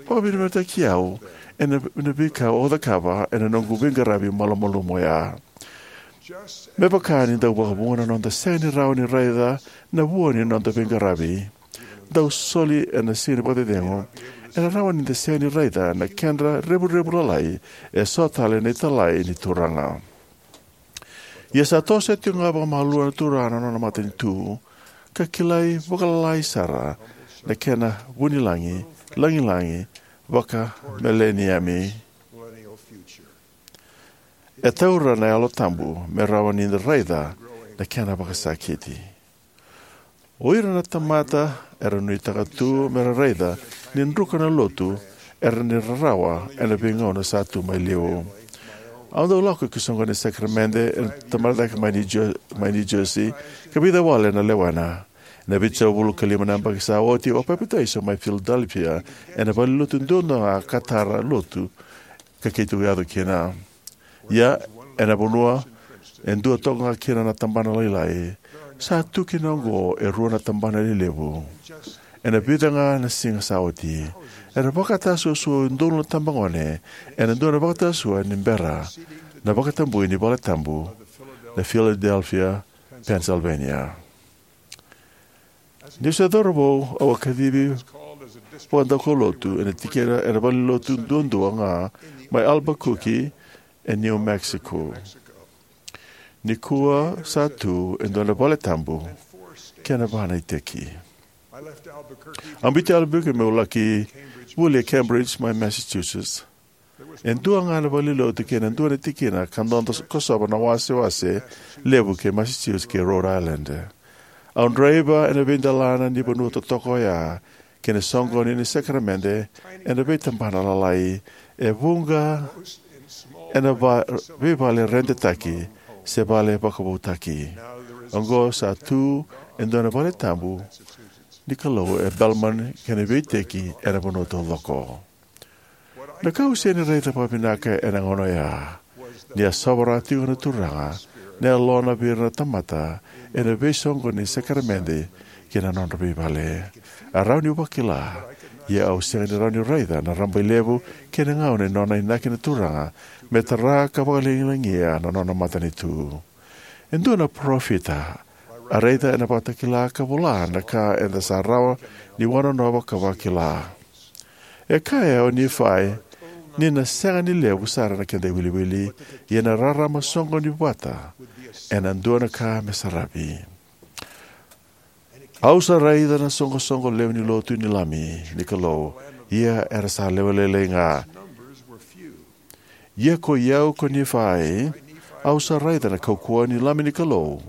vakavinavinakataki au ena, ena veika au cakava ena noqu veiqaravi malumalumu oya. Me vaka ni dau vakavuqa na noda sega ni rawa ni raica na vua ni noda veiqaravi dau soli ena Siga ni Vakacecegu, ena rawa ni da sega ni raica na kedra revurevu lalai eso tale na italai ni Turaga. Ia sa tosoya tiko ga vakamalua na Turaga na nona matanitu, ka kilai vakalalai sara na kena vunilagi lagilagi vakameleniami. E taura na Yalo Tabu me rawa ni da raica na kena vakasakiti. O ira na tamata era nuitaka tu me ra raica ni druka na lotu era ni rarawa ena veigauna sa tu mai liu. Au dau lako ki soqoni ni sakaramede ena tamata cake mai New Jer-, mai New Jersey, ka vica wale na lewena. Ena vitusagavulu ka lima na yabaki sa oti, au papitaiso mai Philadelphia ena valenilotu duadua ga ka tara lotu ka keitou yaco kina. Ia, ena vanua e dua toka ga kina na tabana lailai, sa tu kina oqo e rua na tabana lelevu. Ena vica ga na siga sa oti, era vakatasuasua e udolu na tabagone ena dua na vakatasuasua ni bera na vakatabui ni valetabu na Philadelphia, Pennsylvania. Niu se cauravou, au a kacivi vakadaukaulotu ena tikina ena valenilotu duadua ga mai Albuquerque, e New Mexico. Nikua sa tu e dua na valetabu kei na va na iteki. Au biuti Albuquerque meu laki vuli e Cambridge mai Massachusetts. E dua ga na valenilotu kei na dua na tikina ka dodo kosova na wasewase levu kei Massachusetts kei Rhode Island. Au draiva ena veidelana ni vanua totoka oya kei na soqoni ni sakaramede ena veitabana lalai, e vuqa ena va, veivale redetaki se vale vakavoutaki. Oqo sa tu e dua na vale tabu ni Kalou e Belmont kei na veiiteki ena vanua taucoko. Na ka au sega ni raica vakavinaka ena gauna oya ni a sovaraka tiko na Turaga na Yalona vei ira na tamata ena veisoqoni ni sakaramede ki na nodra veivale. A rawa niu vakila, ia au sega ni rawa ni raica na rabailevu kei na gauna ni nona inaki na Turaga me tara ka vakalagilagia na nona matanitu. E dua na parofita a raica ena ivakatakila ka vola na ka eda sa rawa ni wanonova ka vakila. E kaya o Nifai ni na sega ni levu sara na keda iwiliwili, ia na rarama soqoni vata ena dua na ka me saravi. Au sa raica na soqosoqo lewe ni lotu ni Lami ni Kalou, ia era sa lewe lailai ga. Ia ko i au ko Nifai, au sa raica na kaukauwa ni Lami ni Kalou,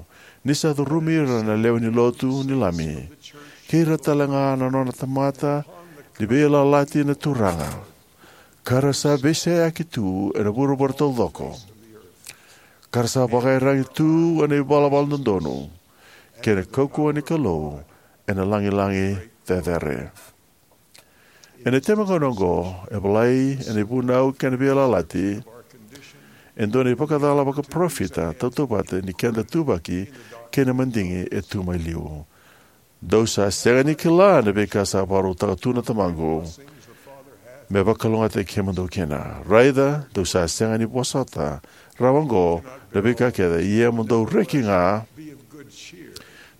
ni sa curumi ira na lewe ni lotu ni Lami, kei ira talega na nona tamata ni veiyalayalati na Turaga, ka ra sa veiseyaki tu ena vuravura taucoko, ka ra sa vakaiyaragi tu ena ivalavala dodonu, kei na kaukauwa ni Kalou ena lagilagi cecere. Ena itabagauna oqo, e volai ena Vunau kei na Veiyalayalati e dua na ivakacala vakaparofita tautauvata ni keda ituvaki kei na madigi e tu mai liu. Dou sa sega ni kila na veika sa vakarautaka tu na Tamaqu me vakalougatataki kemudou kina. Raica, dou sa sega ni vosota rawa oqo na veika kece, ia mo dou reki ga,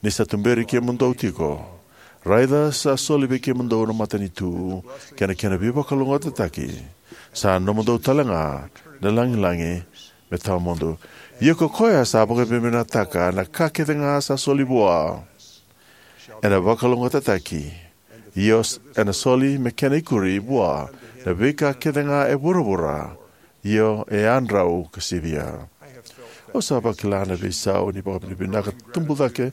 ni sa tuberi kemudou tiko. Raica, sa soli vei kemudou na matanitu kei na kena veivakalougatataki. Sa nomudou talega na lagilagi me tawamudu. Ia ko koya sa vakavinavinakataka na ka kecega sa soli vua, ena vakalougatataki, io s-, ena soli me kena ikuri vua na veika kecega e vuravura, io e yadrau ka sivia. Au sa vakila na veisau ni vakavinavinaka tubu cake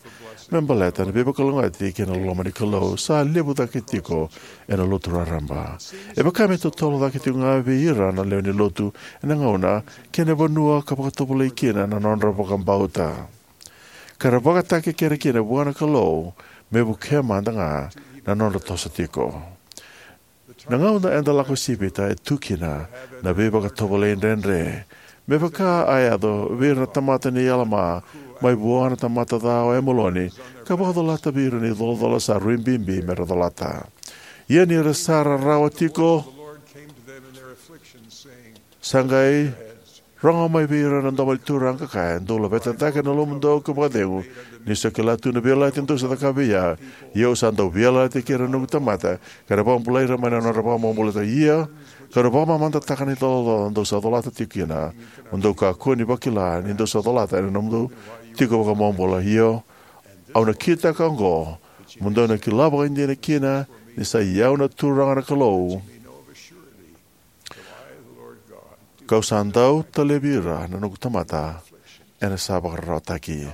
me baleta na veivakalougatataki kei na loloma ni Kalou sa levu cake tiko ena Lotu raraba. E vaka me totolo cake tiko ga vei ira na lewe ni lotu ena gauna kei na vanua ka vakatovolei kina na nodra vakabauta. Ka ra vakatakekere kina vua na Kalou me vukea mada ga na nodra toso tiko. Na gauna eda lako sivita e tu kina na veivakatovolei dredre, me vaka a yaco vei ira na tamata nei Alama mai vua na tamata ca o Emoloni, ka vakacolata vei ira na icolacola sa rui bibi me ra colata. Ia ni ra sa rarawa tiko, sa qai rogo mai vei ira na domo ni Turaga ka kaya, dou laveta cake na lomamudou ka vakacegu, niu sa kila tu na veiyalayalati dou sa cakava vei au. Ia au sa dau veiyalayalati kei ira na noqu tamata, ka na vakabulai ira mai na nodra vakamabulataki. Ia kau na vakamamadataka na icolacola dou sa colata tiko kina, mo dou kakua ni vakila ni dou sa colata ena nomudou tiko vakabobula. Io, au na kitaka oqo, mo dou na kila vakaidina kina ni sa i au na Turaga na Kalou, kau sa dau talevi ira na noqu tamata ena sa vakararawataki.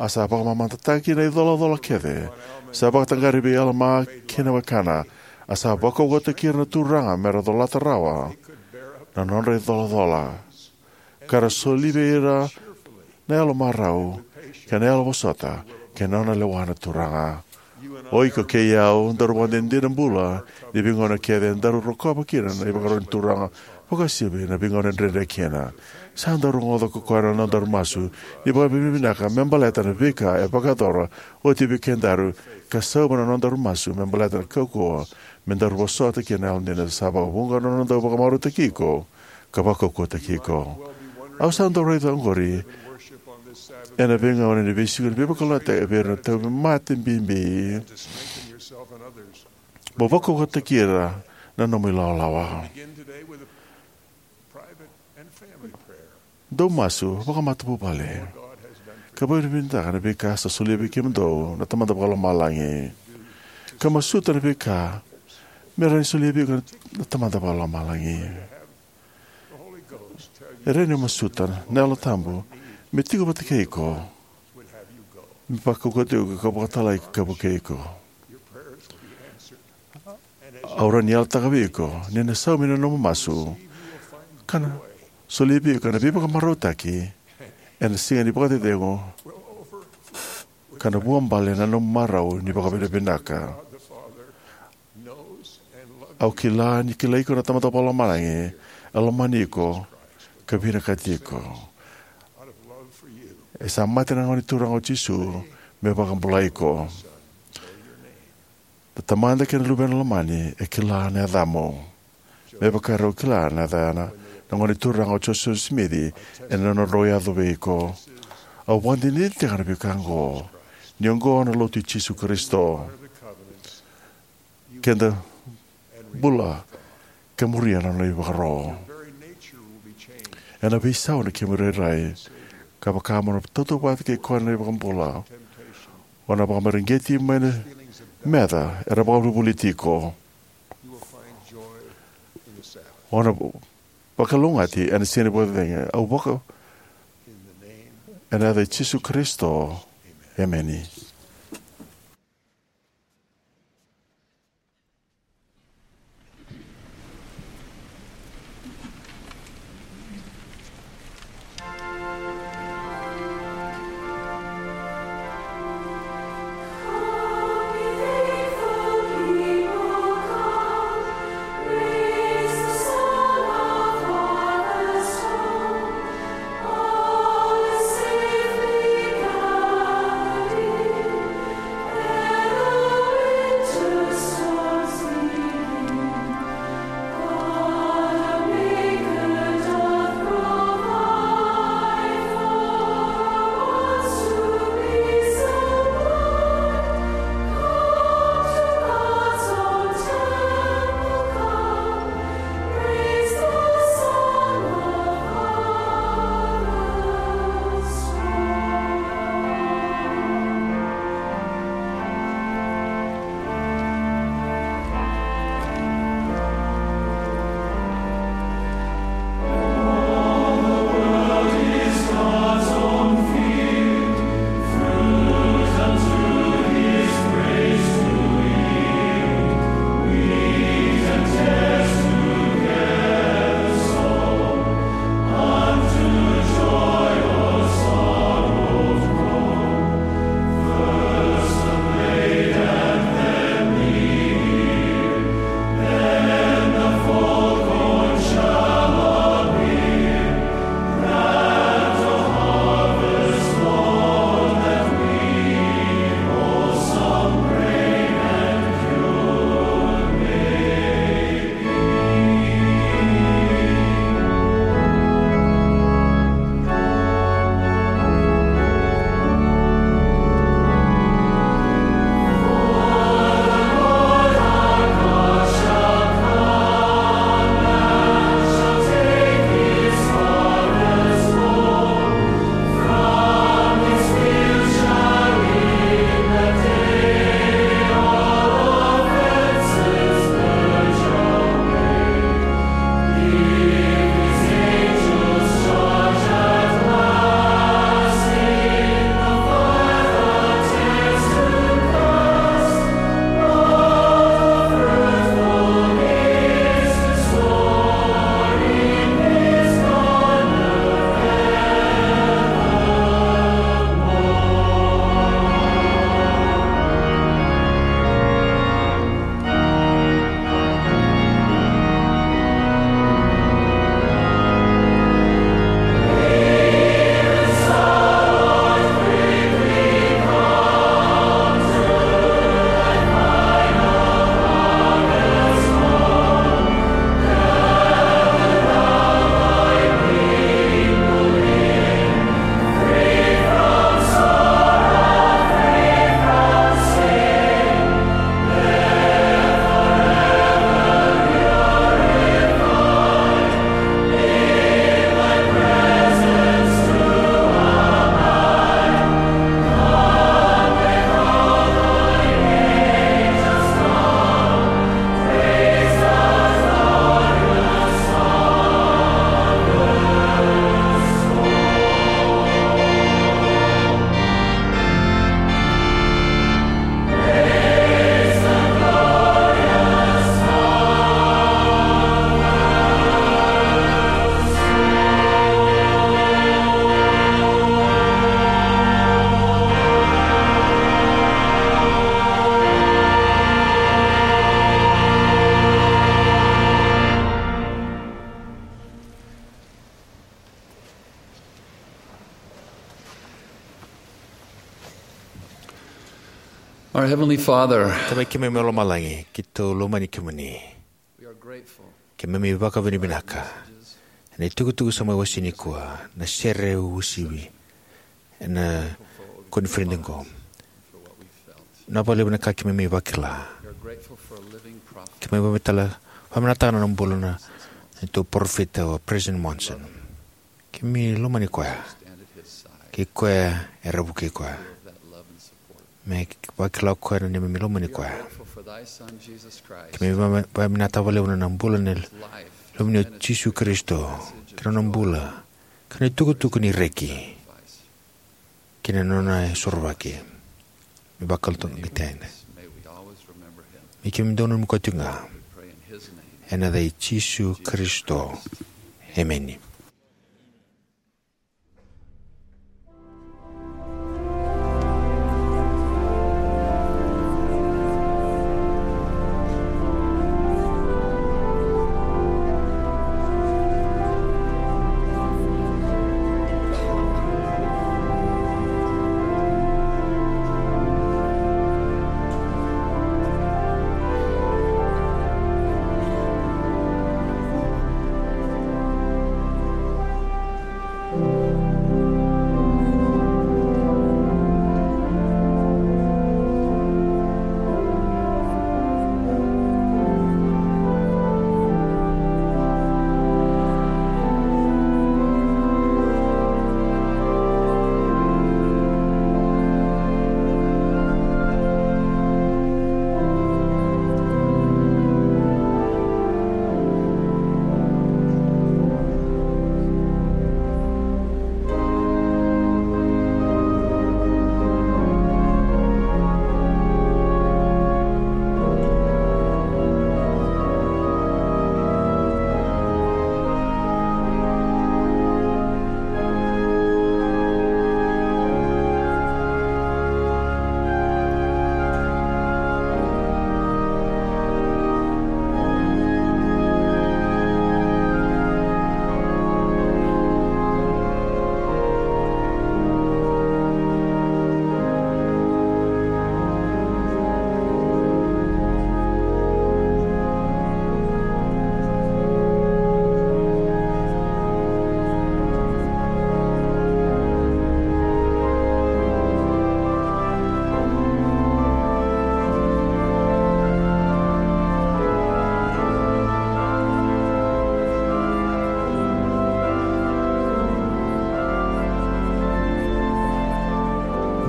A sa vakamamadataki na icolacola kece sa vakataqari vei Alama kei na wekana. A sa vakaukauwataki ira na Turaga me ra colata rawa na nodra icolacola, ka ra soli vei ira na yalomarau kei na yalovosota kei na nona lewa na Turaga. O iko kei au daru vakadinadina bula ni veigauna kece daru rokova kina na ivakarau ni Turaga, vakauasivi na veigauna dredre kina. Sa daru rogoca ko koya na nodaru masu ni vakavinavinaka me baleta na veika e vakayacora oti vei kedaru, ka sauma na nodaru masu me baleta na kaukauwa me daru vosota kina na yalodina. Sa vakavuqa na nodaru vakamarautaki iko ka vakaukauwataki iko. Au sa dau raica oqori ena veigauna ni veisiko ni veivakalougatataki vei ira na tauvimate bibi. Mo vakaukauwataki ira na nomu ilawalawa. Dou masu vakamatavuvale ka vakavinavinaka na veika sa solia vei kemudou na Tamada Vakalomalagi, ka masuta na veika me rawa ni solia vei iko na Tamada Vakalomalagi. E rawa ni o masuta na Yalo Tabu me tiko vata kei iko, me vakaukauwataki iko ka vakatalai ka vukei iko. Au rawa ni yalataka vei iko ni na saumi na nomu masu ka na solia vei iko na veivakamarautaki ena siga ni vakacecegu ka na vuabale na nomu marau ni vakavinavinaka. Au kila ni kilai iko na Tamada Vakalomalagi e lomani iko ka vinakati iko. E sa mate na Gone Turaga o Jisu me vakabulai iko. Na Tamada kei na Luvena Lomani e kila na yacamu, me vaka erau kila na yacana na Gone Turaga o Josefa Simici ena nodrau yaco vei iko. Au vakadinadinataka na veika oqo, ni oqo na Lotu i Jisu Karisito. Keda bula ka muria na nona ivakaro. Ena veisau na kemu irairai, ka vaka mo na tautauvata kei koya na iVakabula, o na vakamareqeti mai na meca era vakavolivoliti iko. O na vakalougatataki ena siga ni vakacecegu. Au vaka ena yaca i Jisu Karisito. Emeni. Our Heavenly Father, Tamai keimami mai lomalagi, keitou lomani kemuni. We are grateful. Keimami vakavinavinaka ena itukutuku sa mai wasei nikua, na sere uasivi ena koniferedi oqo. Na vakalevu na ka keimami vakila. We are grateful for a living prophet. Keimami vakamatala, vakamatala na bula na neitou parofita o President Monson. Keimami lomani koya. Kei koya era vukei koya. Me vakila o koya na neimami lomani koya. Keimami vakavinaka vakalevu na bula na Luveni o Jisu Karisito, kei na nona bula, kei na itukutuku ni reki, kei na nona sorovaki. Me vakalotu ga tena. Me keimami dau nanumi koya tiko ga. Ena yaca i Jisu Karisito. Emeni.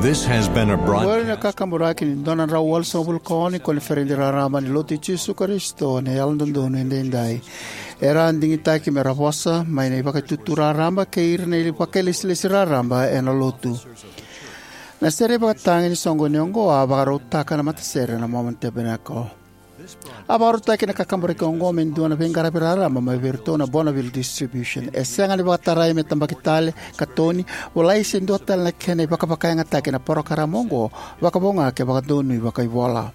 This has been a broad- Oqori na kakaburaki ni dua na drau walusagavulu ka ono ni koniferedi raraba ni Lotu i Jisu Karisito ni Yalododonu Edaidai. Era a digitaki me ra vosa mai na ivakaitutu raraba kei ira na vakailesilesi raraba ena Lotu. Na sere ivakatagi ni soqoni oqo a vakarautaka na matasere na Mormon Tabernacle. A vakarautaki na kakaburaki oqo me dua na veiqaravi raraba mai vei iratou na Bonneville Distribution. E sega ni vakatarai me tabaki tale, katoni, volai se dua tale na kena ivakavakayagataki na parokaramu oqo, vakavo ga ke vakadonui vakaivola.